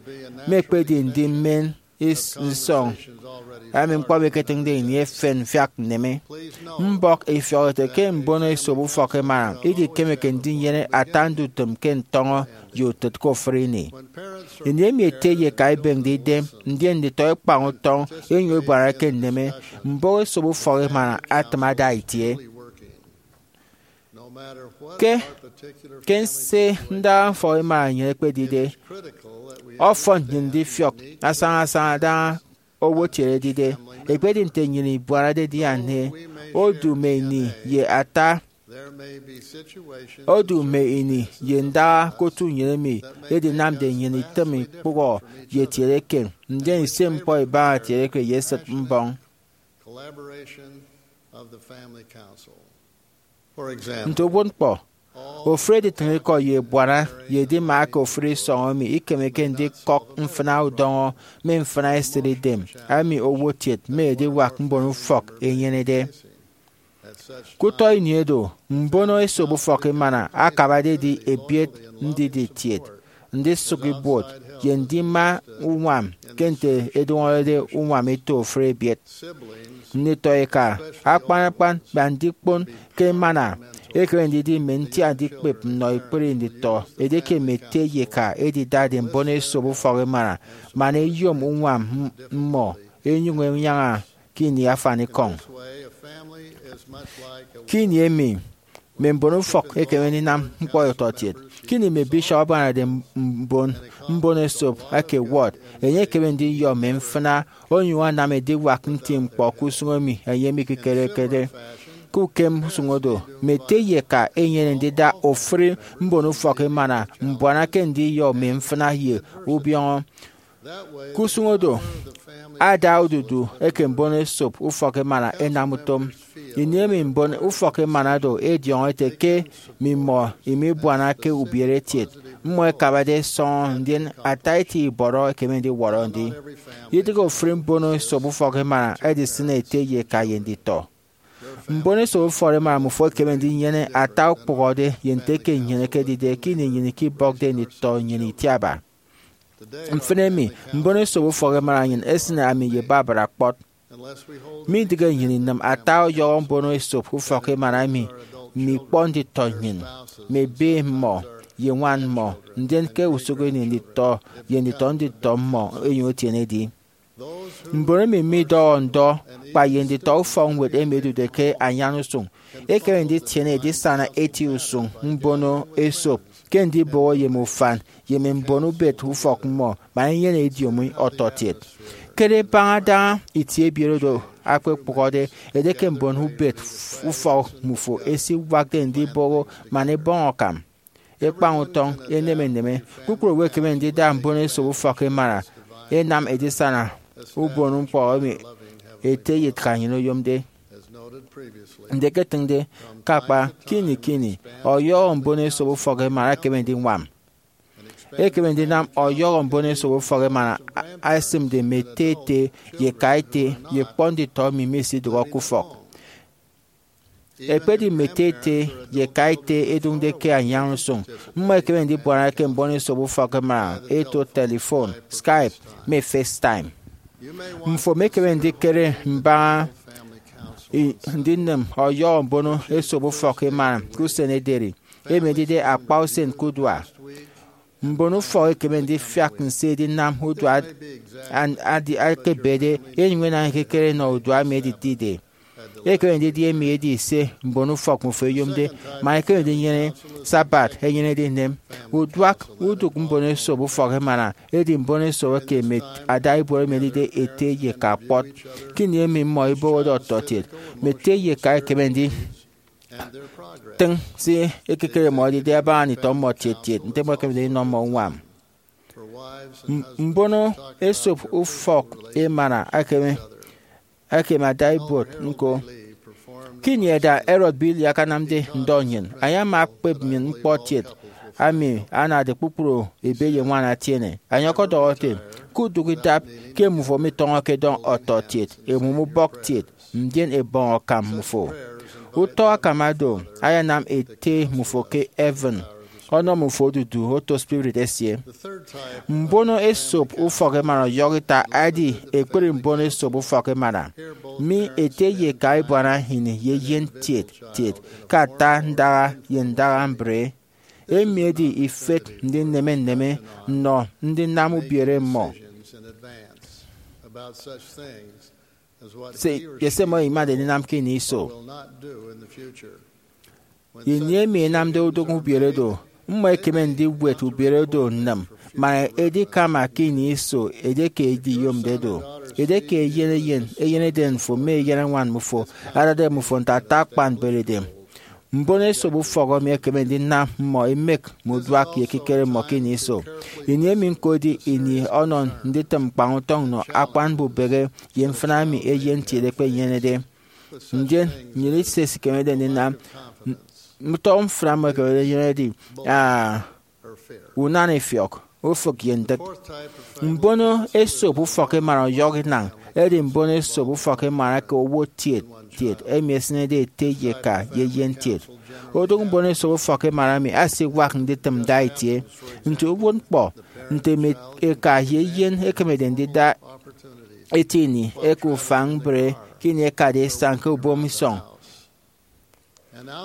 mme ekpedi ndimen is- nsọñ emi ñkpọ emi eketịñde ini efen mfiak nneme. Mbọk ifiọk ete ke mbono esop ufọk emana idikemeke ndinyene ata ndutịm ke ntọñọ ye utịt ke ofụri ini. Ini emi ete ye eka ẹbeñde idem, ndien nditọ ẹkpañ utọñ, ẹnyụñ ẹbuana ke nneme, mbono esop ufọk emana atịm ada itie. Ke, ke nse ndaha ufọk emana nnyịn ekpedide, ọfọn nnyịn ndifiọk asaña asaña adaña owo kiet edide. Ekpedi nte nnyịn ibuanade edian nte odu mme ini ye ata odu mme ini ye ndaha ke otu nnyịn emi edinamde nnyịn itịm ikpụhọ ye kiet eken, ndien itie ñkpọ ibaña kiet eken ye esịt mbọñ. Nte uwụtñkpọ, ofụri editịñ ikọ ye ebuana ye edima aka ofụri isọñ emi ikemeke ndikọk mfịna udọñọ mme mfịna esịt idem emi owo kiet mme ediwak mbon ufọk ẹnyenede. Ke utọ ini edo, mbono esop ufọk emana akabade edi ebiet ndidi kiet, ndisụk ibuot, ye ndima uñwam ke nte edụñọrede uñwam eto ofụri ebiet. Nditọ eka, akpan akpan, kpa ndikpon ke emana, ekeme ndidi mme ntiat ndikpep nnọ ekpri nditọ edieke mme ete ye eka ẹdidade mbono esop ufọk emana, man ẹyom uñwam mmọ ẹnyụñ ẹnyaña ke ini afanikọñ. Ke ini emi, mme mbon ufọk ẹkeme ndinam ñkpọ ọtọkiet. Ke ini mme bishop abuanade mbon mbono esop eke ward, enye ekeme ndiyọ mme mfịna onyụñ anam ediwak nti ñkpọ ke usụñ emi enye mikikerekede. Ke ukem usụñ odo, mme ete ye eka ẹnyene ndida ofụri mbono ufọk emana mbuana ke ndiyọ mme mfịna ye ubiọñọ. Ke usụñ odo, ada odudu eke mbono esop ufọk emana ẹnam utom. Ini emi mbon ufọk emana do ẹdiọñọ ẹte ke mmimọ imibuanake ubierekiet, mmọ ẹkabade ẹsọñọ, ndien ata eti ibọrọ ẹkeme ndiwọrọ ndi. Idịghe ofụri mbono esop ufọk emana ẹdisịn ete ye eka ye nditọ. Mbono esop ufọk emana mmufo ẹkeme ndinyene ata ukpụhọde ye nte eke nnyịn ekedide ke ini nnyịn ikibọkde nditọ nnyịn itiaba. Mfịn emi, mbono esop ufọk emana nnyịn esịne ami ye Barbara kpọt. Midịghe nnyịn inịm ata ọyọhọ mbono esop ufọk emana emi mme ikpọ nditọ nnyịn, mme ebe mmọ, ye ñwan mmọ, ndien ke usụk ini nditọ ye nditọ nditọ mmọ ẹnyụñ ẹtienede. Mbon emi midọhọ ndọ, kpa ye nditọ ufọkñwed emi ẹdude ke anyan usụñ, ẹkeme nditiene edisana eti usụñ mbono esop ke ndibọhọ ye mme ufan ye mme mbon ubet ufọk mmọ, man ẹnyene ediomi ọtọkiet. Kere baña adaña itie ebiet oro akpekpụhọde, edieke mbon ubet ufọk mmufo ẹsiwakde ndibọhọ man ẹbọñ akam, ẹkpañ utọñ, ẹneme nneme. Kpukpru owo ẹkeme ndida mbono esop ufọk emana ẹnam edisana ubon ñkpọ emi ete ye eka nnyịn oyomde. Ndiketịñde ke akpa, ke ini ke ini, ọyọhọ mbon esop ufọk emana ẹkeme ndiñwam. Ekeme ndinam ọyọhọ mbon esop ufọk emana ẹsịmde mme ete ete ye eka ete ye ñkpọ nditọ emi misidụhọ ke ufọk. Ekpedi mme ete ete ye eka ete ẹdụñde ke anyan usụñ, mmọ ẹkeme ndibuana ke mbon esop ufọk emana ẹto telephone, Skype, mme FaceTime. Mfo mikeme ndikere mbaña ndinịm ọyọhọ mbon esop ufọk emana ke usen ederi, emi edide akpa usen ke udua. Mbon ufọk ẹkeme ndifiak nso edinam udua edi akebede, enyụñ enañ ekekere nọ udua emi editide. Ekeme ndidi emi edi se mbon ufọk mmifo ẹyomde, man ẹkeme ndinyene Sabbath ẹnyenede inem. Uduak udụk mbon esop ufọk emana edi mbon esop eke mme adaibuot emi ẹdide ete ye eka kpọt. Ke ini emi mmọ ẹbọhọde ọtọkiet, mme ete ye eka ẹkeme nditịñ se ekikere mmọ edide abaña nditọ mmọ kiet kiet, nte mmọ ẹkemede ndinọ mmọ uñwam. Mbon esop ufọk emana ẹkeme adaibuot ñko. Ke ini eda Elder Billy akanamde ndọ nnyịn, enye ama ekpep nnyịn ñkpọ kiet emi anade kpukpru ebe ye ñwan atiene. Enye ọkọdọhọ ete, ke udụk idap, ke mmufo mitọñọke dọñ ọtọkiet, ẹmụm ubọk kiet, ndien ẹbọñ akam mmufo. Utọ akam oro ayanam Ete mmufo ke heaven ọnọ mmufo odudu oto spirit esie. Mbon esop ufọk emana ọyọhọ ita edi ekpri mbon esop ufọk emana. Mi ete ye eka ibuana ini ye eyen kiet kiet ke ata ndaha ye ndaha mbre. Emi edi ifet ndineme nneme nnọ ndinam ubiere mmọ ye se mmọ imade ndinam ke ini iso. Ini emi ẹnamde udụñ ubiere do, mmọ ẹkeme ndiwet ubiere do nnịm man edikama ke ini iso edieke ediyomde do. Edieke eyen eyen, eyeneden fo mme eyenañwan mmufo adade mmufo nte ata akpan mberede, mbon esop ufọk emi ẹkeme ndinam mmọ ẹmek mme uduak ye ekikere mmọ ke ini iso. Ini emi ñko edi ini ọnọ nditịm ñkpañ utọñ nnọ akpan mbubehe ye mfịna emi eyen kiet ekpenyenede. Ndien nnyịn iso esikemede ndinam. Utọ mfịna mmọ ekemede enyene edi, ah, unan ifiọk, ufịk ye ndịk. Mbon esop ufọk emana ọyọhọ inañ edi mbon esop ufọk emana ke owo kiet kiet emi esịnede ete ye eka ye eyen kiet. Udụk mbon esop ufọk emana emi asiwak nditịm nda itie. Nti uwụtñkpọ nte mme eka ye eyen ẹkemede ndida eti ini eke ufañ mbre ke ini ẹkade isañ ke ubom isọñ.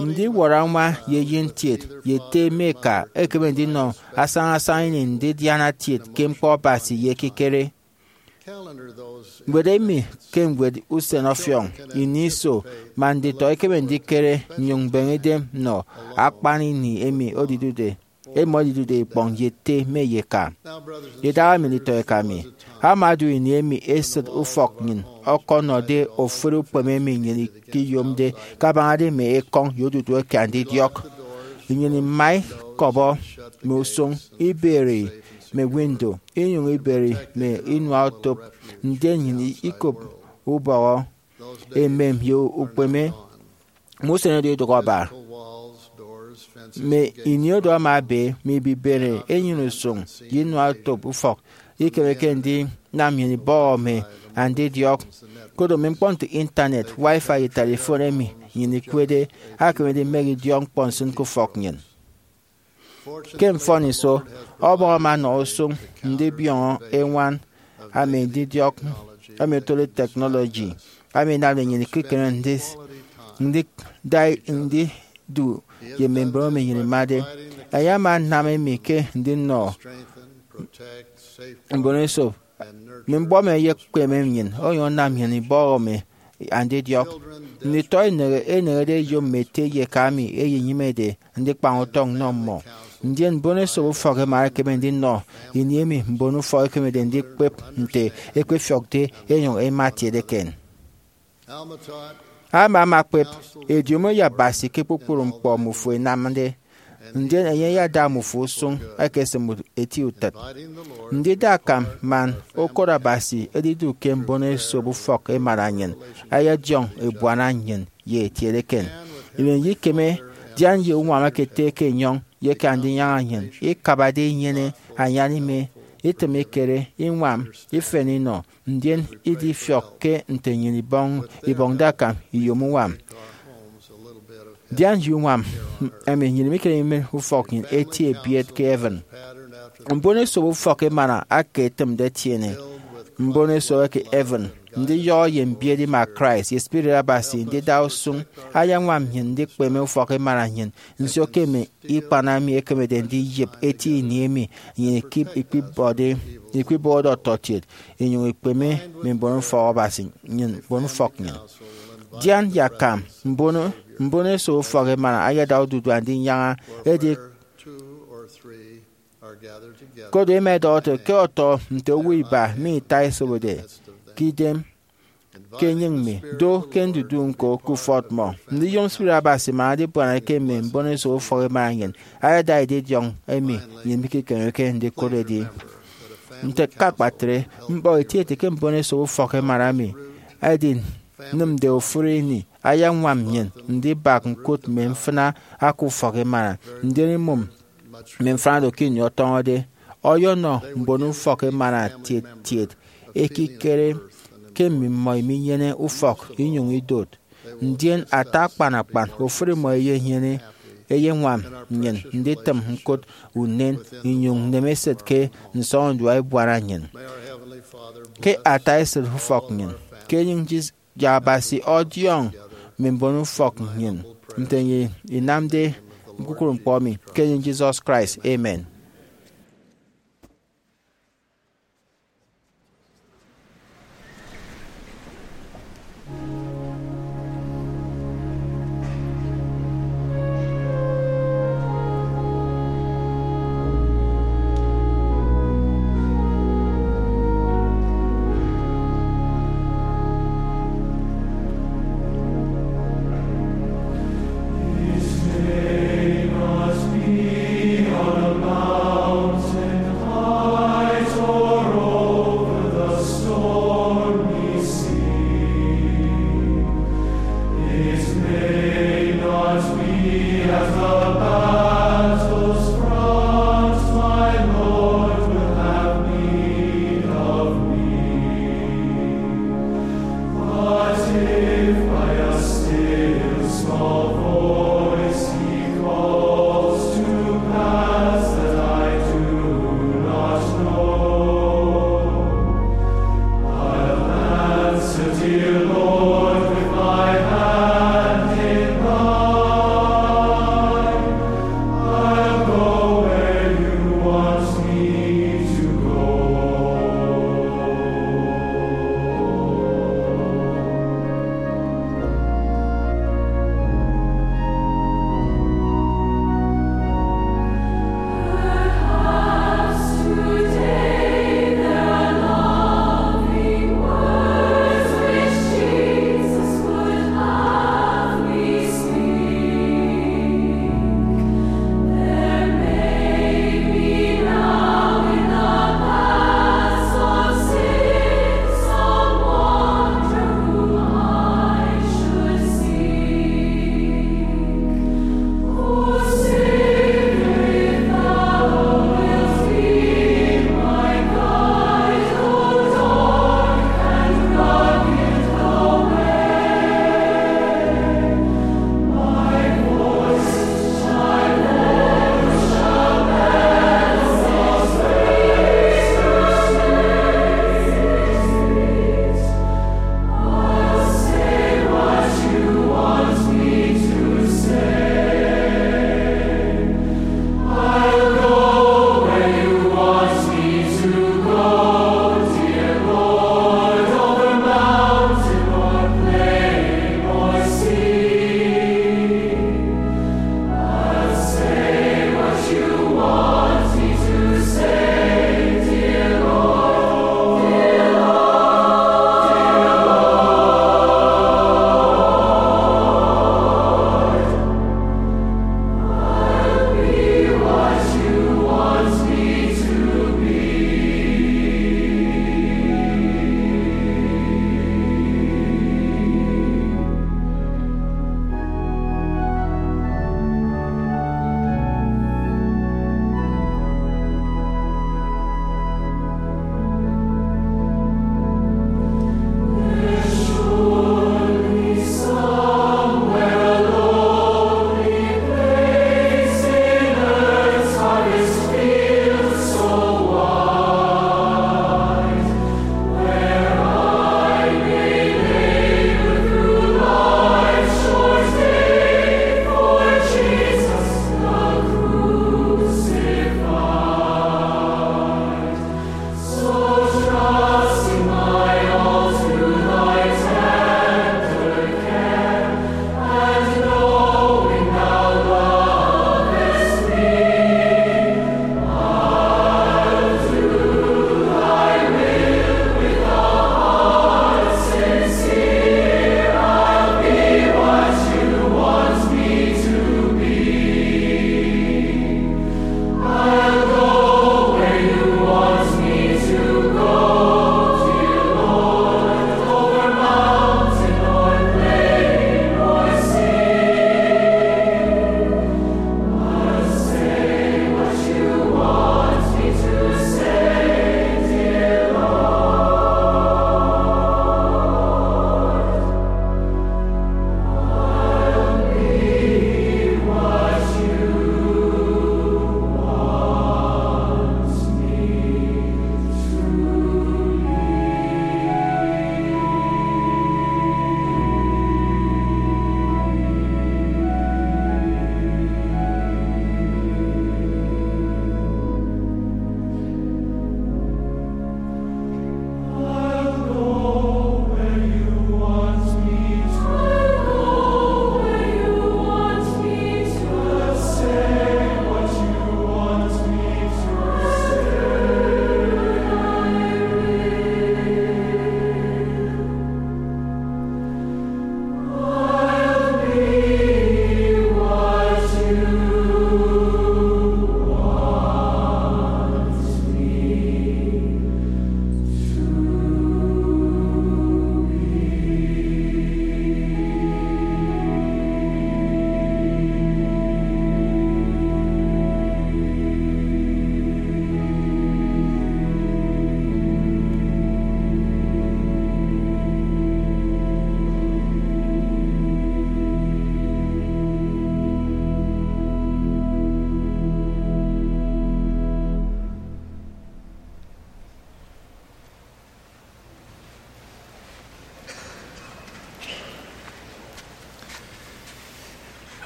Ndiwọrọ añwa ye eyen kiet ye ete mme eka ẹkeme ndinọ asañasaña ini ndidiana kiet ke ñkpọ Abasi ye ekikere. Ñwed emi ke ñwed usen ọfiọñ ini iso man nditọ ẹkeme ndikere nnyụñ mbeñe idem nnọ akpan ini emi edidude, emi edidude ikpọñ ye ete mme eka. Idaha emi nditọ eka mi, ama odu ini emi esịt ufọk nnyịn ọkọnọde ofụri ukpeme emi nnyịn ikiyomde kabañade mme ekọñ ye odudu eke andidiọk. Nnyịn ima ikọbọ mme usụñ, iberi mme window, inyụñ iberi mme inuaotop, ndien nnyịn ikop ubọhọ, emem ye ukpeme. Mme usen oro idụhe aba. Mme ini oro ama ebe, mme ibibere, enyịn usụñ, ye inuaotop ufọk ikemeke ndinam nnyịn ibọhọ mme andidiọk. Koro mme ñkpọ nte intanet, wifi, ye telifon emi nnyịn ikwede akeme ndimehe idiọk ñkpọ nsịn ke ufọk nnyịn. Ke mfọniso, Ọbọñ ama ọnọ usụñ ndibiọñọ eñwan mme andidiọk emi otode technology, emi anamde nnyịn ikikere ndida ndidu ye mme mbon emi nnyịn imade. Enye ama anam emi ke ndinọ mbon esop mme mbọm ẹyekpeme nnyịn, onyụñ anam nnyịn ibọhọ mme andidiọk. Nditọ eneñede ẹyom mme ete ye eka emi ẹyenyịmede ndikpañ utọñ nnọ mmọ. Ndien mbon esop ufọk ẹma ẹkeme ndinọ ini emi mbon ufọk ẹkemede ndikpep nte ẹkpefiọkde ẹnyụñ ẹma ẹtiede eken. Alma ama ekpep ediomi ye Abasi ke kpukpru ñkpọ mmufo ẹnamde. ndien enye ayada mmufo usụñ ẹkesịm eti utịt. Ndida akam man ukot Abasi edidu ke mbono esop ufọk emana nnyịn ayadiọñ ebuana nnyịn ye etiet eken. Emi idikeme, dian ye uñwam ekete ke enyọñ ye ke Andinyaña nnyịn ikabade inyene anyan ime, itịm ikere, iñwam, ifen inọ, ndien idifiọk ke nte nnyịn ibọñ ibọñde akam iyom uñwam. Dian ye uñwam emi nnyịn mikere imen ufọk nnyịn eti ebiet ke heaven. Mbono esop ufọk emana aka etịmde ẹtiene mbono esop eke heaven, ndiyọhọ ye mbiet ima Christ ye Spirit Abasi ndida usụñ ayañwam nnyịn ndikpeme ufọk emana nnyịn. Nsio ke mme ikpan emi ẹkemede ndiyịp eti ini emi nnyịn ikip- ikpibọde ikpibọde ọtọkiet inyụñ ikpeme mme mbonufọk Abasi nnyịn, mbonufọk nnyịn. Dian ye akam mbono mbono esop ufọk emana ayada odudu Andinyaña edi. Kodo ema ẹdọhọ ẹte ke ọtọ nte owo iba mi ita ẹsobode ke idem ke enyịñ mi, do ke ndudu ñko ke ufọt mmọ. Ndiyom Spirit Abasi man adibuana ke mme mbono esop ufọk emana nnyịn ayada edidiọñ emi nnyịn mikekemeke ndikụt edi. Nte ke akpatre, ñkpọ etieti ke mbono esop ufọk emana mi ẹdinịmde ofụri ini ayañwam nnyịn ndibak ñkụt mme mfịna aka ufọk emana, ndien imụm mme mfịna do ke ini ọtọñọde. Ọyọnọ mbonufọk emana tiet tiet ekikere ke mmimọ iminyene ufọk inyụñ idot, ndien ata akpan akpan ofụri mmọ eyenyene eyeñwam nnyịn nditịm ñkụt unen inyụñ nneme esịt ke nsọñurua ebuana nnyịn. Ke ata esịt ufọk nnyịn, ke enyịñ Jis- ye Abasi ọdiọñ mme mbonufọk nnyịn nte enye inamde kpukpru ñkpọ emi, ke enyịñ Jisọs Kraist, amen.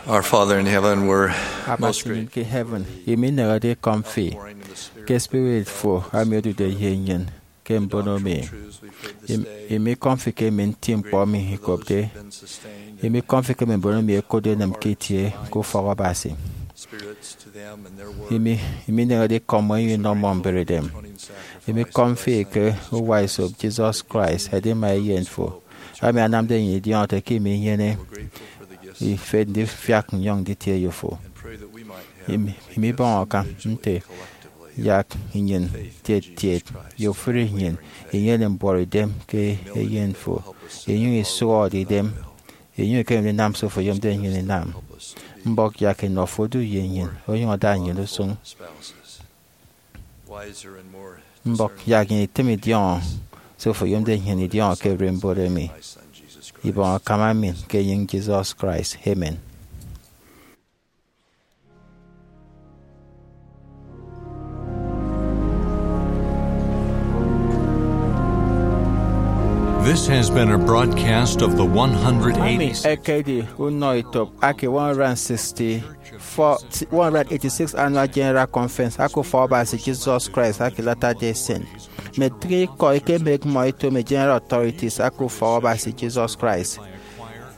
Our Father in heaven, we're most Abasi nnyịn ke heaven, imi inehede ikọm fi ke spirit fo ami odude ye nnyịn ke mbono mi. Im- Imi ikọm fi ke emi nti ñkpọ mi ikopde. Imi ikọm fi ke emi mbono mi ekotde enịm ke itie ke ufọk Abasi. Imi imi inehede ikọm enyịn inọ mmọ mberedem. Imi ikọm fi ke uwa esop Jesus Christ, edima eyen fo, ami anamde enyịn idiọñọ ete ke imi inyene ifet ndifiak nnyọñ nditie eyo fo. Imi imi ibọñ akam nte yak nnyịn tiet tiet ye ofụri nnyịn inyene mbuọtidem ke eyen fo, inyụñ isụhọde idem, inyụñ ikemede inam se ofo oyomde nnyịn inam. Mbọk yak enọ fo odu ye nnyịn, onyụñ ada nnyịn usụñ. Mbọk yak nnyịn itịm idiọñọ se ofo oyomde nnyịn idiọñọ ke ererimbot emi. Ibọñ akam ami ke enyịñ Jesus Christ. Amen. This has been a broadcast of the Ami one hundred eighty-six ekedi unọ etop ake one hundred sixty-four, one hundred eighty-six Annual General Conference ake Ufọk Abasi Jesus Christ ake Latter-day Saint. Mme itịñ ikọ eke mme ekpụkpọ ito mme General Authorities ake Ufọk Abasi Jesus Christ.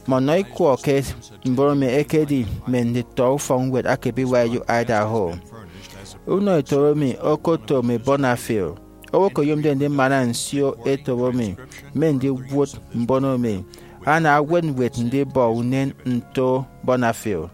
Mme ọnọ ikwọ ke mbono mi ekedi mme nditọ ufọkñwed ake B Y U Idaho. Unọ etop emi okoto mme Bonafil. Owo ke oyomde ndimana nsio etop emi mme ndiwụt mbono mi ana awet ñwed ndibọ unen nto Bonafil.